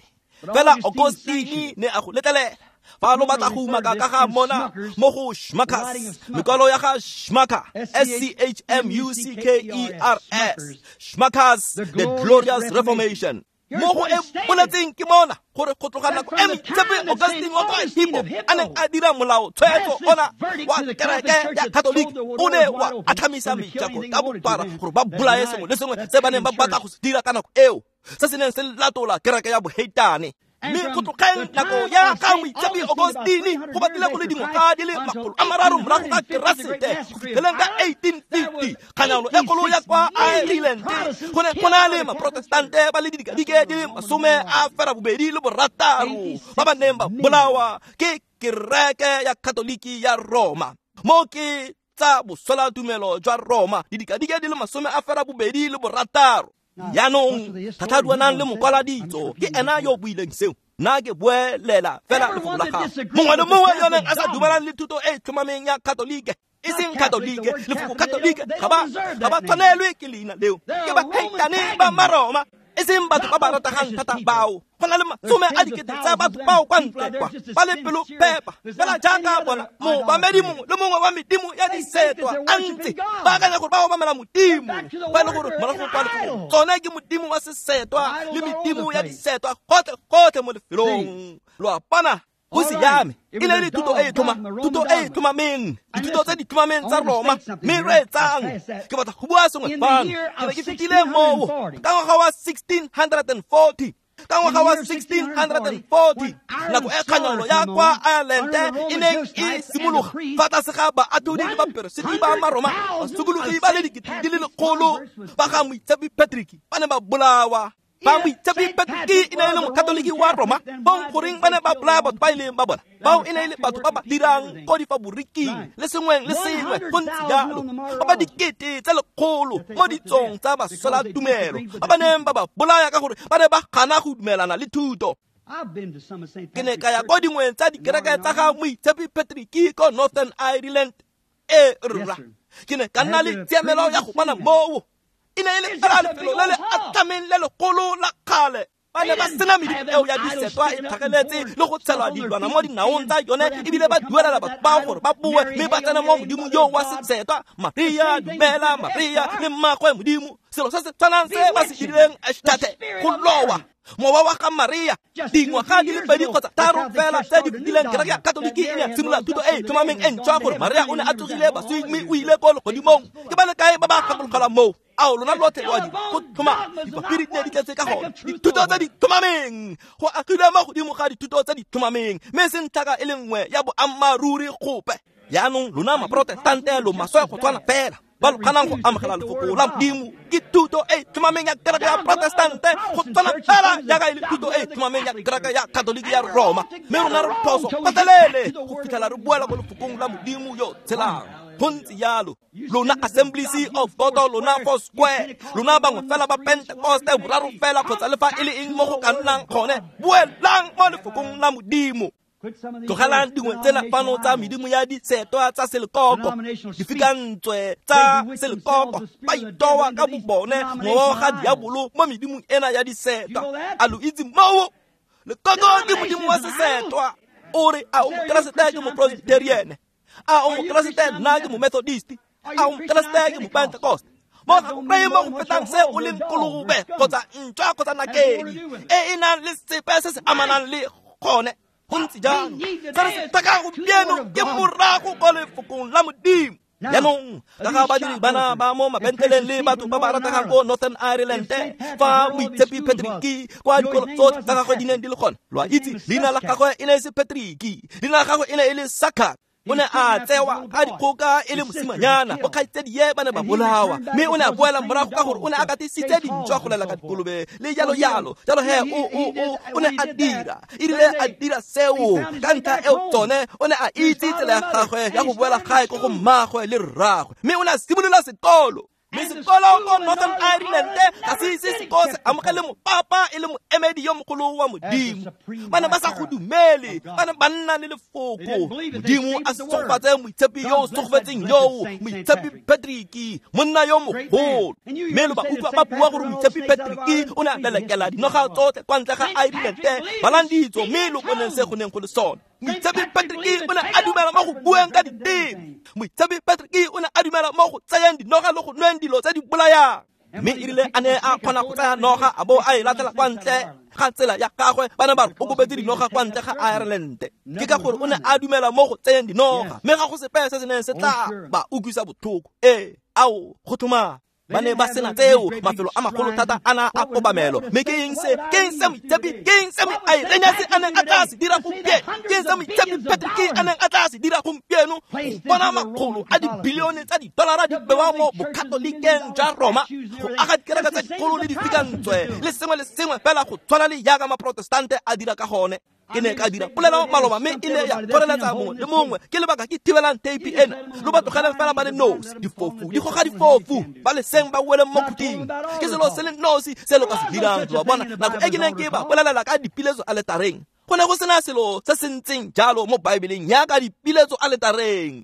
Fela Augustine ne a go letlelela. Fa lo batla go umaka ka ga mona mo go Schmuckers, mekwalo ya ga Schmucker, S C H M U C K E R S, Schmuckers, The Glorious Reformation. Mo go e boletseng ke mona gore go tloga nako e Moitshepi Augustine wa kwa Hippo a neng a dira molao tshwetso ona wa kereke ya Katoliki, o ne wa atlhamisa mejako ka bophara gore ba bolaye sengwe le sengwe se ba neng ba batla go se dira ka nako eo, se se neng se latola kereke ya boheitane. Mme go tlogeng nako ya ga Moitshepi Augustine go batlile go le dingwaga di le makgolo a mararo morago ga Keresete go fitlheleng ka eighteen fifty, kganyano e kgolo ya kwa Ireland go ne go na le Maprotestante ba le didikadike di le masome a fera bobedi le borataro ba ba neng ba bolawa ke kereke ya Katoliki ya Roma. Mo ke tsa boswelatumelo jwa Roma, didikadike di le masome a fera bobedi le borataro. Jaanong thathaduanang le mokwala ditso ke ena yo o buileng seo. Nna ke buelela fela lefoko la gagwe. Mongwe le mongwe yo neng a sa dumelane le thuto e e tlhomameng ya Katolike, e seng Katolike, lefoko Katolike ga ba ga ba tshwanelwe ke leina leo, ke baheitane ba Maroma. E seng batho ba ba rategang thata bao go na le masome a dikete tsa batho bao kwa ntle kwa ba le pelo phepa fela jaaka bona moobamedi mongwe le mongwe wa medimo ya disetwa a ntse ba akanya gore ba obamela modimo ba e le gore morago kwa lefokong tsone ke modimo wa sesetwa le medimo ya disetwa gotlhe gotlhe mo lefelong lo a bona go siame e ne le thuto e e tlhoma thuto e e tlhomameng dithuto tse di tlhomameng tsa Roma mme reetsang ke batla go bua sengwe fano ke ne ke fetile moo ka ngwaga wa sixteen forty ka ngwaga wa sixteen forty nako e kganyolo ya kwa Ireland e neng e simologa fa tlase ga baatlhodi le baperesiti ba Maroma basokologi ba le dikete di le lekgolo ba ga Moitshepi Patrick ba ne ba bolawa ba Moitshepi Patrick e ne e le mokatoliki wa Roma bong goreng ba ne ba bolaya batho ba e leng ba bona bao e ne e le batho ba ba dirang ko difaboriking le sengweng le sengwe go ntse jalo ba ba dikete tse lekgolo mo ditsong tsa baswelatumelo ba ba neng ba ba bolaya ka gore ba ne ba gana go dumelana le thuto. Ke ne ka ya ko dingweng tsa dikereke tsa ga Moitshepi Patrick ko Northern Ireland e rra ke ne ka nna le tshiamelo ya go bona moo e ne e le fela lefelo le le atlameng le legolo la kgale ba ne ba sena medimo eo ya disetwa e tlhageletse le go tshelwa dilwana mo dinaong tsa yone ebile ba duelela batho bao gore ba boe mme ba tsene mo modimo yo wa sesetwa Maria dumela Maria le mmagwe modimo selo se se tshwanang se ba se dirileng Ashtate go lowa mowa wa ga Maria dingwaga di le pedi kgotsa tharo fela tse di fetileng kereke ya Katoliki e ne ya simolola thuto e e tlhomameng e ntšhwa gore Maria o ne a tsogile baswing mme o ile ko legodimong ke ba le kae ba ba gakologelwang moo ao lona lotlhe lo a di go tlhoma dipampiri di ne di tletse ka gone dithuto tse di tlhomameng go agilwe mo godimo ga dithuto tse di tlhomameng mme seng tlhaka e le nngwe ya boammaaruri gope jaanong lona maprotestante lo maswe go tshwana fela ba lo kganang go amogela lefoko la modimo ke thuto e tlhomameng ya kereke ya protestante go tshwana fela jaaka e le thuto e tlhomameng ya kereke ya katoliki ya Roma mme rona re phoso gotlhelele go fitlhela re boela mo lefokong la modimo yo tshelang go ntse jalo lona Assemblies of God lona Four Square lona bangwe fela ba Pentecoste boraro fela kgotsa le fa e le eng mo go ka nnang gone boelang mo lefokong la modimo tlogelang dingwe tsena fano tsa medimo ya disetwa tsa selekoko difikantswe tsa selekoko ba itowa ka bobone mowa ga diabolo mo medimong ena ya disetwa a lo itse moo lekoko ke modimo wa sesetwa o re a o mokeresete ke mopresbyterian a o mokeresete nna ke momethodist a o mokeresete ke mopentecost mo ga go kry-e mo go fetang se o leng kolobe kgotsa ntšwa kgotsa nakedi e e nang le sepe se se amanang le gone go ntse jalo se re se tlhokang gompieno ke morago ko lefokong la modimo jaanong ka ga badiri bana ba mo mabentleleng le batho ba ba rategang ko Northern Ireland fa Moitshepi Patrick kwa dikolo tsotlhe tsa gagwe di neng di le gone lo a itse leina la gagwe e ne e se Patrick leina la gagwe e ne e le Saka o ne a tsewa ka dikgoka e le mosimanyana bokgaitsedie ba ne ba bolawa mme o ne a boela morago ka gore o ne a katisitse dintšwa go lela ka dikolobe le jalo jalo jalo he o o o o ne a dira erile a dira seo ka ntlha eo tsone o ne a itse tsela ya gagwe ya go boela gae ko go mmagwe le rragwe mme o ne a simolola sekolo mme sekolo ko Northern Ireland ga se ise seko se amogele mopapa e le moemedi yo mogolo wa modimo ba ne ba sa go dumele ba ne ba nna le lefoko modimo a segofatse moitshepi yo o segofetseng yoo Moitshepi Patrick monna yo mogolo mme lo ba utlwa ba bua gore Moitshepi Patrick o ne a lelekela dinoga tsotlhe kwa ntle ga Ireland balang ditso mme lo boneng se go neng go le sone Moitshepi Patrick o ne a dumela mo go bueng ka diteme Moitshepi Patrick o ne a dumela mo go tsayang dinoga le go nweng dilo tse di bolayang mme erile a ne a kgona go tsaya noga a bo a e latela kwa ntle ga tsela ya gagwe ba ne ba re o kobetse dinoga kwa ntle ga Ireland ke ka gore o ne a dumela mo go tseyeng dinoga mme ga go sepe se se neng se tla ba utlwisa botlhoko ee ao go tlhoma ba ne ba sena tseo mafelo a magolo thata a na a kobamelo mme ke eng se ke eng se Moitshepi ke eng se Irenaeus a neng a tla se dira gompieno ke eng se Moitshepi Patrick a neng a tla se dira gompieno go bona makgolo a dibilione tsa didolara di bewa mo bokatolikeng jwa Roma go aga dikereke tsa dikgolo le difikantswe le sengwe le sengwe fela go tshwana le jaaka maprotestante a dira ka gone ke ne ka dira polelo maloba mme e ne ya kgoreletsa mongwe le mongwe ke lebaka ke thibelang tape ena lo ba tlogeleng fela ba le nosi difofu di goga difofu ba le seng ba weleng mo khuting ke selo se le nosi se lo ka se dirang lo a bona nako e ke neng ke ba bolelela ka dipiletso aletareng go ne go sena selo se se ntseng jalo mo baebeleng yaka dipiletso aletareng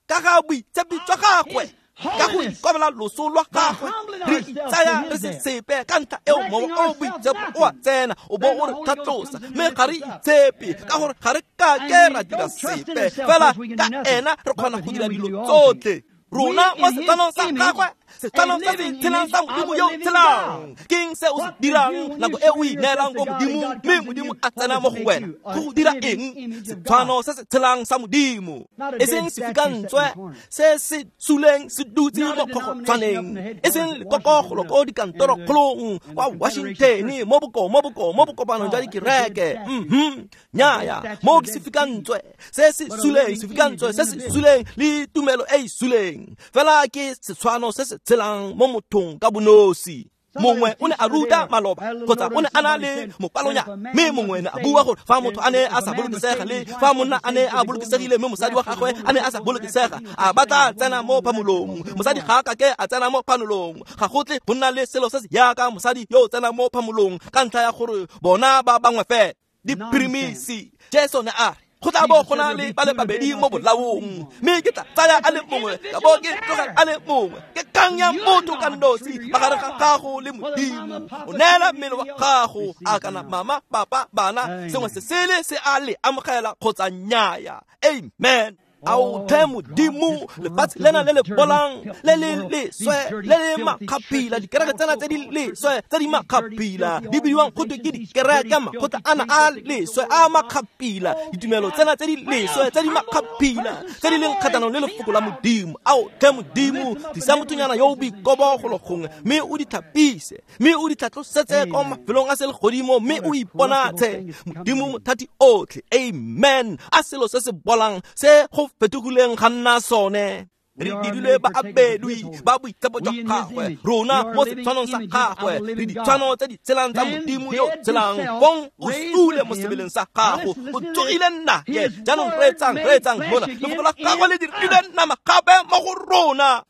ka ga boitshepi jwa gagwe Ka go ikobela loso lwa gagwe re itsaya re se sepe ka ntlha eo mowa o boitshepo o a tsena o bo o re tlhatlosa mme ga re itshepe ka gore ga re kake ra dira sepe fela ka ena re kgona go dira dilo tsotlhe. Rona mo setshwanong sa gagwe, setshwanong se se tshelang sa Modimo yo o tshelang. Ke eng se o se dirang nako e o ineelang ko Modimo mme Modimo a tsena mo go wena? Go go dira eng? Setshwano se se tshelang sa Modimo, e seng sefikantswe se se suleng se dutse mo kgogotshwaneng, e seng lekokogolo ko dikantorokgolong kwa Washington mo boko mo boko mo bokopanong jwa dikereke. Mhm, nnyaya, mo ke sefikantswe se se suleng, sefikantswe se se suleng le tumelo e e suleng. Fela ke setshwano se se tshelang mo mothong ka bonosi. Mongwe o ne a ruta maloba kgotsa o ne a na le mokwalonya, mme mongwe ne a bua gore fa motho a ne a sa bolokesega le fa monna a ne a bolokesegile mme mosadi wa gagwe a ne a sa bolokesega, a batla tsena mo phamolong. Mosadi ga a kake a tsena mo phamolong. Ga go tle go nna le selo se se jaaka mosadi yo o tsena mo phamolong ka ntlha ya gore bona ba bangwe fela. Diphirimisi. Jesu ne a re go tla bo go na le ba le babedi mo bolaong, mme ke tla tsaya a le mongwe ka bo ke tlogela a le mongwe. Ke kgang ya motho ka nosi magareng ga gago le Modimo. O neela mmele wa gago a kana mama, papa, bana, sengwe se sele se a le amogela kgotsa nnyaya. Amen. Ao tlhe Modimo, lefatshe lena le le bolang le le leswe le le makgapila, dikereke tsena tse di leswe tse di makgapila di bidiwang gotwe ke dikereke, makgotla ana a leswe a makgapila, ditumelo tsena tse di leswe tse di makgapila tse di leng kgatlhanong le lefoko la Modimo. Ao tlhe Modimo, tlisa mothonyana yo o boikobo golo gongwe mme o di tlhapise mme o di tlhatlosetse kwa mafelong a selegodimo mme o iponatshe Modimo mothati otlhe. Amen. A selo se se bolang se go fetogileng ga nna sone. Re dirilwe ba abelwi ba boitshepo jwa gagwe, rona mo setshwanong sa gagwe re ditshwano tse di tshelang tsa Modimo yo tshelang. Fong o sule mo sebeleng sa gago, o tsogile nnaye. Jaanong reetsang, reetsang mona, lefoko la gagwe le dirilwe nama gape mo go rona.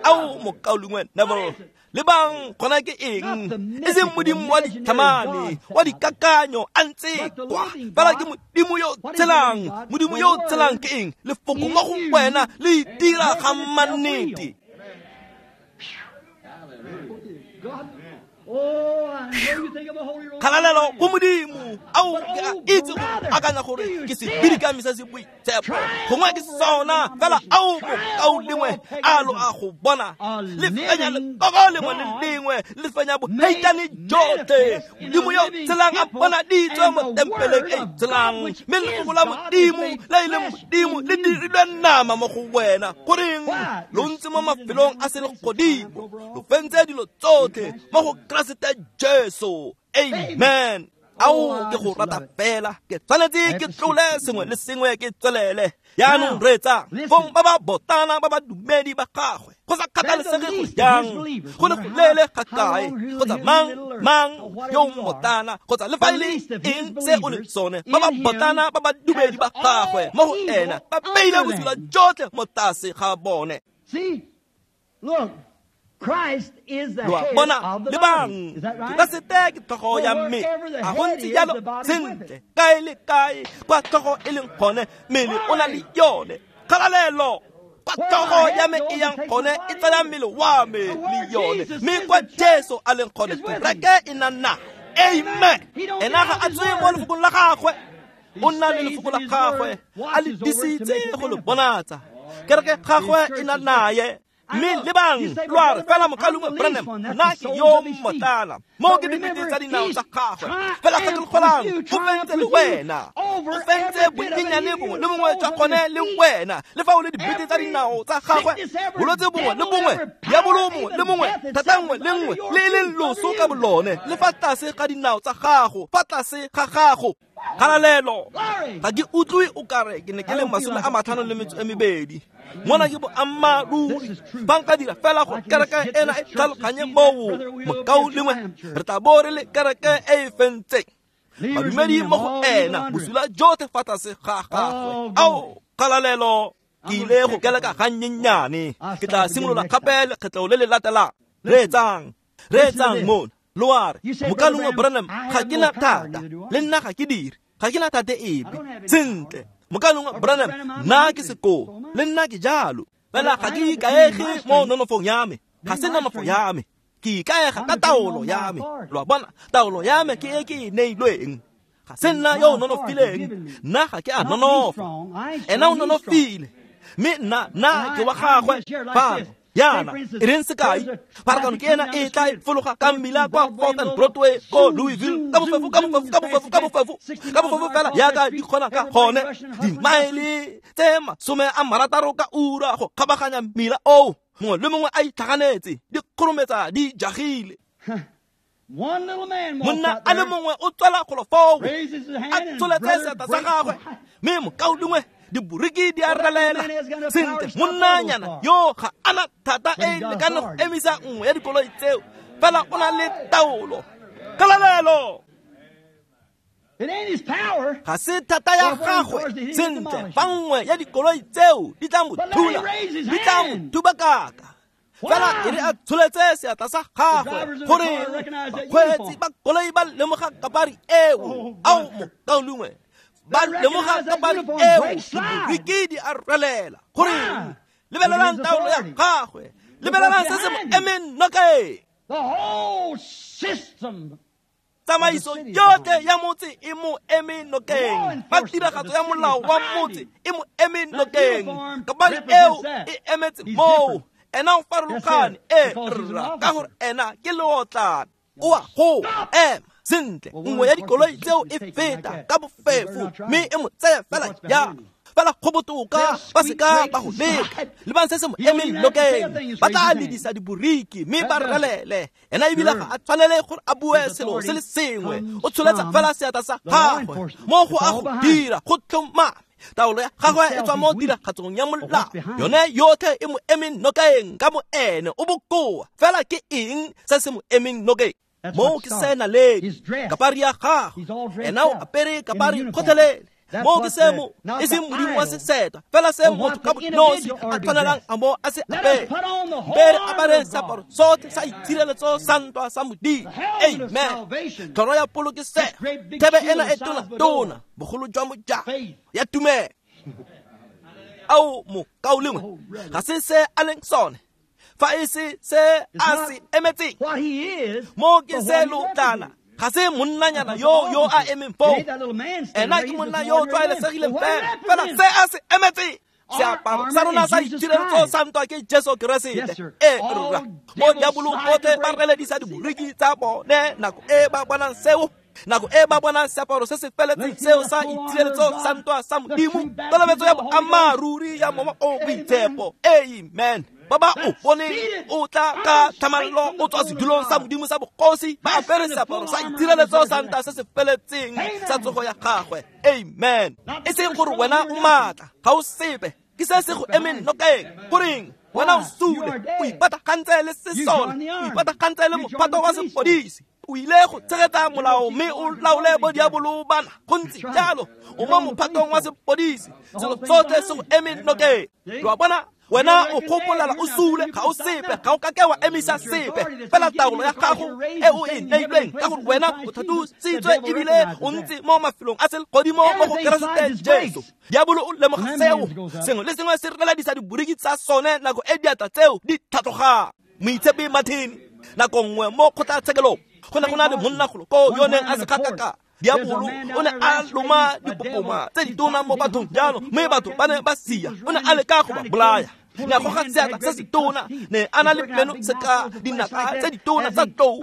Ao mokaulengwe Neville, lebang gona ke eng? E seng Modimo wa ditlhamane, wa dikakanyo a ntse kwa, fela ke Modimo yo tshelang. Modimo yo tshelang ke eng? Lefoko mo go wena le itira ga mannete. Kgalalelo go Modimo. Ao ke a itse go akanya gore ke sebidikami se se boitshepo, gongwe ke sona fela. Ao mokaulengwe, a lo a go bona le fenya lekoko lengwe le lengwe, le fenya boheitane jotlhe. Modimo yo tshelang a bonaditswe mo tempeleng e tshelang, mme lefoko la Modimo le e leng Modimo le dirilwe nama mo go wena. Goreng lo ntse mo mafelong a selegodimo, lo fentse dilo tsotlhe mo go Keresete Jesu. Amen. Ao ke go rata fela, ke tshwanetse ke tlole sengwe le sengwe ke tswelele. Jaanong reetsa, fong ba ba botana ba ba dumedi ba gagwe, go sa kgathalesege go jang, go le go leele ga kae, kgotsa mang mang yo motana, kgotsa le fa e le eng se o le sone, ba ba botana ba ba dumedi ba gagwe mo go ena ba beile bosula jotlhe mo tlase ga bone. Look, Christ is the Lo a head bona, of the lebang, body. Is that right? Keresete ke tlhogo ya mmele. A go ntse jalo sentle, kae le kae kwa tlhogo e leng gone, mmele o na le yone. Kgalalelo, kwa tlhogo ya me e yang gone, e tsaya mmele wa me le yone. Mme kwa Jesu a leng gone, kereke e na nae. Amen. Ena ga a tswe mo lefokong la gagwe, o nna le lefoko la gagwe, a le disitse go le bonatsa. Kereke gagwe e na naye. Mme lebang, lo a re fela mokaulengwe Branham, nna ke yo mmotlana, mo ke dibete tsa dinao tsa gagwe. Fela gakologelwang, o fentse le wena, o fentse bonyenyane bongwe le bongwe jwa gone le wena. Le fa o le dibete tsa dinao tsa gagwe, bolwetse bongwe le bongwe, diabolo mongwe le mongwe, thata nngwe le nngwe, le e leng loso ka bolone, le fa tlase ga dinao tsa gago, fa tlase ga gago. Kgalalelo, ga ke utlwe o kare ke ne ke le masome a matlhano le metso e mebedi. Mona ke boammaaruri. Fa nka dira fela gore kereke ena e tlhaloganye moo, mokaulengwe, re tla bo re le kereke e e fentseng badumedi mo go ena, bosula jotlhe fa tlase ga gagwe. Ao kgalalelo, ke ile go keleka gannyenyane, ke tla simolola gape lekgetlo le le latelang. Reetsang, reetsang mona. Lo a re, mokaulengwe Branham, ga ke na thata, le nna ga ke dire, ga ke na thata epe. Sentle, Mokaulengwe Branham, nna ke sekoo, le nna ke jalo. Fela ga ke ikaege mo nonofong ya me, ga se nonofo ya me. Ke ikaega ka taolo ya me. Lo a bona, taolo ya me ke e ke e neilweng. Ga se nna yo o nonofileng, nna ga ke a nonofa. Ena o nonofile, mme nna nna ke wa gagwe. Fano yana e reng sekai, pharakano ke ena e tla e fologa ka mmila kwa Fourth and Broadway ko Louisville ka bofefo ka bofefo ka bofefo ka bofefo ka bofefo fela yaka di kgona ka gone, dimaele tse masome a marataro ka ura go kgabaganya mmila oo, mongwe le mongwe a itlhaganetse, di kgorometsa di jagile. Monna a le mongwe o tswela golo foo, a tsholetse seatla sa gagwe, mme mokaulengwe diboriki di a relela. Sentle, monnanyana yo ga ana thata e lekane go emisa nngwe ya dikoloi tseo, fela o na le taolo. Kgalalelo! Ga se thata ya gagwe. Sentle, fa nngwe ya dikoloi tseo di tla mo thula, di tla mo thubakaka. Fela e re a tsholetse seatla sa gagwe, gore bakgweetsi ba koloi ba lemoga kapari eo. Ao mokaulengwe, ba lemoga kapari eo, diboriki di a relela. Gore lebelelang taolo ya gagwe, lebelelang se se mo emeng nokeng. Tsamaiso yotlhe ya motse e mo eme nokeng, fa tiragatso ya molao wa motse e mo eme nokeng. Kapari eo e emetse moo. Ena o farologane, e rra, ka gore ena ke leotlana. O a go ema. Sentle, nngwe ya dikoloi tseo e feta ka bofefo, mme e mo tsaya fela jalo. Fela go botoka ba seka ba go leka. Lebang se se mo emeng nokeng, ba tla ledisa diboriki mme ba relele. Ena ebile ga a tshwanele gore a bue selo se le sengwe, o tsholetsa fela seatla sa gagwe. Mo go a go dira go tlhomame, taolo ya gagwe e tswa mo tiragatsong ya molao, yone yotlhe e mo emeng nokeng ka bo ene. O bokoa, fela ke eng se se mo emeng nokeng? Mo ke se naledi, kapari ya gagwe, ena o apere kapari gotlhelele. Mo ke se mo e seng modimo wa sesetwa, fela se motho ka bonosi a tshwanelang a mo a se apere. Mpe re apare seaparo sotlhe sa itshireletso sa ntwa sa Modimo. Amen. Tlhoro ya polokesego, thebe ena e tona-tona, bogolo jwa mojako ya tumelo. Ao mokaulengwe, ga se se a leng sone, fa e se se a se emetseng. Mo ke se lotlana, ga se monnanyana yo yo a emeng foo. Ena ke monna yo o tlwaelesegileng fela, fela se a se emetseng. Seaparo sa rona sa itshireletso sa ntwa ke Jesu Keresete. E rra, mo diabolo botlhe ba reledisa diboriki tsa bone nako e ba bonang seo, nako e ba bonang seaparo se se feletseng seo sa itshireletso sa ntwa sa Modimo, kolobetso ya boammaaruri ya Mowa o Boitshepo. Amen. Ba ba o boneng o tla ka tlhamallo o tswa sedulong sa Modimo sa bogosi, ba apere seaparo sa itshireletso sa ntwa se se feletseng sa tsogo ya gagwe. Amen. E seng gore wena o maatla, ga o sepe, ke se se go emeng nokeng. Goreng wena o sule, o ipatagantse le sesole, o ipatagantse le mophato wa sepodisi, o ile go tshegetsa molao mme o laole bo diabolo bana. Go ntse jalo, o mo mophatong wa sepodisi, selo sotlhe se go emeng nokeng. Lo a bona, wena o gopolela o sule, ga o sepe, ga o kake wa emisa sepe. Fela taolo ya gago e o e neilweng, ka gore wena o tlhatlositswe ebile o ntse mo mafelong a selegodimo mo go Keresete Jesu. Diabolo o lemoga seo, sengwe le sengwe se reledisa diboriki tsa sone nako e diatla tseo di tlhatlogang. Moitshepi Martin, nako nngwe mo kgotlatshekelong, go ne go na le monnagolo koo yo neng a se kgakaka. Diabolo o ne a loma dipopoma tse ditona mo bathong jalo, mme batho ba ne ba sia. O ne a leka go ba bolaya. Ne a goga seatla se setona, ne a na le meno seka dinaka tse ditona tsa tlou.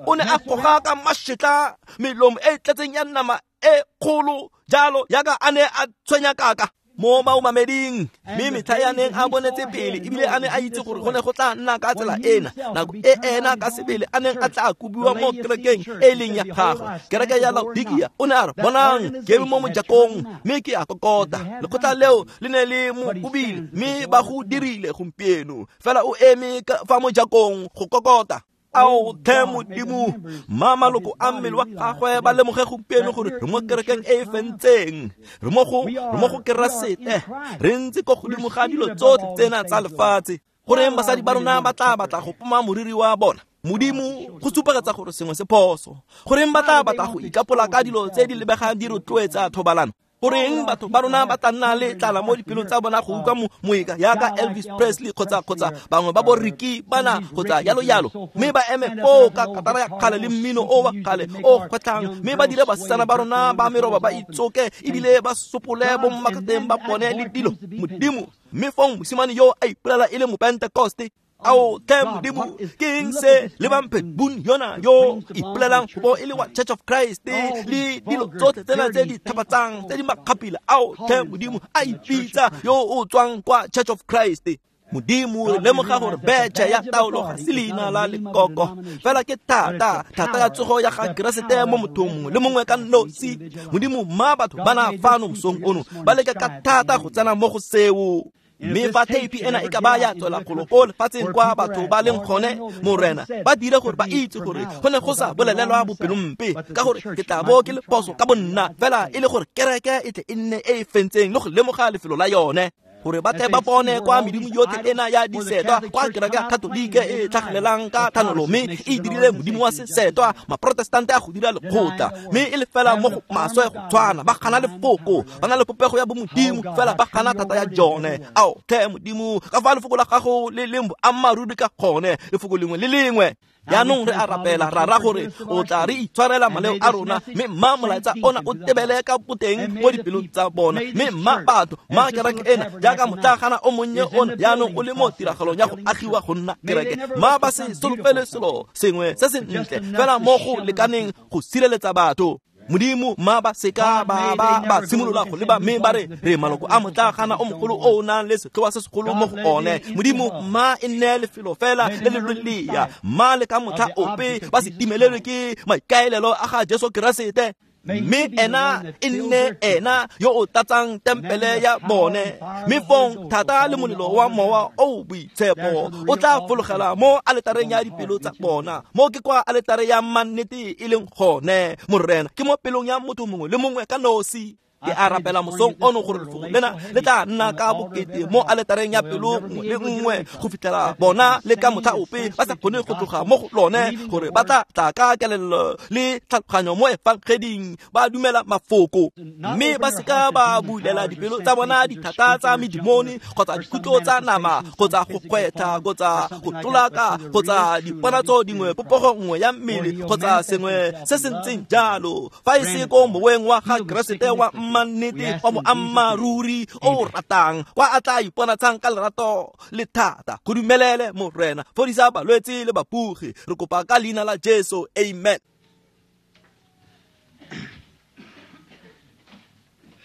O ne a goga ka mašetla melomo e tletseng ya nama e kgolo jalo, yaka a ne a tshwenya kaka mo baomameding. Mme metlha ya neng a bonetse pele, ebile a ne a itse gore go ne go tla nna ka tsela ena, nako e ena ka sebele a neng a tla kobiwa mo kerekeng e leng ya gagwe, kereke ya Laodikia. O ne a re, bonang, ke eme mo mojakong mme ke a kokota. Lekgotla leo le ne le mo kobile, mme ba go dirile gompieno. Fela o eme fa mojakong go kokota. Ao tlhe Modimo, mma maloko a mmele wa gagwe ba lemoge gompieno gore re mo kerekeng e e fentseng, re mo go re mo go Keresete, re ntse ko godimo ga dilo tsotlhe tsena tsa lefatshe. Goreng basadi ba rona ba tla batla go poma moriri wa bona? Modimo go supagetsa gore sengwe se phoso. Goreng ba tla batla go ikapola ka dilo tse di lebegang di rotloetsa thobalano? Goreng batho ba rona ba tla nna le tlala mo dipelong tsa bona go utlwa moeka yaka Elvis Presley kgotsa kgotsa bangwe ba bo Ricky bana kgotsa yalo yalo, mme ba eme foo ka katara ya kgale le mmino o wa kgale o kgwetlhang, mme ba dire basetsana ba rona ba meroba ba itsoke ebile ba sopole bo mmakateng ba bone le dilo. Modimo, mme fong mosimane yo a ipolela e le mopentekoste. Ao tlhe Modimo, ke eng se le Pat Boone yona yo ipolelang go bo e le wa Church of Christ le dilo tsotlhe tsena tse di tlhapatsang tse di makgapila? Ao tlhe Modimo, a ipitsa yo o tswang kwa Church of Christ. Modimo, re lemoga gore betšhe ya taolo ga se leina la lekoko, fela ke thata thata ya tsogo ya ga Keresete mo mothong mongwe le mongwe ka nosi. Modimo, mma batho bana fano mosong ono ba leke ka thata go tsena mo go seo. Mme fa theipi ena e ka ba ya tswela golo ko lefatsheng kwa batho ba leng gone, Morena, ba dire gore ba itse gore go ne go sa bolelelwa bopelompe, ka gore ke tla bo ke le phoso ka bonna, fela e le gore kereke e tle e nne e e fentseng le go lemoga lefelo la yone, gore ba tle ba bone kwa medimo yotlhe ena ya disetwa, kwa kereke ya Katolike e tlhagelelang ka thanolo mme e dirile modimo wa sesetwa, maprotestante a go dira lekgotla, mme e le fela mo go maswe go tshwana, ba gana lefoko, ba na le popego ya bomodimo, fela ba gana thata ya jone. Ao tlhe Modimo, ka fa lefoko la gago le leng boammaaruri ka gone, lefoko lengwe le lengwe. Jaanong re a rapela rara gore o tla re itshwarela maleo a rona, mme mma molaetsa ona o tebele ka boteng mo dipelong tsa bona, mme mma batho mma kereke ena jaaka motlagana o monnye ona jaanong o le mo tiragalong ya go agiwa go nna kereke, mma ba se solofele selo sengwe se se ntle fela mo go lekaneng go sireletsa batho. Modimo, mma ba seka ba ba ba simolola go leba mme ba re re maloko a motlagana o mogolo o o nang le setloa se segolo mo go one. Modimo, mma e nne lefelo fela le le lolea, mma le ka motlha ope ba se timelelwe ke maikaelelo a ga Jesu Keresete, mme ena e nne ena yo o tlatsang tempele ya bone, mme fong thata le molelo wa mowa o boitshepo o tla fologela mo aletareng ya dipelo tsa bona. Mo ke kwa aletare ya mannete e leng gone, Morena, ke mo pelong ya motho mongwe le mongwe ka nosi. Ke a rapela mosong ono gore lefoko lena le tla nna ka bokete mo aletareng ya pelo nngwe le nngwe go fitlhela bona le ka motlha ope ba sa kgone go tloga mo go lone, gore ba tla tla ka kelello le tlhaloganyo mo efangeding, ba dumela mafoko, mme ba seka ba bulela dipelo tsa bona dithata tsa medimone kgotsa dikutlo tsa nama kgotsa go kgwetha kgotsa go tlolaka kgotsa diponatso dingwe popego nngwe ya mmele kgotsa sengwe se se ntseng jalo, fa e se ko moweng wa ga Keresete wa mannete wa boammaaruri o ratang, kwa a tla iponatshang ka lerato le thata. Go dumelele Morena, fodisa balwetse le bapugi, re kopa ka leina la Jesu, amen.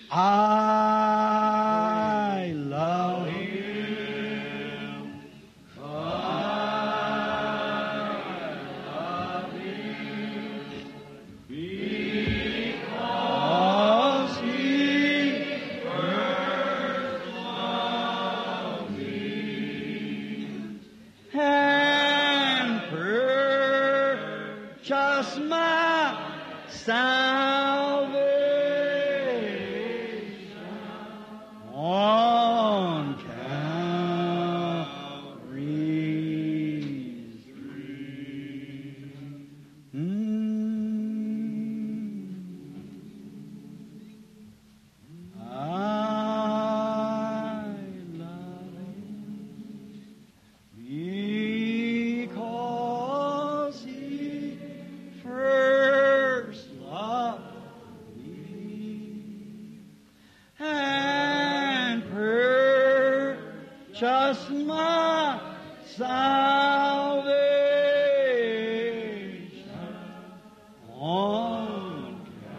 I love him. I love him. Because he first loved me and purchased my salvation on Calvary's tree. Mm. I love him because he first loved me and purchased my salvation on Calvary's.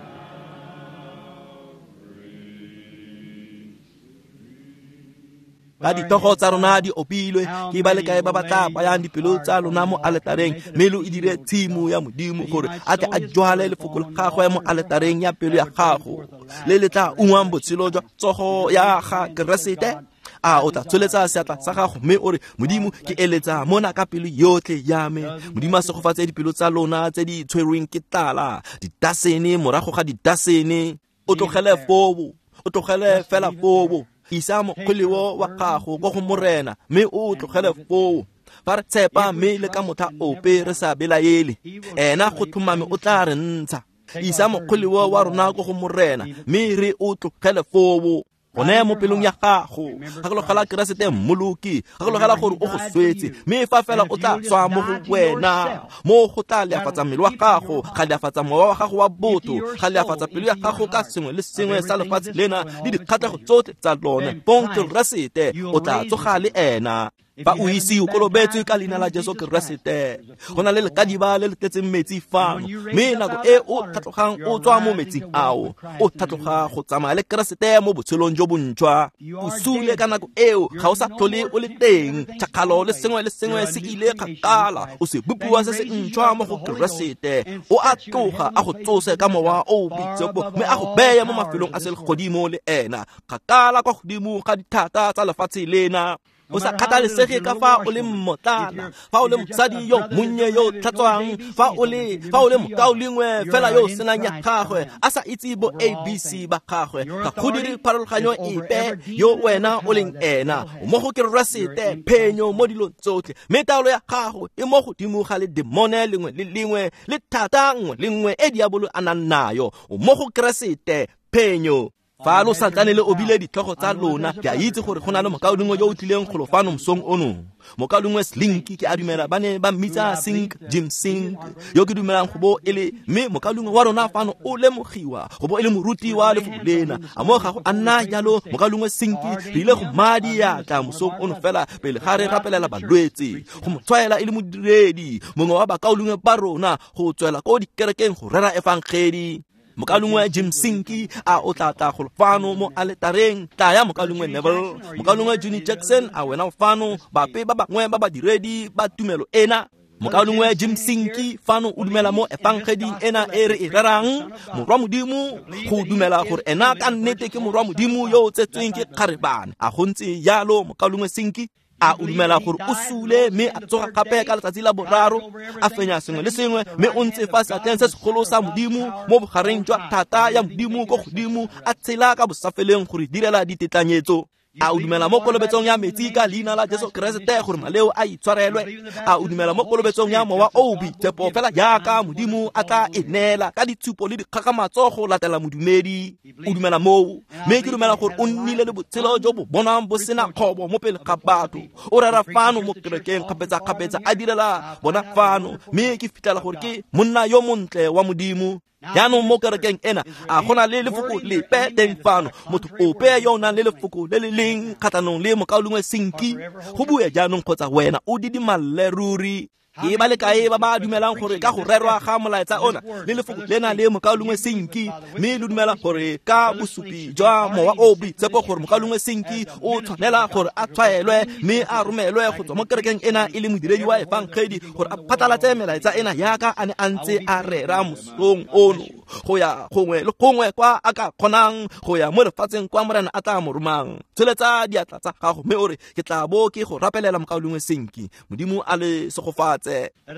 Ka dithogo tsa rona di opilwe, ke ba le kae ba ba tla bayang dipelo tsa lona mo aletareng, mme lo e dire tshimo ya Modimo gore a tle a jwale lefoko la gagwe mo aletareng ya pelo ya gago, le le tla ungwang botshelo jwa tsogo ya ga Keresete. A o tla tsholetsa seatla sa gago mme o re, Modimo, ke eletsa mona ka pelo yotlhe ya me. Modimo a segofatse dipelo tsa lona tse di tshwerweng ke tlala, didasene morago ga didasene. O tlogele foo, o tlogele fela foo. Isa mokgweleo wa gago ko go Morena mme o tlogele foo. Fa re tshepa mme le ka motlha ope re sa belaele, ena go tlhomame o tla re ntsha. Isa mokgweleo wa rona ko go Morena mme re o tlogele foo. Gone mo pelong ya gago, gakologela Keresete Mmoloki, gakologela gore o go swetse, mme fa fela o tla tswa mo go wena, mo go tla leafatsa mmele wa gago, ga leafatsa mowa wa gago wa botho, ga leafatsa pelo ya gago ka sengwe le sengwe sa lefatshe lena le dikgatlhego tsotlhe tsa lone. Bong Keresete o tla tsoga le ena. Fa o ise o kolobetswe ka leina la Jesu Keresete, go na le lekadiba le le tletseng metsi fano, mme nako e o tlhatlogang o tswa mo metsing ao, o tlhatloga go tsamaya le Keresete mo botshelong jo bontšhwa. O sule ka nako eo, ga o sa tlhole o le teng, tšhakgalo le sengwe le sengwe se ile kgakala, o sebopiwa se se ntšhwa mo go Keresete. O a tloga a go tsose ka mowa o o boitshepo, mme a go beye mo mafelong a selegodimo le ena, kgakala kwa godimo ga dithata tsa lefatshe lena. O sa kgathalesege ka fa o le mmotlana, fa o le mosadi yo monnye yo tlhatswang, fa o le fa o le mokaulengwe fela yo senang ya gagwe, a sa itse bo A B C ba gagwe, ga go dire pharologanyo epe yo wena o leng ena. O mo go Keresete, phenyo mo dilong tsotlhe, mme taolo ya gago e mo godimo ga le demone lengwe le lengwe le thata nngwe le nngwe e diabolo a nang nayo. O mo go Keresete, phenyo. Fa lo santsane le obile ditlhogo tsa lona, ke a itse gore go na le mokaulengwe yo o tlileng golo fano mosong ono. Mokaulengwe Slinky, ke a dumela ba ne ba mmitsa Sink, Jim Sink, yo ke dumelang go bo e le, mme mokaulengwe wa rona fano o lemogiwa go bo e le moruti wa lefoko lena. A mo ga go a nna jalo, mokaulengwe Sinki, re ile go madi diatla mosong ono fela pele ga re rapelela balwetse, go mo tshwaela e le modiredi mongwe wa bakaulengwe ba rona go tswela ko dikerekeng go rera efangedi. Mokaulengwe Jim Sinki, a o tla tla go fano mo aletareng. Tlaya mokaulengwe Neville, mokaulengwe Johnny Jackson, a wena o fano, bape ba bangwe ba badiredi ba tumelo ena. Mokaulengwe Jim Sinki fano o dumela mo efangeding ena e re e rerang, morwa Modimo, go dumela gore ena ka nnete ke morwa Modimo yo o tsetsweng ke kgarebane. A go ntse jalo mokaulengwe Sinki? A o dumela gore o sule mme a tsoga gape ka letsatsi la boraro, a fenya sengwe le sengwe, mme o ntse fa seatleng se segolo sa Modimo mo bogareng jwa thata ya Modimo ko godimo, a tshela ka bosafeleng gore direla ditetlanyetso. A o dumela mo kolobetsong ya metsi ka leina la Jesu Keresete gore maleo a itshwarelwe? A o dumela mo kolobetsong ya mowa o o boitshepo fela jaaka Modimo a tla e neela ka ditshupo le dikgakgamatso go latela modumedi? O dumela moo? Mme ke dumela gore o nnile le botshelo jo bo bonwang bo sena kgobo mo pele ga batho. O rera fano mo kerekeng kgapetsa-kgapetsa, a direla bona fano, mme ke fitlhela gore ke monna yo montle wa Modimo. Jaanong mo kerekeng ena, a go na le lefoko lepe teng fano, motho ope yo o nang le lefoko le le leng kgatlhanong le mokaulengwe Sinki, go bue jaanong kgotsa wena o didimalle ruri. Ke ba le kae ba ba dumelang gore ka go rerwa ga molaetsa ona le lefoko lena le mokaulengwe Sinki, mme lo dumela gore ka bosupi jwa mowa o boitshepo gore mokaulengwe Sinki o tshwanela gore a tshwaelwe mme a romelwe go tswa mo kerekeng ena e le modiredi wa efangedi gore a phatlalatse melaetsa ena yaka a ne a ntse a rera mosong ono, go ya gongwe le gongwe kwa a ka kgonang go ya mo lefatsheng kwa Morena a tla mo romang. Tsholetsa diatla tsa gago mme o re, ke tla bo ke go rapelela mokaulengwe Sinki. Modimo a le segofatse.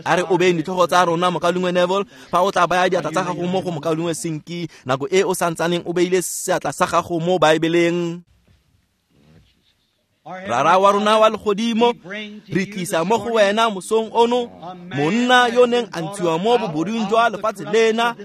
A re obeng ditlhogo tsa rona, mokaulengwe Neville, fa o tla baya diatla tsa gago mo go mokaulengwe Sinki nako e o santsaneng o beile seatla sa gago mo Baebeleng. Rara wa rona wa legodimo, re tlisa mo go wena mosong ono monna yo neng a ntshiwa mo bobodung jwa lefatshe lena,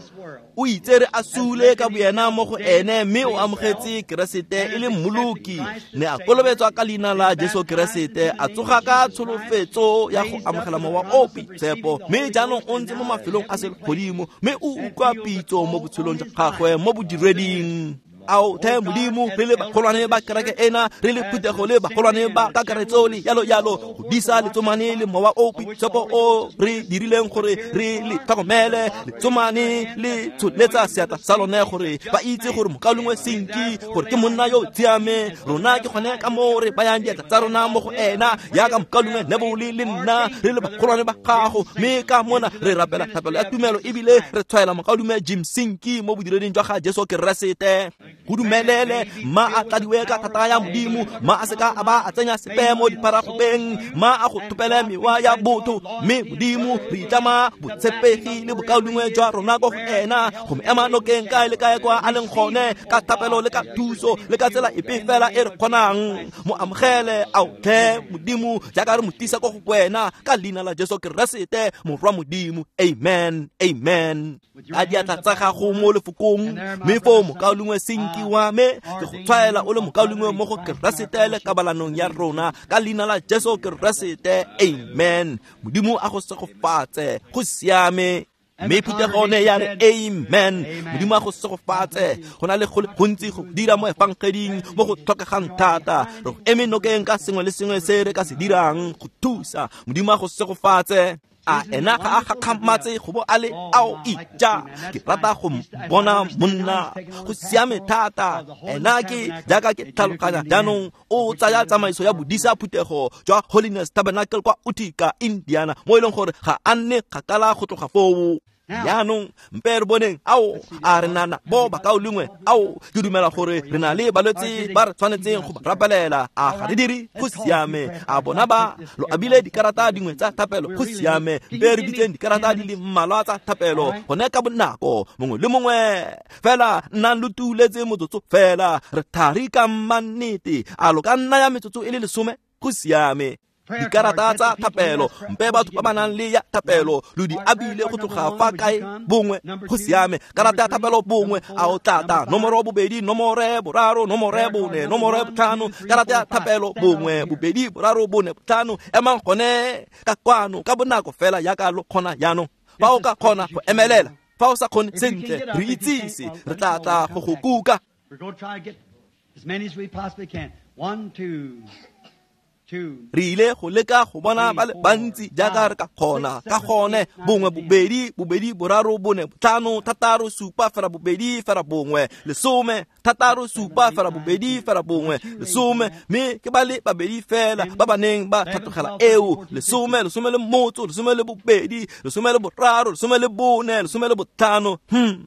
o itse re a sule ka boyena mo go ene, mme o amogetse Keresete e le Mmoloki, ne a kolobetswa ka leina la Jesu Keresete, a tsoga ka tsholofetso ya go amogela mowa o boitshepo, mme jaanong o ntse mo mafelong a selegodimo, mme o utlwa pitso mo botshelong jwa gagwe mo bodireding. Ao the Modimo, re le bagolwane ba kereke ena, re le phuthego le bagolwane ba kakaretso le yalo yalo, go disa letsomane le mowa o boitshepo o re dirileng gore re le tlhokomele. Letsomane le tsholetsa seatla sa lone gore ba itse gore mokaulengwe Sinki gore ke monna yo o siame. Rona ke gone ka moo re bayang diatla tsa rona mo go ena, yaka mokaulengwe Neville le nna re le bagolwane ba gago, mme ka mona re rapela thapelo ya tumelo ebile re tshwaela mokaulengwe Jim Sinki mo bodireding jwa ga Jesu Keresete. Go dumelele ma a tladiwe ka thata ya Modimo, ma a seka a ba a tsenya sepe mo diparagopeng, ma a go thopele mewa ya botho. Mme Modimo re itlama botshepegi le bokaulengwe jwa rona ko go ena, go mo ema nokeng kae le kae kwa a leng gone, ka thapelo le ka thuso le ka tsela epe fela e re kgonang. Mo amogele ao tlhe Modimo jaaka re mo tlisa ko go wena, ka leina la Jesu Keresete Morwa Modimo. Amen, amen. Ka diatla tsa gago mo lefokong, mme foo mokaulengwe Senki wa me, ke go tshwaela o le mokaulengwe mo go Keresete le kabalanong ya rona, ka leina la Jesu Keresete. Amen. Modimo a go segofatse. Go siame. Mme phuthego ne ya re amen. Modimo a go segofatse. Go na le go le gontsi go dira mo efangeding mo go tlhokegang thata. Re go eme nokeng ka sengwe le sengwe se re ka se dirang go thusa. Modimo a go segofatse. A ena ga a gakgamatse go bo a le ao ija. Ke rata go bona monna. Go siame thata. Ena ke jaaka ke tlhaloganya jaanong o tsaya tsamaiso ya bodisa phuthego jwa Holiness Tabernacle kwa Utica, Indiana, mo e leng gore ga a nne kgakala go tloga foo. Jaanong mpe re boneng ao a re nana bo bakaulengwe ao ke dumela gore re na le balwetse ba re tshwanetseng go ba rapelela. A ga re dire? Go siame. A bona ba lo abile dikarata dingwe tsa thapelo? Go siame. Mpe re bitseng dikarata di le mmalwa tsa thapelo gone ka bonako, mongwe le mongwe fela nnang lo tuletse motsotso fela. Re thari ka mannete. A lo ka nna ya metsotso e le lesome? Go siame. Dikarata tsa thapelo, mpe batho ba ba nang le ya thapelo lo di abile go tloga fa kae? Bongwe. Go siame. Karata ya thapelo bongwe, a o tlata nomoro bobedi, nomore boraro, nomore bone, nomore botlhano. Karata ya thapelo bongwe, bobedi, boraro, bone, botlhano. Emang gone ka kwano ka bonako fela yaka lo kgona jaanong. Fa o ka kgona go emelela, fa o sa kgone sentle, re itsise, re tla tla go go kuka. We're going to try to get as many as we possibly can. One, two, Re ile go leka go bona ba le bantsi jaaka re ka kgona. Ka gone bongwe, bobedi, bobedi, boraro, bone, botlhano, thataro, supa, fera bobedi, fera bongwe, lesome, thataro, supa, fera bobedi, fera bongwe, lesome. Mme ke ba le babedi fela ba ba neng ba tlhatlogela eo. Lesome, lesome le motso, lesome le bobedi, lesome le boraro, lesome le bone, lesome le botlhano. Hmm.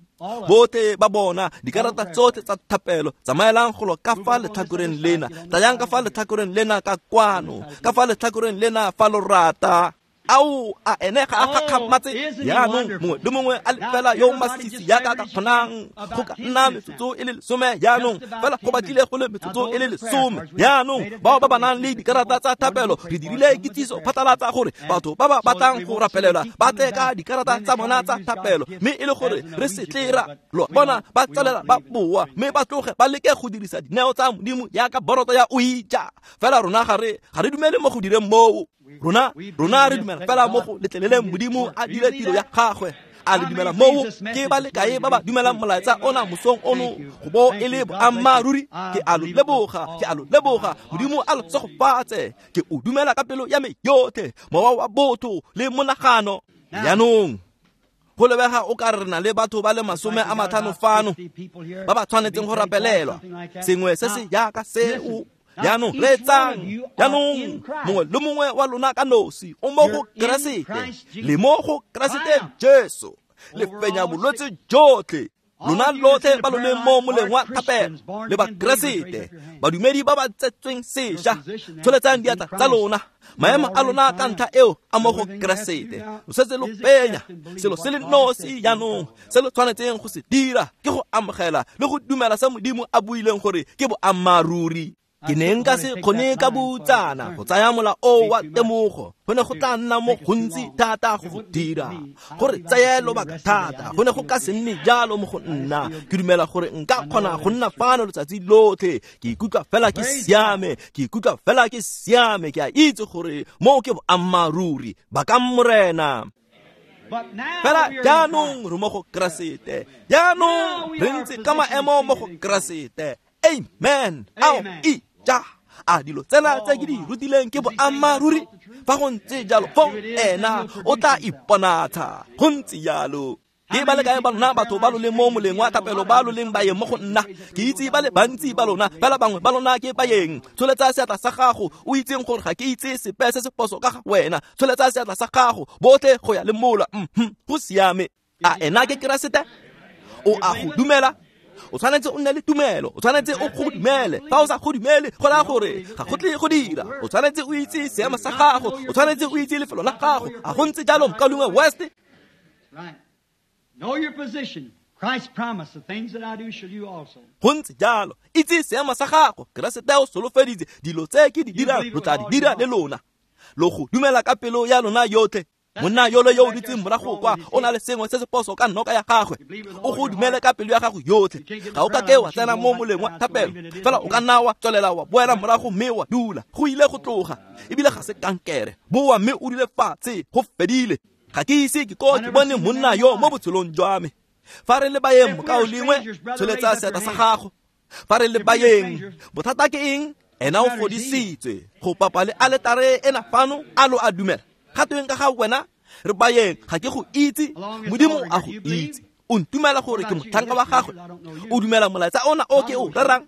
Botlhe ba bona dikarata tsotlhe tsa thapelo. Tsamaelang golo ka fa letlhakoreng lena, tlayang ka fa letlhakoreng lena ka kwano, ka fa letlhakoreng lena fa lo rata. Ao a ene ga a gakgamatse jaanong mongwe le mongwe a le fela yo masisi yaka ka kgonang go ka nna metsotso e le lesome jaanong, fela go batlile go le metsotso e le lesome jaanong. Bao ba ba nang le dikarata tsa thapelo, re dirile kitsiso phatlalatsa gore batho ba ba batlang go rapelelwa ba tle ka dikarata tsa bona tsa thapelo, mme e le gore re se tle ra lo bona ba tsalela ba boa, mme ba tloge ba leke go dirisa dineo tsa Modimo yaka boroto ya oija. Fela rona ga re ga re dumele mo go direng moo. Rona rona re dumela fela mo go letleleleng Modimo a dire tiro ya gagwe. A le dumela moo? Ke ba le kae ba ba dumelang molaetsa ona mosong ono go bo e le boammaaruri? Ke a lo leboga, ke a lo leboga. Modimo a lo segofatse. Ke o dumela ka pelo ya me yotlhe, mowa wa botho le monagano. Jaanong go lebega o ka re na le batho ba le masome a matlhano fano ba ba tshwanetseng go rapelelwa, sengwe se se jaaka seo. Jaanong reetsang, jaanong mongwe le mongwe wa lona ka nosi o mo go Keresete, le mo go Keresete Jesu, le fenya bolwetse jotlhe. Lona lotlhe ba lo leng mo moleng wa thapelo le ba Keresete, badumedi ba ba tsetsweng sešwa, tsholetsang diatla tsa lona. Maemo a lona ka ntlha eo a mo go Keresete. Lo setse lo fenya selo se le nosi jaanong se lo tshwanetseng go se dira ke go amogela le go dumela se Modimo a buileng gore ke boammaaruri. Ke ne nka se kgone ka boutsana go tsaya mola o wa temogo, go ne go tla nna mo gontsi thata go go dira, gore tseye lobaka thata, go ne go ka se nne jalo mo go nna. Ke dumela gore nka kgona go nna fano letsatsi lotlhe. Ke ikutlwa fela ke siame, ke ikutlwa fela ke siame. Ke a itse gore moo ke boammaaruri. Bakang Morena. Fela jaanong re mo go Keresete, jaanong re ntse ka maemo mo go Keresete. Amen. Ao e ja. A dilo tsena tse ke di rutileng ke boammaaruri? Fa go ntse jalo, fong ena o tla iponatsa. Go ntse jalo. Ke ba le kae ba lona batho ba lo leng mo moleng wa thapelo ba lo leng baeng mo go nna? Ke itse ba le bantsi ba lona, fela bangwe ba lona ke baeng. Tsholetsa seatla sa gago, o itseng gore ga ke itse sepe se se phoso ka ga wena. Tsholetsa seatla sa gago, botlhe go ya le mola. Mhm, go siame. A ena ke Keresete? O a go dumela? O tshwanetse o nne le tumelo, o tshwanetse o go dumele. Fa o sa go dumele, go raya gore ga go tle go dira. O tshwanetse o itse seemo sa gago, o tshwanetse o itse lefelo la gago. A go ntse jalo, mokaulengwe West? Right. Know your position. Christ promised, the things that I do shall you also. Go ntse jalo, itse seemo sa gago. Keresete o solofeditse dilo tse ke di dirang, lo tla di dira le lona. Lo go dumela ka pelo ya lona yotlhe. Monna yole yo o dutseng morago kwa o na le sengwe se se poso ka noka ya gagwe. O go dumele ka pelo ya gago yotlhe. Ga o ka ke wa tsena mo moleng wa thapelo, fela o ka nna wa tswelela wa boela morago mme wa dula. Go ile go tloga, ebile ga se kankere. Boa mme o dule fatshe, go fedile. Ga ke ise ke ko ke bone monna yo mo botshelong jwa me. Fa re le baeng, mokaulengwe, tsholetsa seatla sa gago. Fa re le baeng, bothata ke eng? Ena o fodisitswe. Go papa le aletare ena fano, a lo a dumela. Ga tweng ka ga wena? Re baeng, ga ke go itse. Modimo a go itse. O ntumela gore ke motlhanka wa gagwe. O dumela molaetsa ona o ke o rerang.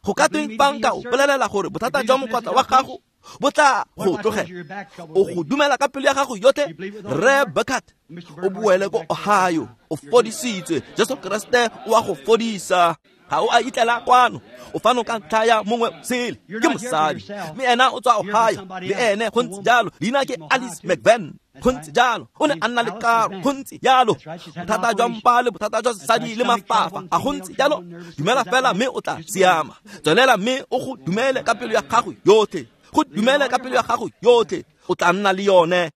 Go ka tweng fa nka o bolelela gore bothata jwa mokwatla wa gago bo tla go tlogela? O go dumela ka pelo ya gago yotlhe? Rre Burkhardt, o boele ko Ohio, o fodisitswe. Jesu Keresete o a go fodisa. Ga o a itlela kwano, o fano ka ntlha ya mongwe sele, ke mosadi, mme ena o tswa Ohio le ene. Go ntse jalo. Leina ke Alice McVan. Go ntse jalo. O ne a nna le karo. Go ntse jalo. Bothata jwa mpa le bothata jwa sesadi le mafafa. A go ntse jalo? Dumela fela mme o tla siama. Tswelela mme o go dumele ka pelo ya gago yotlhe. Go dumele ka pelo ya gago yotlhe, o tla nna le yone.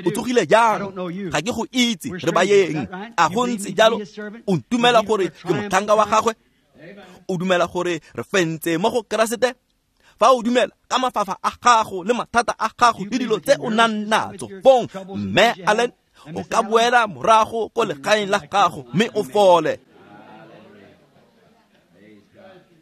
O tsogile jang? Ga ke go itse. Re baeng. A go ntse jalo? O ntumela gore ke motlhanka wa gagwe? O dumela gore re fentse mo go Keresete? Fa o dumela ka mafafa a gago le mathata a gago le dilo tse o nang natso, fong mme Allen, o ka boela morago ko legaeng la gago mme o fole.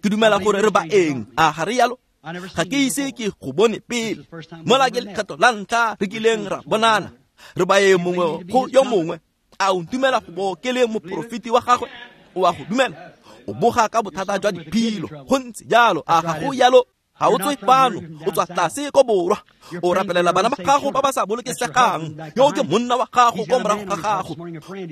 Ke dumela gore re baeng. A ga re yalo? Ga ke ise ke go bone pele. Mola ke lekgetho la ntlha re kileng ra bonana. Re baeng mongwe go yo mongwe. A o ntumela go bo ke le moporofeti wa gagwe? O a go dumela? O boga ka bothata jwa diphilo. Go ntse jalo. A ga go yalo? Ga o tswe fano, o tswa tlase ko borwa. O rapelela bana ba gago ba ba sa bolokesegang. Yo ke monna wa gago ko morago ga gago.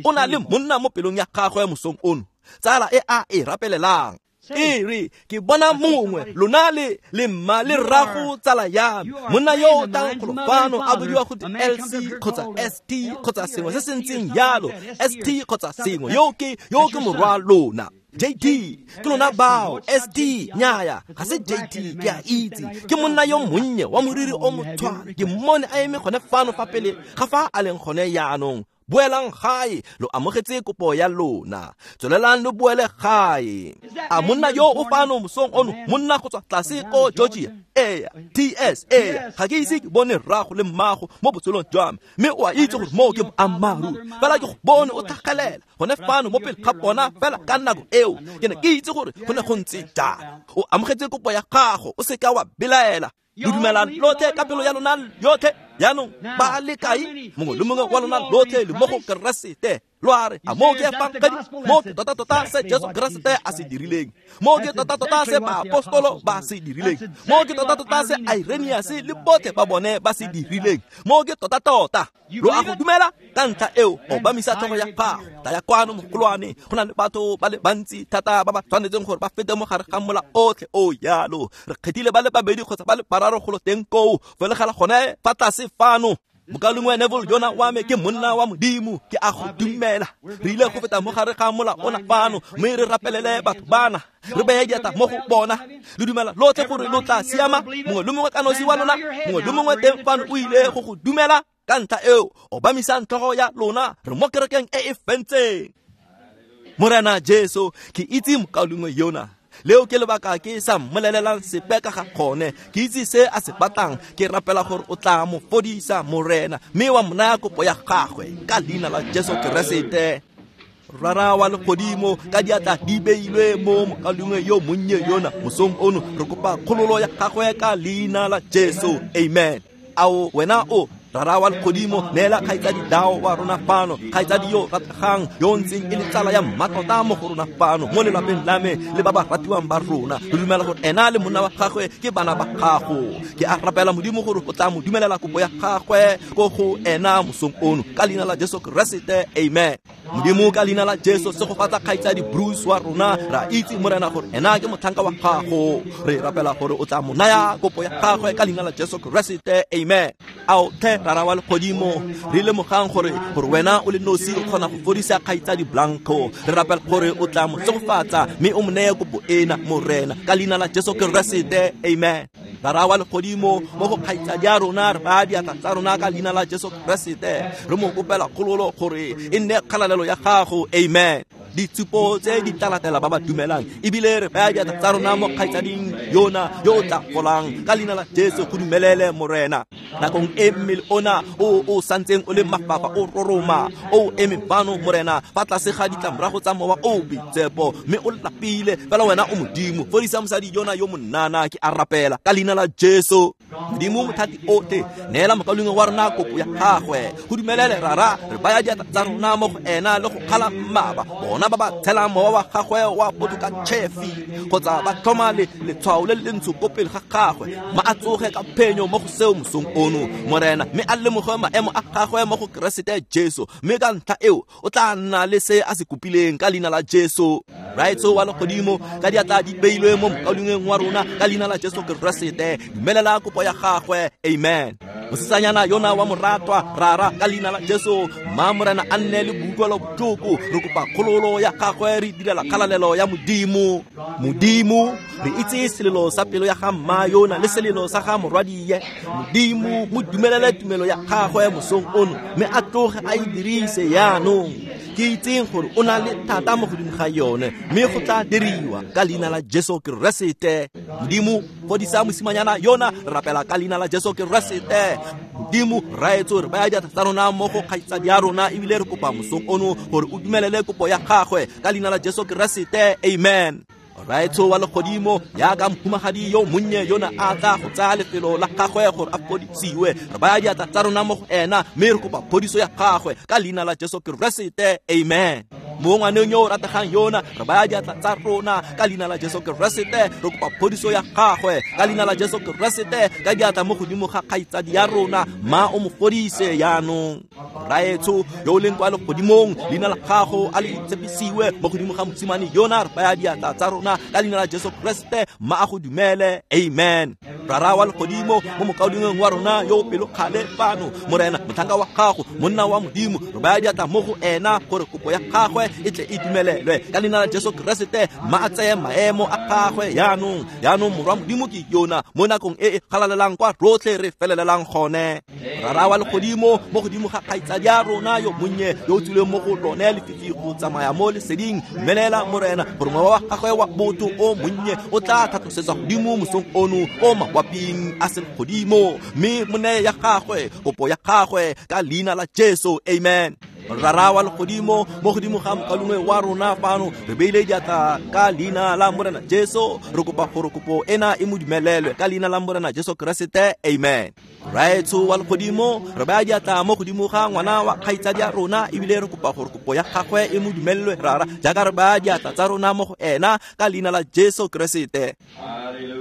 O na le monna mo pelong ya gagwe mosong ono, tsala e a e rapelelang. E re ke bona mongwe, lona le le mma le rrago tsala ya me. Monna yo o tlang golo fano a bodiwa go L C kgotsa S T kgotsa sengwe se se ntseng jalo, S T kgotsa sengwe. Yo ke yo ke morwa lona. J T, ke lona bao. S T, nnyaya, ga se J T, ke a itse. Ke monna yo monnye wa moriri o motshwana. Ke mmone a eme gone fano fa pele ga fa a leng gone jaanong. Boelang gae, lo amogetse kopo ya lona. Tswelelang lo boele gae. A monna yo o fano mosong ono, monna go tswa tlase ko Georgia. Ee, T S, ee, ga ke ise ke bone rrago le mmago mo botshelong jwa me, mme o a itse gore moo ke boammaaruri. Fela ke go bone o tlhagelela gone fano mo pele ga bona fela ka nako eo. Ke ne ke itse gore go ne go ntse jalo. O amogetse kopo ya gago, o seka wa belaela. Lo dumela lotlhe ka pelo ya lona yotlhe. Jaanong ba le kae? Mongwe le mongwe wa lona lotlhe le mo go Keresete. Lo a re, a moo ke efangedi? Moo ke tota-tota se Jesu Keresete a se dirileng. Moo ke tota-tota se baapostolo ba se dirileng. Moo ke tota-tota se Irenaeus le botlhe ba bone ba se dirileng. Moo ke tota-tota. Lo a go dumela? Ka ntlha eo, obamisa tlhogo ya gago. Tla ya kwano mogolwane. Go na le batho ba le bantsi thata ba ba tshwanetseng gore ba fete mo gare ga mola otlhe o yalo. Re kgethile ba le babedi kgotsa ba le bararo golo teng koo. Felegela gone fa tlase fano. Mokaulengwe Neville yona wa me ke monna wa Modimo, ke a go dumela. Re ile go feta mo gare ga mola ona fano, mme re rapelele batho bana, re beye diatla mo go bona. Le dumela lotlhe gore lo tla siama? Mongwe le mongwe ka nosi wa lona, mongwe le mongwe teng fano o ile go go dumela. Ka ntlha eo, obamisang tlhogo ya lona, re mo kerekeng e e fentseng. Morena Jesu, ke itse mokaulengwe yona. Leo ke lebaka ke sa mmolelelang sepe ka ga gone. Ke itse se a se batlang. Ke rapela gore o tla mo fodisa, Morena, mme wa mo naya kopo ya gagwe ka leina la Jesu Keresete. Rara wa legodimo, ka diatla di beilwe mo mokaulengwe yo monnye yona mosong ono, re kopa kgololo ya gagwe ka leina la Jesu. Amen. Ao wena o Rara wa legodimo, neela kgaitsadi Dao wa rona fano, kgaitsadi yo rategang, yo ntseng e le tsala ya mmatota mo go rona fano, mo lelapeng la me le ba ba ratiwang ba rona. Re dumela gore ena le monna wa gagwe ke bana ba gago. Ke a rapela Modimo gore o tla mo dumelela kopo ya gagwe ko go ena mosong ono, ka leina la Jesu Keresete. Amen. Modimo ka leina la Jesu segofatsa kgaitsadi Bruce wa rona ra itse morena gore ena ke motlhanka wa gago re rapela gore o tla mo naya kopo ya gagwe ka leina la Jesu Keresete amen. Ao tlhe rara wa legodimo re lemogang gore gore wena o le nosi o kgona go fodisa kgaitsadi Blanco re rapela gore o tla mo segofatsa mme o mo neye kopo ena morena ka leina la Jesu Keresete amen. Rara wa legodimo mo go kgaitsadi ya rona re baya diatla tsa rona ka leina la Jesu Keresete re mo kopela kgololo gore e nne kgalalelo ya gago amen. Ditshupo tse di tla latela ba ba dumelang ebile re baya diatla tsa rona mo kgaitsading yona yo o tla golang ka leina la Jesu go dumelele morena. Nakong e mmele ona o o santseng o le mafafa o roroma o eme fano morena fa tlase ga ditlamorago tsa mowa o boitshepo mme o lapile fela wena o modimo fodisa mosadi yona yo monnana ke a rapela ka leina la Jesu. Modimo mothati otlhe neela mokaulengwe wa rona kopo ya gagwe go dumelele rara re baya diatla tsa rona mo go ena le go kgala mmaba bona ba ba tshelang mowa wa gagwe wa botho ka tšhefi kgotsa ba tlhoma le letshwao le le ntsho ko pele ga gagwe ma a tsoge ka phenyo mo go seo mosong ono morena mme a lemoge maemo a gagwe mo go Keresete Jesu mme ka ntlha eo o tla nna le se a se kopileng ka leina la Jesu. Raetso wa legodimo ka diatla di beilwe mo mokaulengweng wa rona ka leina la Jesu Keresete dumelela kopo ya gagwe amen. Mosetsanyana yona wa moratwa rara ka leina la Jesu ma morena a nne le boutlwelo botlhoko re kopa kgololo ya gagwe re direla kgalalelo ya modimo. Modimo re itse selelo sa pelo ya ga mma yona le selelo sa ga morwadie modimo mo dumelele tumelo ya gagwe mosong ono mme a tloge a e dirise yaanong ke itseng gore o na le thata mo godimo ga yone mme go tla diriwa ka leina la Jesu Keresete. Modimo fodisa mosimanyana yona re rapela ka leina la Jesu Keresete. Modimo raetso re baya diatla tsa rona mo go kgaitsadi ya rona ebile re kopa mosong ono gore o dumelele kopo ya gagwe ka leina la Jesu Keresete amen. Raetso wa legodimo yaka mohumagadi yo monnye yona a tla go tsaya lefelo la gagwe gore a fodisiwe re baya diatla tsa rona mo go ena mme re kopa phodiso ya gagwe ka leina la Jesu Keresete amen. Mo ngwaneng yo o rategang yona re baya diatla tsa rona ka leina la Jesu Keresete re kopa phodiso ya gagwe ka leina la Jesu Keresete ka diatla mo godimo ga kgaitsadi ya rona ma o mo fodise yaanong. Raetso yo o leng kwa legodimong leina la gago a le itshepisiwe mo godimo ga mosimane yona re baya diatla tsa rona ka leina la Jesu Keresete ma a go dumele amen. Rara wa legodimo mo mokaulengweng wa rona yo o pelokgale fano morena motlhanka wa gago monna wa modimo re baya diatla mo go ena gore kopo ya gagwe e tle e dumelelwe ka leina la Jesu Keresete ma a tseye maemo a gagwe yaanong. Yaanong morwa modimo ke yona mo nakong e e galalelang kwa rotlhe re felelelang gone. Rara wa legodimo mo godimo ga kgaitsadi ya rona yo monnye yo o tswileng mo go lone lefifi go tsamaya mo leseding dumelela morena gore mowa wa gagwe wa botho o monnye o tla tlhatlosetswa godimo mosong ono o mawaping a selegodimo mme mo neye ya gagwe kopo ya gagwe ka leina la Jesu amen. Rara wa legodimo mo godimo ga mokaulengwe wa rona fano re beile diatla ka leina la morena Jesu re kopa gore kopo ena e mo dumelelwe ka leina la morena Jesu Keresete amen. Raetso wa legodimo re baya diatla mo godimo ga ngwana wa kgaitsadi ya rona ebile re kopa gore kopo ya gagwe e mo dumelelwe rara jaaka re baya diatla tsa rona mo go ena ka leina la Jesu Keresete.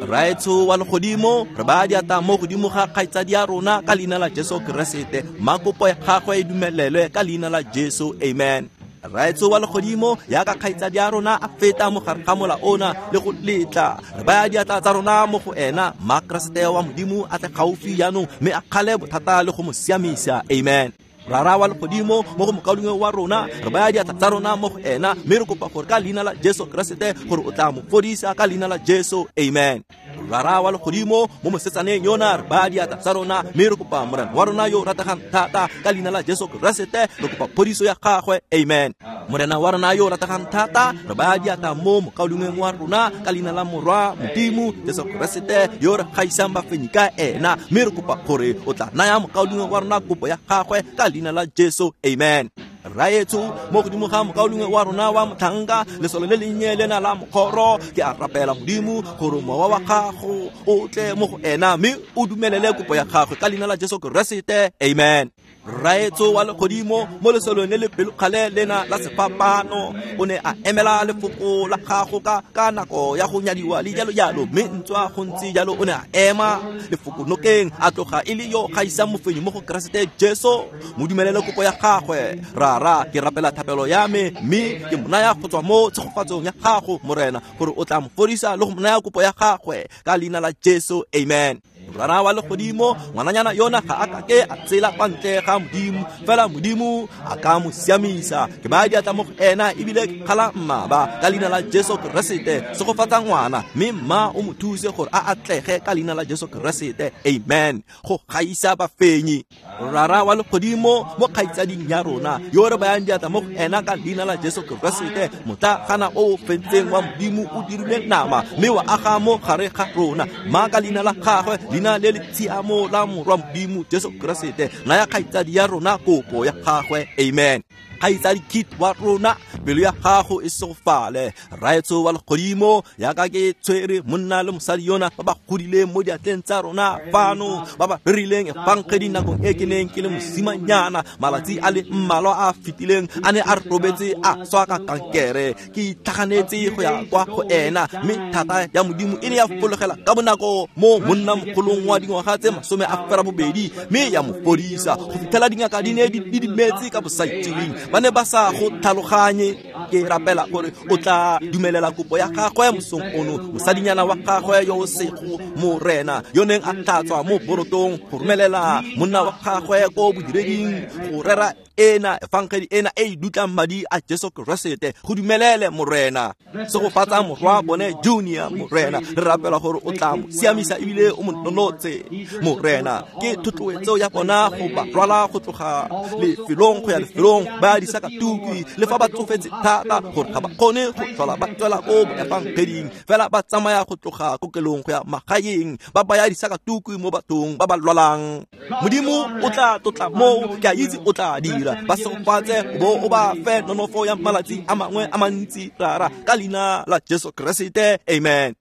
Raetso wa legodimo re baya diatla mo godimo ga kgaitsadi ya rona ka leina la Jesu Keresete ma kopo ya gagwe e dumelelwe ka leina la Jesu amen. Raetso wa legodimo yaka kgaitsadi ya rona a feta mo gare ga mola ona le go letla re baya diatla tsa rona mo go ena ma Keresete wa modimo a tle gaufi jaanong mme a kgale bothata le go mo siamisa amen. Rara wa legodimo mo go mokaulengwe wa rona re baya diatla tsa rona mo go ena mme re kopa gore ka leina la Jesu Keresete gore o tla mo fodisa ka leina la Jesu amen. Rara wa legodimo mo mosetsaneng yona re baya diatla tsa rona mme re kopa morena wa rona yo rategang thata ka leina la Jesu Keresete re kopa phodiso ya gagwe amen. Morena wa rona yo rategang thata re baya diatla mo mokaulengweng wa rona ka leina la morwa modimo Jesu Keresete yo re gaisang bafenyi ka ena mme re kopa gore o tla naya mokaulengwe wa rona kopo ya gagwe ka leina la Jesu amen. Raetso mo godimo ga mokaulengwe wa rona wa motlhanka lesole le lennye lena la mokgoro ke a rapela modimo gore mowa wa gago o tle mo go ena mme o dumelele kopo ya gagwe ka leina la Jesu Keresete amen. Rraetsho wa legodimo mo lesolong le le pelokgale lena la sefapano o ne a emela lefoko la gago ka ka nako ya go nyadiwa le jalo jalo, mme ntswa go ntse jalo o ne a ema lefoko nokeng a tloga e le yo gaisang mofenyi mo go Keresete Jesu. Mo dumelele kopo ya gagwe. Rara, ke rapela thapelo ya me mme ke mo naya go tswa mo tshegofatsong ya gago Morena, gore o tla mo fodisa le go mo naya kopo ya gagwe ka leina la Jesu, amen. Rara wa legodimo, ngwananyana yona ga a kake a tsela kwa ntle ga Modimo, fela Modimo a ka mo siamisa. Ke baya diatla mo go ena ebile ke kgala mmaba ka leina la Jesu Keresete. Segofatsa ngwana mme mma o mo thuse gore a atlege ka leina la Jesu Keresete, amen. Go gaisa bafenyi. Rara wa legodimo, mo kgaitsading ya rona yo re bayang diatla mo go ena ka leina la Jesu Keresete, motlagana o o fentseng wa Modimo o dirile nama mme wa aga mo gare ga rona. Mma ka leina la gagwe, leina le le tshiamo la morwa Modimo Jesu Keresete, naya kgaitsadi ya rona kopo ya gagwe, amen. Kgaitsadi Kit wa rona, pelo ya gago e segofale. Rraetsho wa legodimo, yaka ke tshwere monna le mosadi yona ba ba godileng mo diatleng tsa rona fano, ba ba rerileng efangedi nakong e ke neng ke le mosimanyana malatsi a le mmalwa a fetileng, a ne a robetse a swa ka kankere. Ke itlhaganetse go ya kwa go ena, mme thata ya Modimo e ne ya fologela ka bonako mo monnamogolong wa dingwaga tse masome a ferabobedi, mme ya mo fodisa go fitlhela dingaka di ne di didimetse ka bosaitseweng. Ba ne ba sa go tlhaloganye. Ke rapela gore o tla dumelela kopo ya gagwe mosong ono, mosadinyana wa gagwe yo o sego Morena yo neng a tlhatswa mo borotong go romelela monna wa gagwe ko bodireding go rera ena efangedi ena e e dutlang madi a Jesu Keresete. Go dumelele Morena. Segofatsa morwa bone Junior Morena, re rapela gore o tla mo siamisa ebile o mo nonotse Morena. Ke thotloetso ya bona go ba rwala go tloga lefelong go ya lefelong ba disakatuki, le fa ba tsofetse thata gore ga ba kgone go tlhola ba tswela ko boefangeding, fela ba tsamaya go tloga kokelong go ya magaeng ba baya disakatuki mo bathong ba ba lwalang. Modimo o tla tlotla moo, ke a itse o tla dira. Ba segofatse bo o ba fe nonofo ya malatsi a mangwe a mantsi, Rara, ka leina la Jesu Keresete, amen.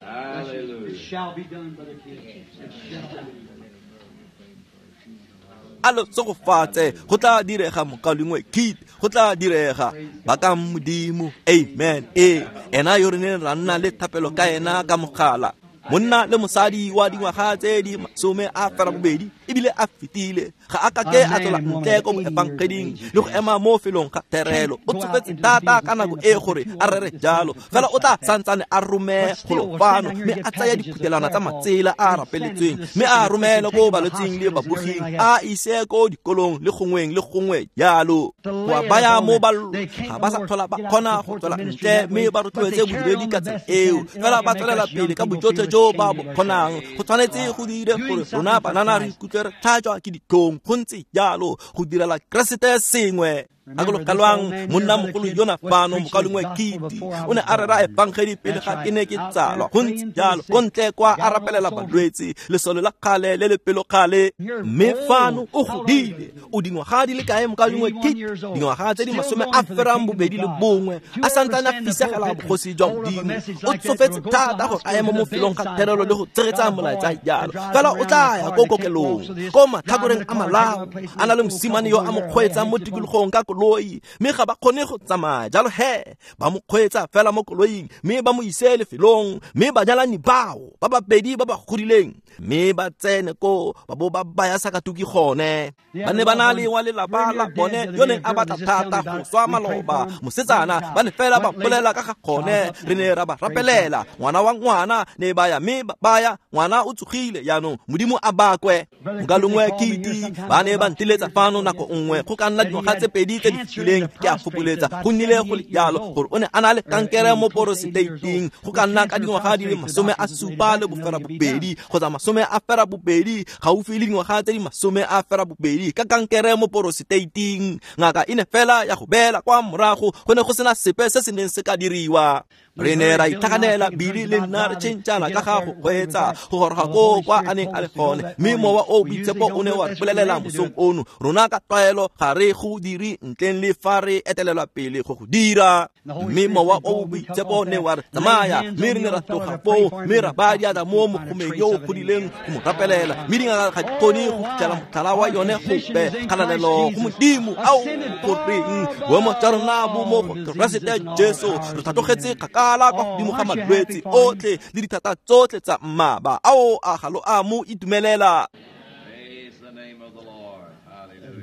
A lo segofatse, go tla direga mokaulengwe Kit, go tla direga. Bakang Modimo, amen. Ee, ena yo re neng ra nna le thapelo ka ena ka mogala, monna le mosadi wa dingwaga tse di masome a ferabobedi ebile a fetile, ga a kake a tswela ntle ko boefangeding le go ema mo felong ga therelo. O tsofetse thata ka nako e gore a rere jalo, fela o tla santsane a rome golo fano mme a tsaya diphutelana tsa matsela a rapeletsweng mme a romele ko balwetsing le baboging, a ise ko dikolong le gongweng le gongwe jalo. Go a baya mo ba ga ba sa tlhola ba kgona go tswela ntle mme ba rotloetse bodiredi ka tsela eo, fela ba tswelela pele ka bojotlhe jo ba bo kgonang. Go tshwanetse go dire gore rona banana re ikutlwe re tlhajwa ke ditlhong, go ntse jalo go direla Keresete sengwe. Gakologelwang monna mogolo yona fano, mokaulengwe Kiti, o ne a rera efangedi pele ga ke ne ke tsalwa, go ntse jalo ko ntle kwa a rapelela balwetse, lesole la kgale le le pelokgale. Mme fano o godile, o dingwaga di le kae mokaulengwe Kiti? Dingwaga tse di masome a ferang bobedi le bongwe, a santsane a fisegela bogosi jwa Modimo. O tsofetse thata gore a eme mo felong ga therelo le go tshegetsa molaetsa jalo, fela o tla ya ko kokelong ko matlhakoreng a malao, a na le mosimane yo a mo kgweetsang mo tikologong ka koloi, mme ga ba kgone go tsamaya jalo he ba mo kgweetsa fela mo koloing mme ba mo ise lefelong, mme banyalani bao ba babedi ba ba godileng mme ba tsene ko ba bo ba baya sakatuki gone. Ba ne ba na le wa lelapa la bone yo neng a batla thata go swa maloba, mosetsana ba ne fela ba bolela ka ga gone, re ne ra ba rapelela ngwana wa ngwana ne ba ya mme ba baya ngwana o tsogile jaanong Modimo a bakwe. Mokaulengwe Kiti ba ne ba ntiletsa fano nako nngwe go ka nna dingwaga tse pedi tse di fetileng, ke a fokoletsa go nnile go le jalo gore o ne a na le kankere mo poroseteiting go ka nna ka dingwaga di le masome a supa le boferabobedi kgotsa masome a ferabobedi, gaufi le dingwaga tse di masome a ferabobedi ka kankere mo poroseteiting. Ngaka e ne fela ya go beela kwa morago, go ne go sena sepe se se neng se ka diriwa. Re ne ra itlhaganela Bili le nna re tšhentšhana ka ga go kgweetsa go goroga ko kwa a neng a le gone, mme mowa o boitshepo o ne wa re bolelela mosong ono, rona ka tlwaelo ga re go dire ntleng le fa re etelelwa pele go go dira. Mme Mowa o o Boitshepo ne wa re tsamaya, mme re ne ra tloga foo, mme ra baya diatla mo mogomeng yo o godileng go mo rapelela, mme dingaka ga di kgone go fitlhela motlhala wa yone gope. Kgalalelo go Modimo. Ao goreng boemo jwa rona bo mo go Keresete Jesu, re tlhatlogetse kgakala kwa godimo ga malwetse otlhe le dithata tsotlhe tsa mmaba. Ao a ga lo a mo itumelela.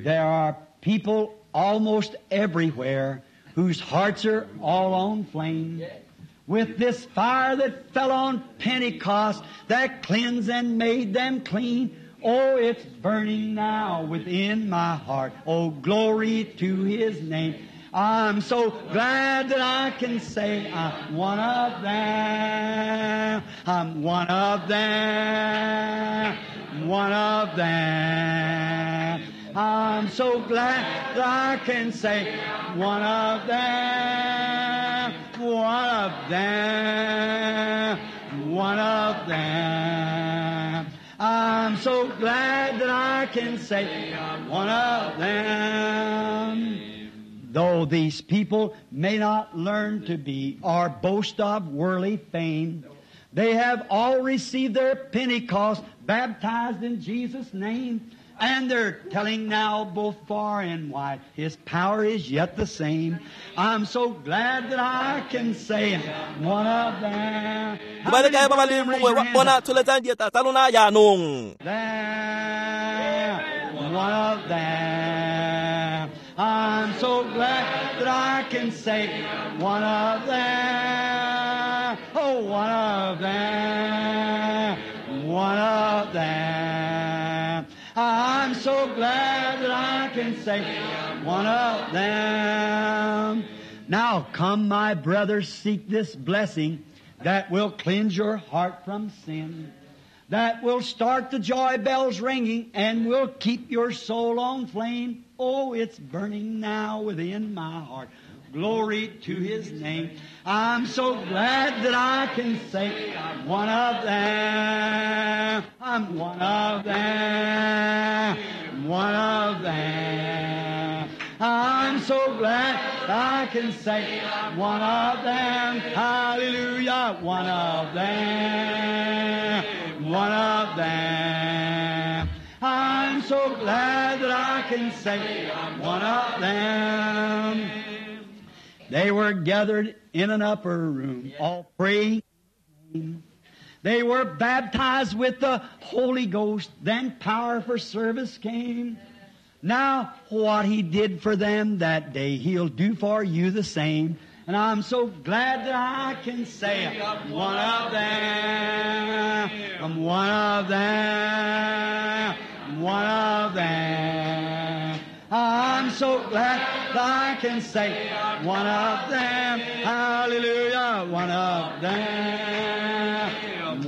There are people almost everywhere whose hearts are all on flame with this fire that fell on Pentecost that cleansed and made them clean. Oh, it's burning now within my heart. Oh, glory to His name. I'm so glad that I can say I'm one of them. I'm one of them. One of them. I'm so glad that I can say one of them. One of them. One of them. I'm so glad that I can say I'm one of them. Though these people may not learn to be or boast of worldly fame, they have all received their Pentecost, baptized in Jesus' name, and they're telling now both far and wide, His power is yet the same. I'm so glad that I can say I'm one of them. Ba le kae ba ba leng mongwe wa bona tsholetsang diatla tsa lona jaanong. Them, one of them. I'm so glad that I can say one of them. Oh, one of them. One of them. I'm so glad that I can say one of them. Now come, my brothers, seek this blessing that will cleanse your heart from sin, that will start the joy bells ringing and will keep your soul on flame. Oh, it's burning now within my heart. Glory to His name. I'm so glad that I can say I'm one of them. I'm one of them. One of them. I'm so glad I can say I'm one of them. Hallelujah. One of them. One of them. I'm so glad that I can say I'm one of them. They were gathered in an upper room, all praying. They were baptized with the Holy Ghost. Then power for service came. Now, what He did for them that day, He'll do for you the same. And I'm so glad that I can say I'm one of them. I'm one of them. One of them. I'm so glad that I can say one of them. Hallelujah. One of them.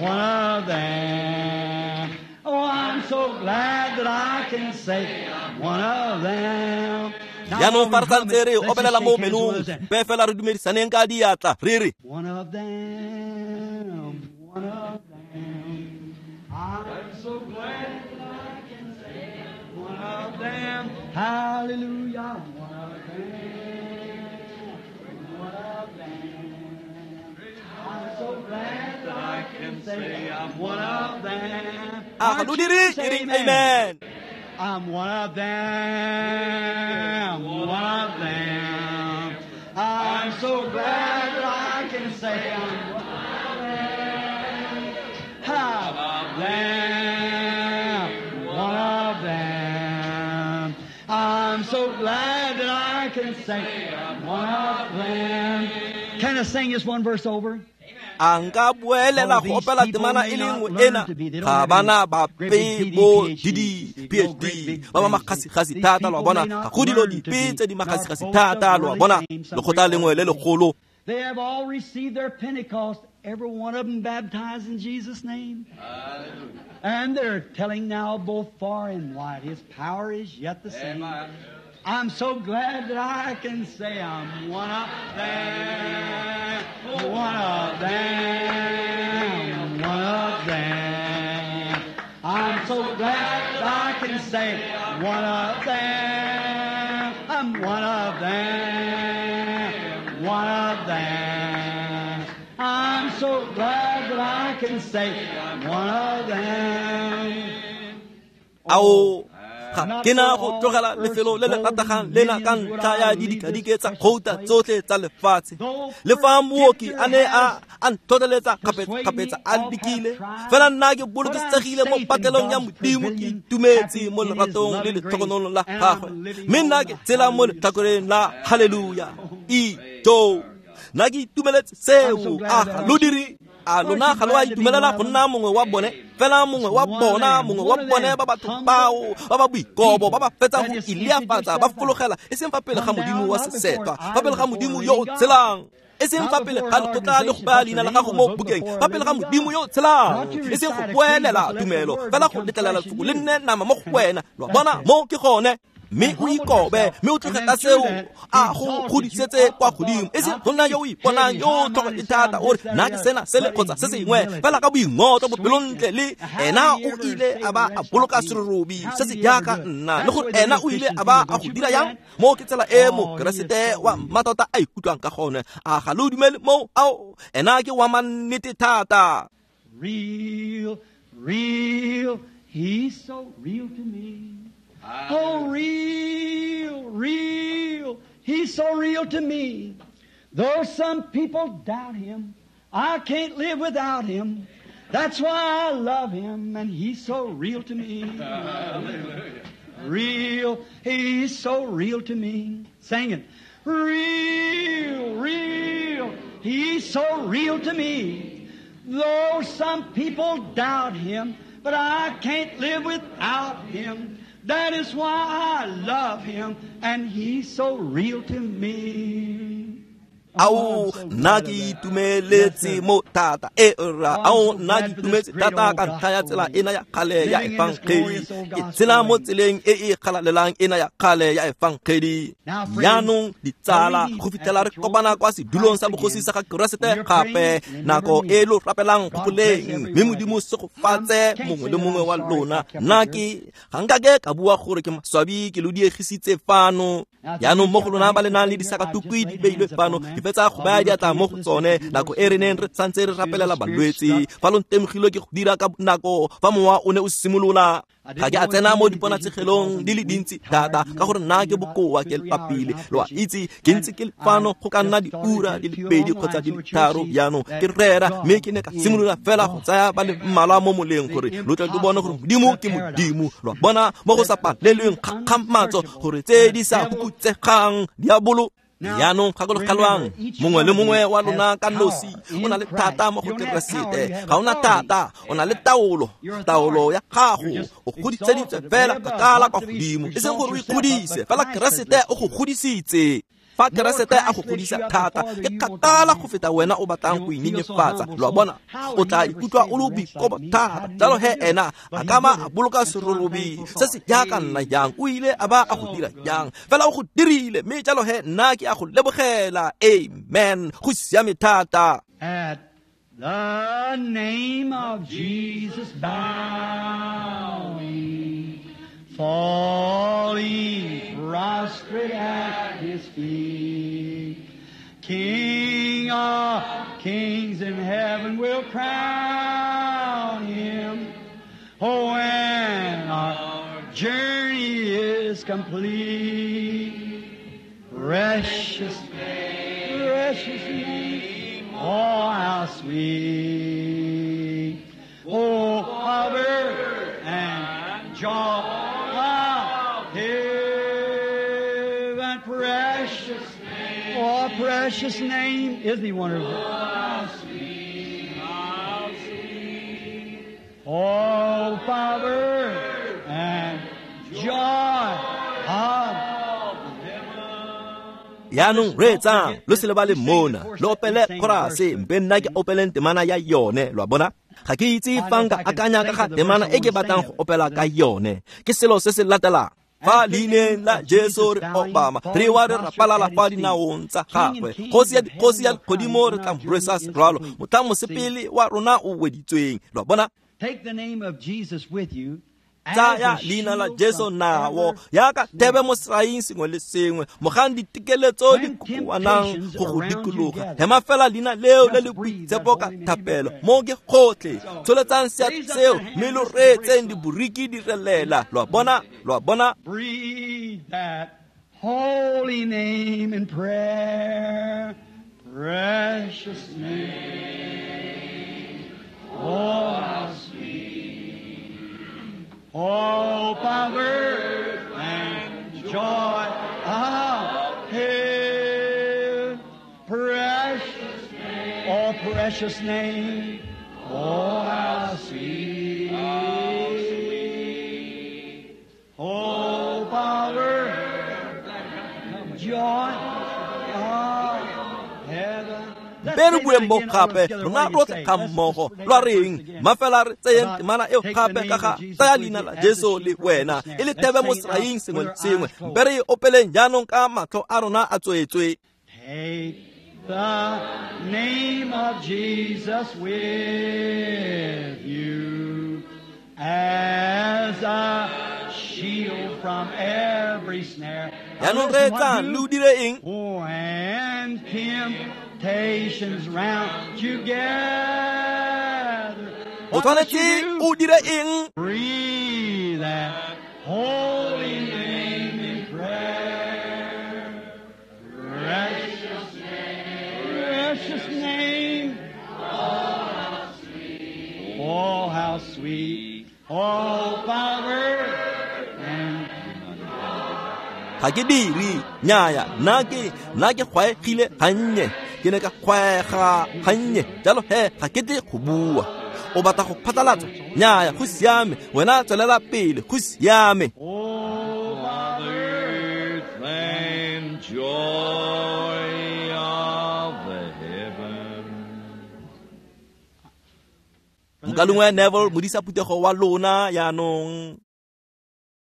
One of them. Oh, I'm so glad that I can say one of them. Jaanong fa re santse re opelela mo menong, mpe fela re dumedisaneng ka diatla re re One of them. One of them. I'm so glad that I can say one of them. Hallelujah. One of them. One of them. I'm so glad that I can say I'm one of them. A ga lo dire e reng amen. I'm one of them. One of them. I'm so glad that I can say I'm one of them. Of them. One of them. I'm so glad that I can say I'm one of them. Can I sing this one verse over? A nka boelela go opela temana e le nngwe ena. Ga bana bape bo D D P H D ba ba magasigasi thata, lo a bona. Ga go dilo dipe tse di magasigasi thata, lo a bona. Lekgotla lengwe le legolo. They have all received their Pentecost, every one of them baptized in Jesus' name. Hallelujah. And they're telling now both far and wide, His power is yet the same. Amen. I'm so glad that I can say I'm one of them, one of them, one of them. I'm so glad that I can say one of them. I'm I'm one of them, one of them. I'm so glad that I can say I'm one of them. Ao ga ke na go tlogela lefelo le le rategang lena ka ntlha ya didikadike tsa gouta tsotlhe tsa lefatshe. Le fa mooki a ne a a ntlhotlheletsa kgapetsa-kgapetsa a lekile, fela nna ke bolokesegile mo patlelong ya Modimo, ke itumetse mo leratong le letlhokonolong la gagwe, mme nna ke tsela mo letlhakoreng la haleluya. Ijo, nna ke itumeletse seo. A ga lo dire? A lona ga lo a itumelela go nna mongwe wa bone? Fela mongwe wa bona, mongwe wa bone ba batho bao ba ba boikobo, ba ba fetsang go ileafatsa, ba fologela e seng fa pele ga Modimo wa sesetwa, fa pele ga Modimo yo o tshelang, e seng fa pele ga lekgotla le go baya leina la gago mo bukeng, fa pele ga Modimo yo o tshelang, e seng go boelela tumelo, fela go letlelela lefoko le nne nama mo go wena. Lo a bona, mo ke gone. Mme o ikobe, mme o tloge ka seo a go godisetse kwa godimo, e seng go nna yo o iponang yo tlhogo e thata, o re nna ke sena sele kgotsa se sengwe, fela ka boingotlo, bopelontle. Le ena o ile a ba a boloka serorobi se se jaaka nna, le gore ena o ile a ba a go dira yang. Mo ke tsela e Mokeresete wa mmatota a ikutlwang ka gone. A ga lo dumele moo? Ao, ena ke wa mannete thata. Real, real, he's so real to me. Oh, real, real, he's so real to me. Though some people doubt him, I can't live without him. That's why I love him, and he's so real to me. Real, he's so real to me. Sing it. Real, real, he's so real to me. Though some people doubt him, but I can't live without him. That is why I love him, and he's so real to me. Ao, nna ke itumeletse mo thata e ra. Ao, nna ke itumetse thata ka ntlha ya tsela ena ya kgale ya efangedi. Ke tsela mo tseleng e e kgalalelang ena ya kgale ya efangedi. Jaanong ditsala, go fitlhela re kopana kwa sedulong sa bogosi sa ga Keresete gape, nako e lo rapelang gopoleng, mme Modimo segofatse mongwe le mongwe wa lona. Nna ke ga nkake ka bua gore ke maswabi ke lo diegisitse fano. Jaanong mo go lona ba le nang le disakatukwi di beilwe fano, ke fetsa go baya diatla mo go tsone nako e re neng re santse re rapelela balwetse. Fa lo ntemogile ke go dira ka nako fa mowa o ne o simolola. Ga ke a tsena mo diponatshegelong di le dintsi thata ka gore nna ke bokoa, ke lepapile. Lo a itse, ke ntse ke le fano go ka nna diura di le pedi kgotsa di le tharo jaanong ke rera, mme ke ne ka simolola fela go tsaya ba le mmalwa mo moleng gore lo tle lo bone gore Modimo ke Modimo. Lo a bona, mo go sa palelweng kgakgamatso gore tse di sa hukutsegang diabolo. Jaanong gakologelwang, mongwe le mongwe wa lona ka nosi o na le thata mo go Keresete. Ga o na thata, o na le taolo. Taolo ya gago o godiseditswe fela kgakala kwa godimo, e seng gore o ikgodise, fela Keresete o go godisitse. Fa Keresete a go godisa thata, ke kgakala go feta wena o batlang go inyenyefatsa. Lo a bona, o tla ikutlwa o le boikobo thata. Jalo he ena a ka ba a boloka serorobi se se jaaka nna jang, o ile a ba a go dira jang, fela o go dirile, mme jalo he nna ke a go lebogela. Amen. Go siame thata. At the name of Jesus bowing, falling prostrate at his feet, King of kings in heaven will crown him. Oh, when our journey is complete, precious, precious name, oh, how sweet, oh, power and joy of heaven, precious, oh, precious name, isn't he wonderful? Oh, sweet, how sweet, oh, power and joy of Jaanong reetsang, lo se lebale mona, lo opele chorase, mpe nna ke opeleng temana ya yone. Lo a bona? Ga ke itse fa nka akanya ka ga temana e ke batlang go opela ka yone. Ke selo se se latelang. Fa leineng la Jesu re obama, re wa re rapalala fa dinaong tsa gagwe. Kgosi ya dikgosi ya legodimo re tla mo rwesa serwalo, motlhang mosepele wa rona o weditsweng. Lo a bona? Take the name of Jesus with you Tsaya leina la Jesu nao yaka thebe mo seraing sengwe le sengwe mogang ditekeletso di kokoanang go go dikologa hema fela leina leo le le boitshepo ka thapelo mo ke gotlhe tsholetsang seatla seo mme lo reetseng diboriki di relela lo a bona lo a bona. Breathe that holy name in prayer, precious name, oh how sweet, oh power and joy of heaven, precious name, oh precious name, oh how sweet, oh power, joy of heaven. Mpe re bueng mo gape rona rotlhe ga mmogo lwa reng mafela re tseyeng temana eo gape ka ga tsaya leina la Jesu le wena e le thebe mo seraing sengwe le sengwe mpe re e opeleng jaanong ka matlho a rona a tswetswe. Take the name of Jesus with you as a shield from every snare. Jaanong reetsang le o dire eng? When temptations round you gather, O tshwanetse o dire eng? Breathe that holy name in prayer. Precious name, precious name. Oh, how sweet. Oh, power and Ga ke dire nnyaya nna ke nna ke gwaegile gannye ke ne ka gwaega gannye jalo he ga ke tle go bua. O batla go phatlalatsa nnyaya go siame wena tswelela pele go siame. Oh, Earth and joy of the heaven. Mokalengwe Neville modisa phuthego wa lona jaanong.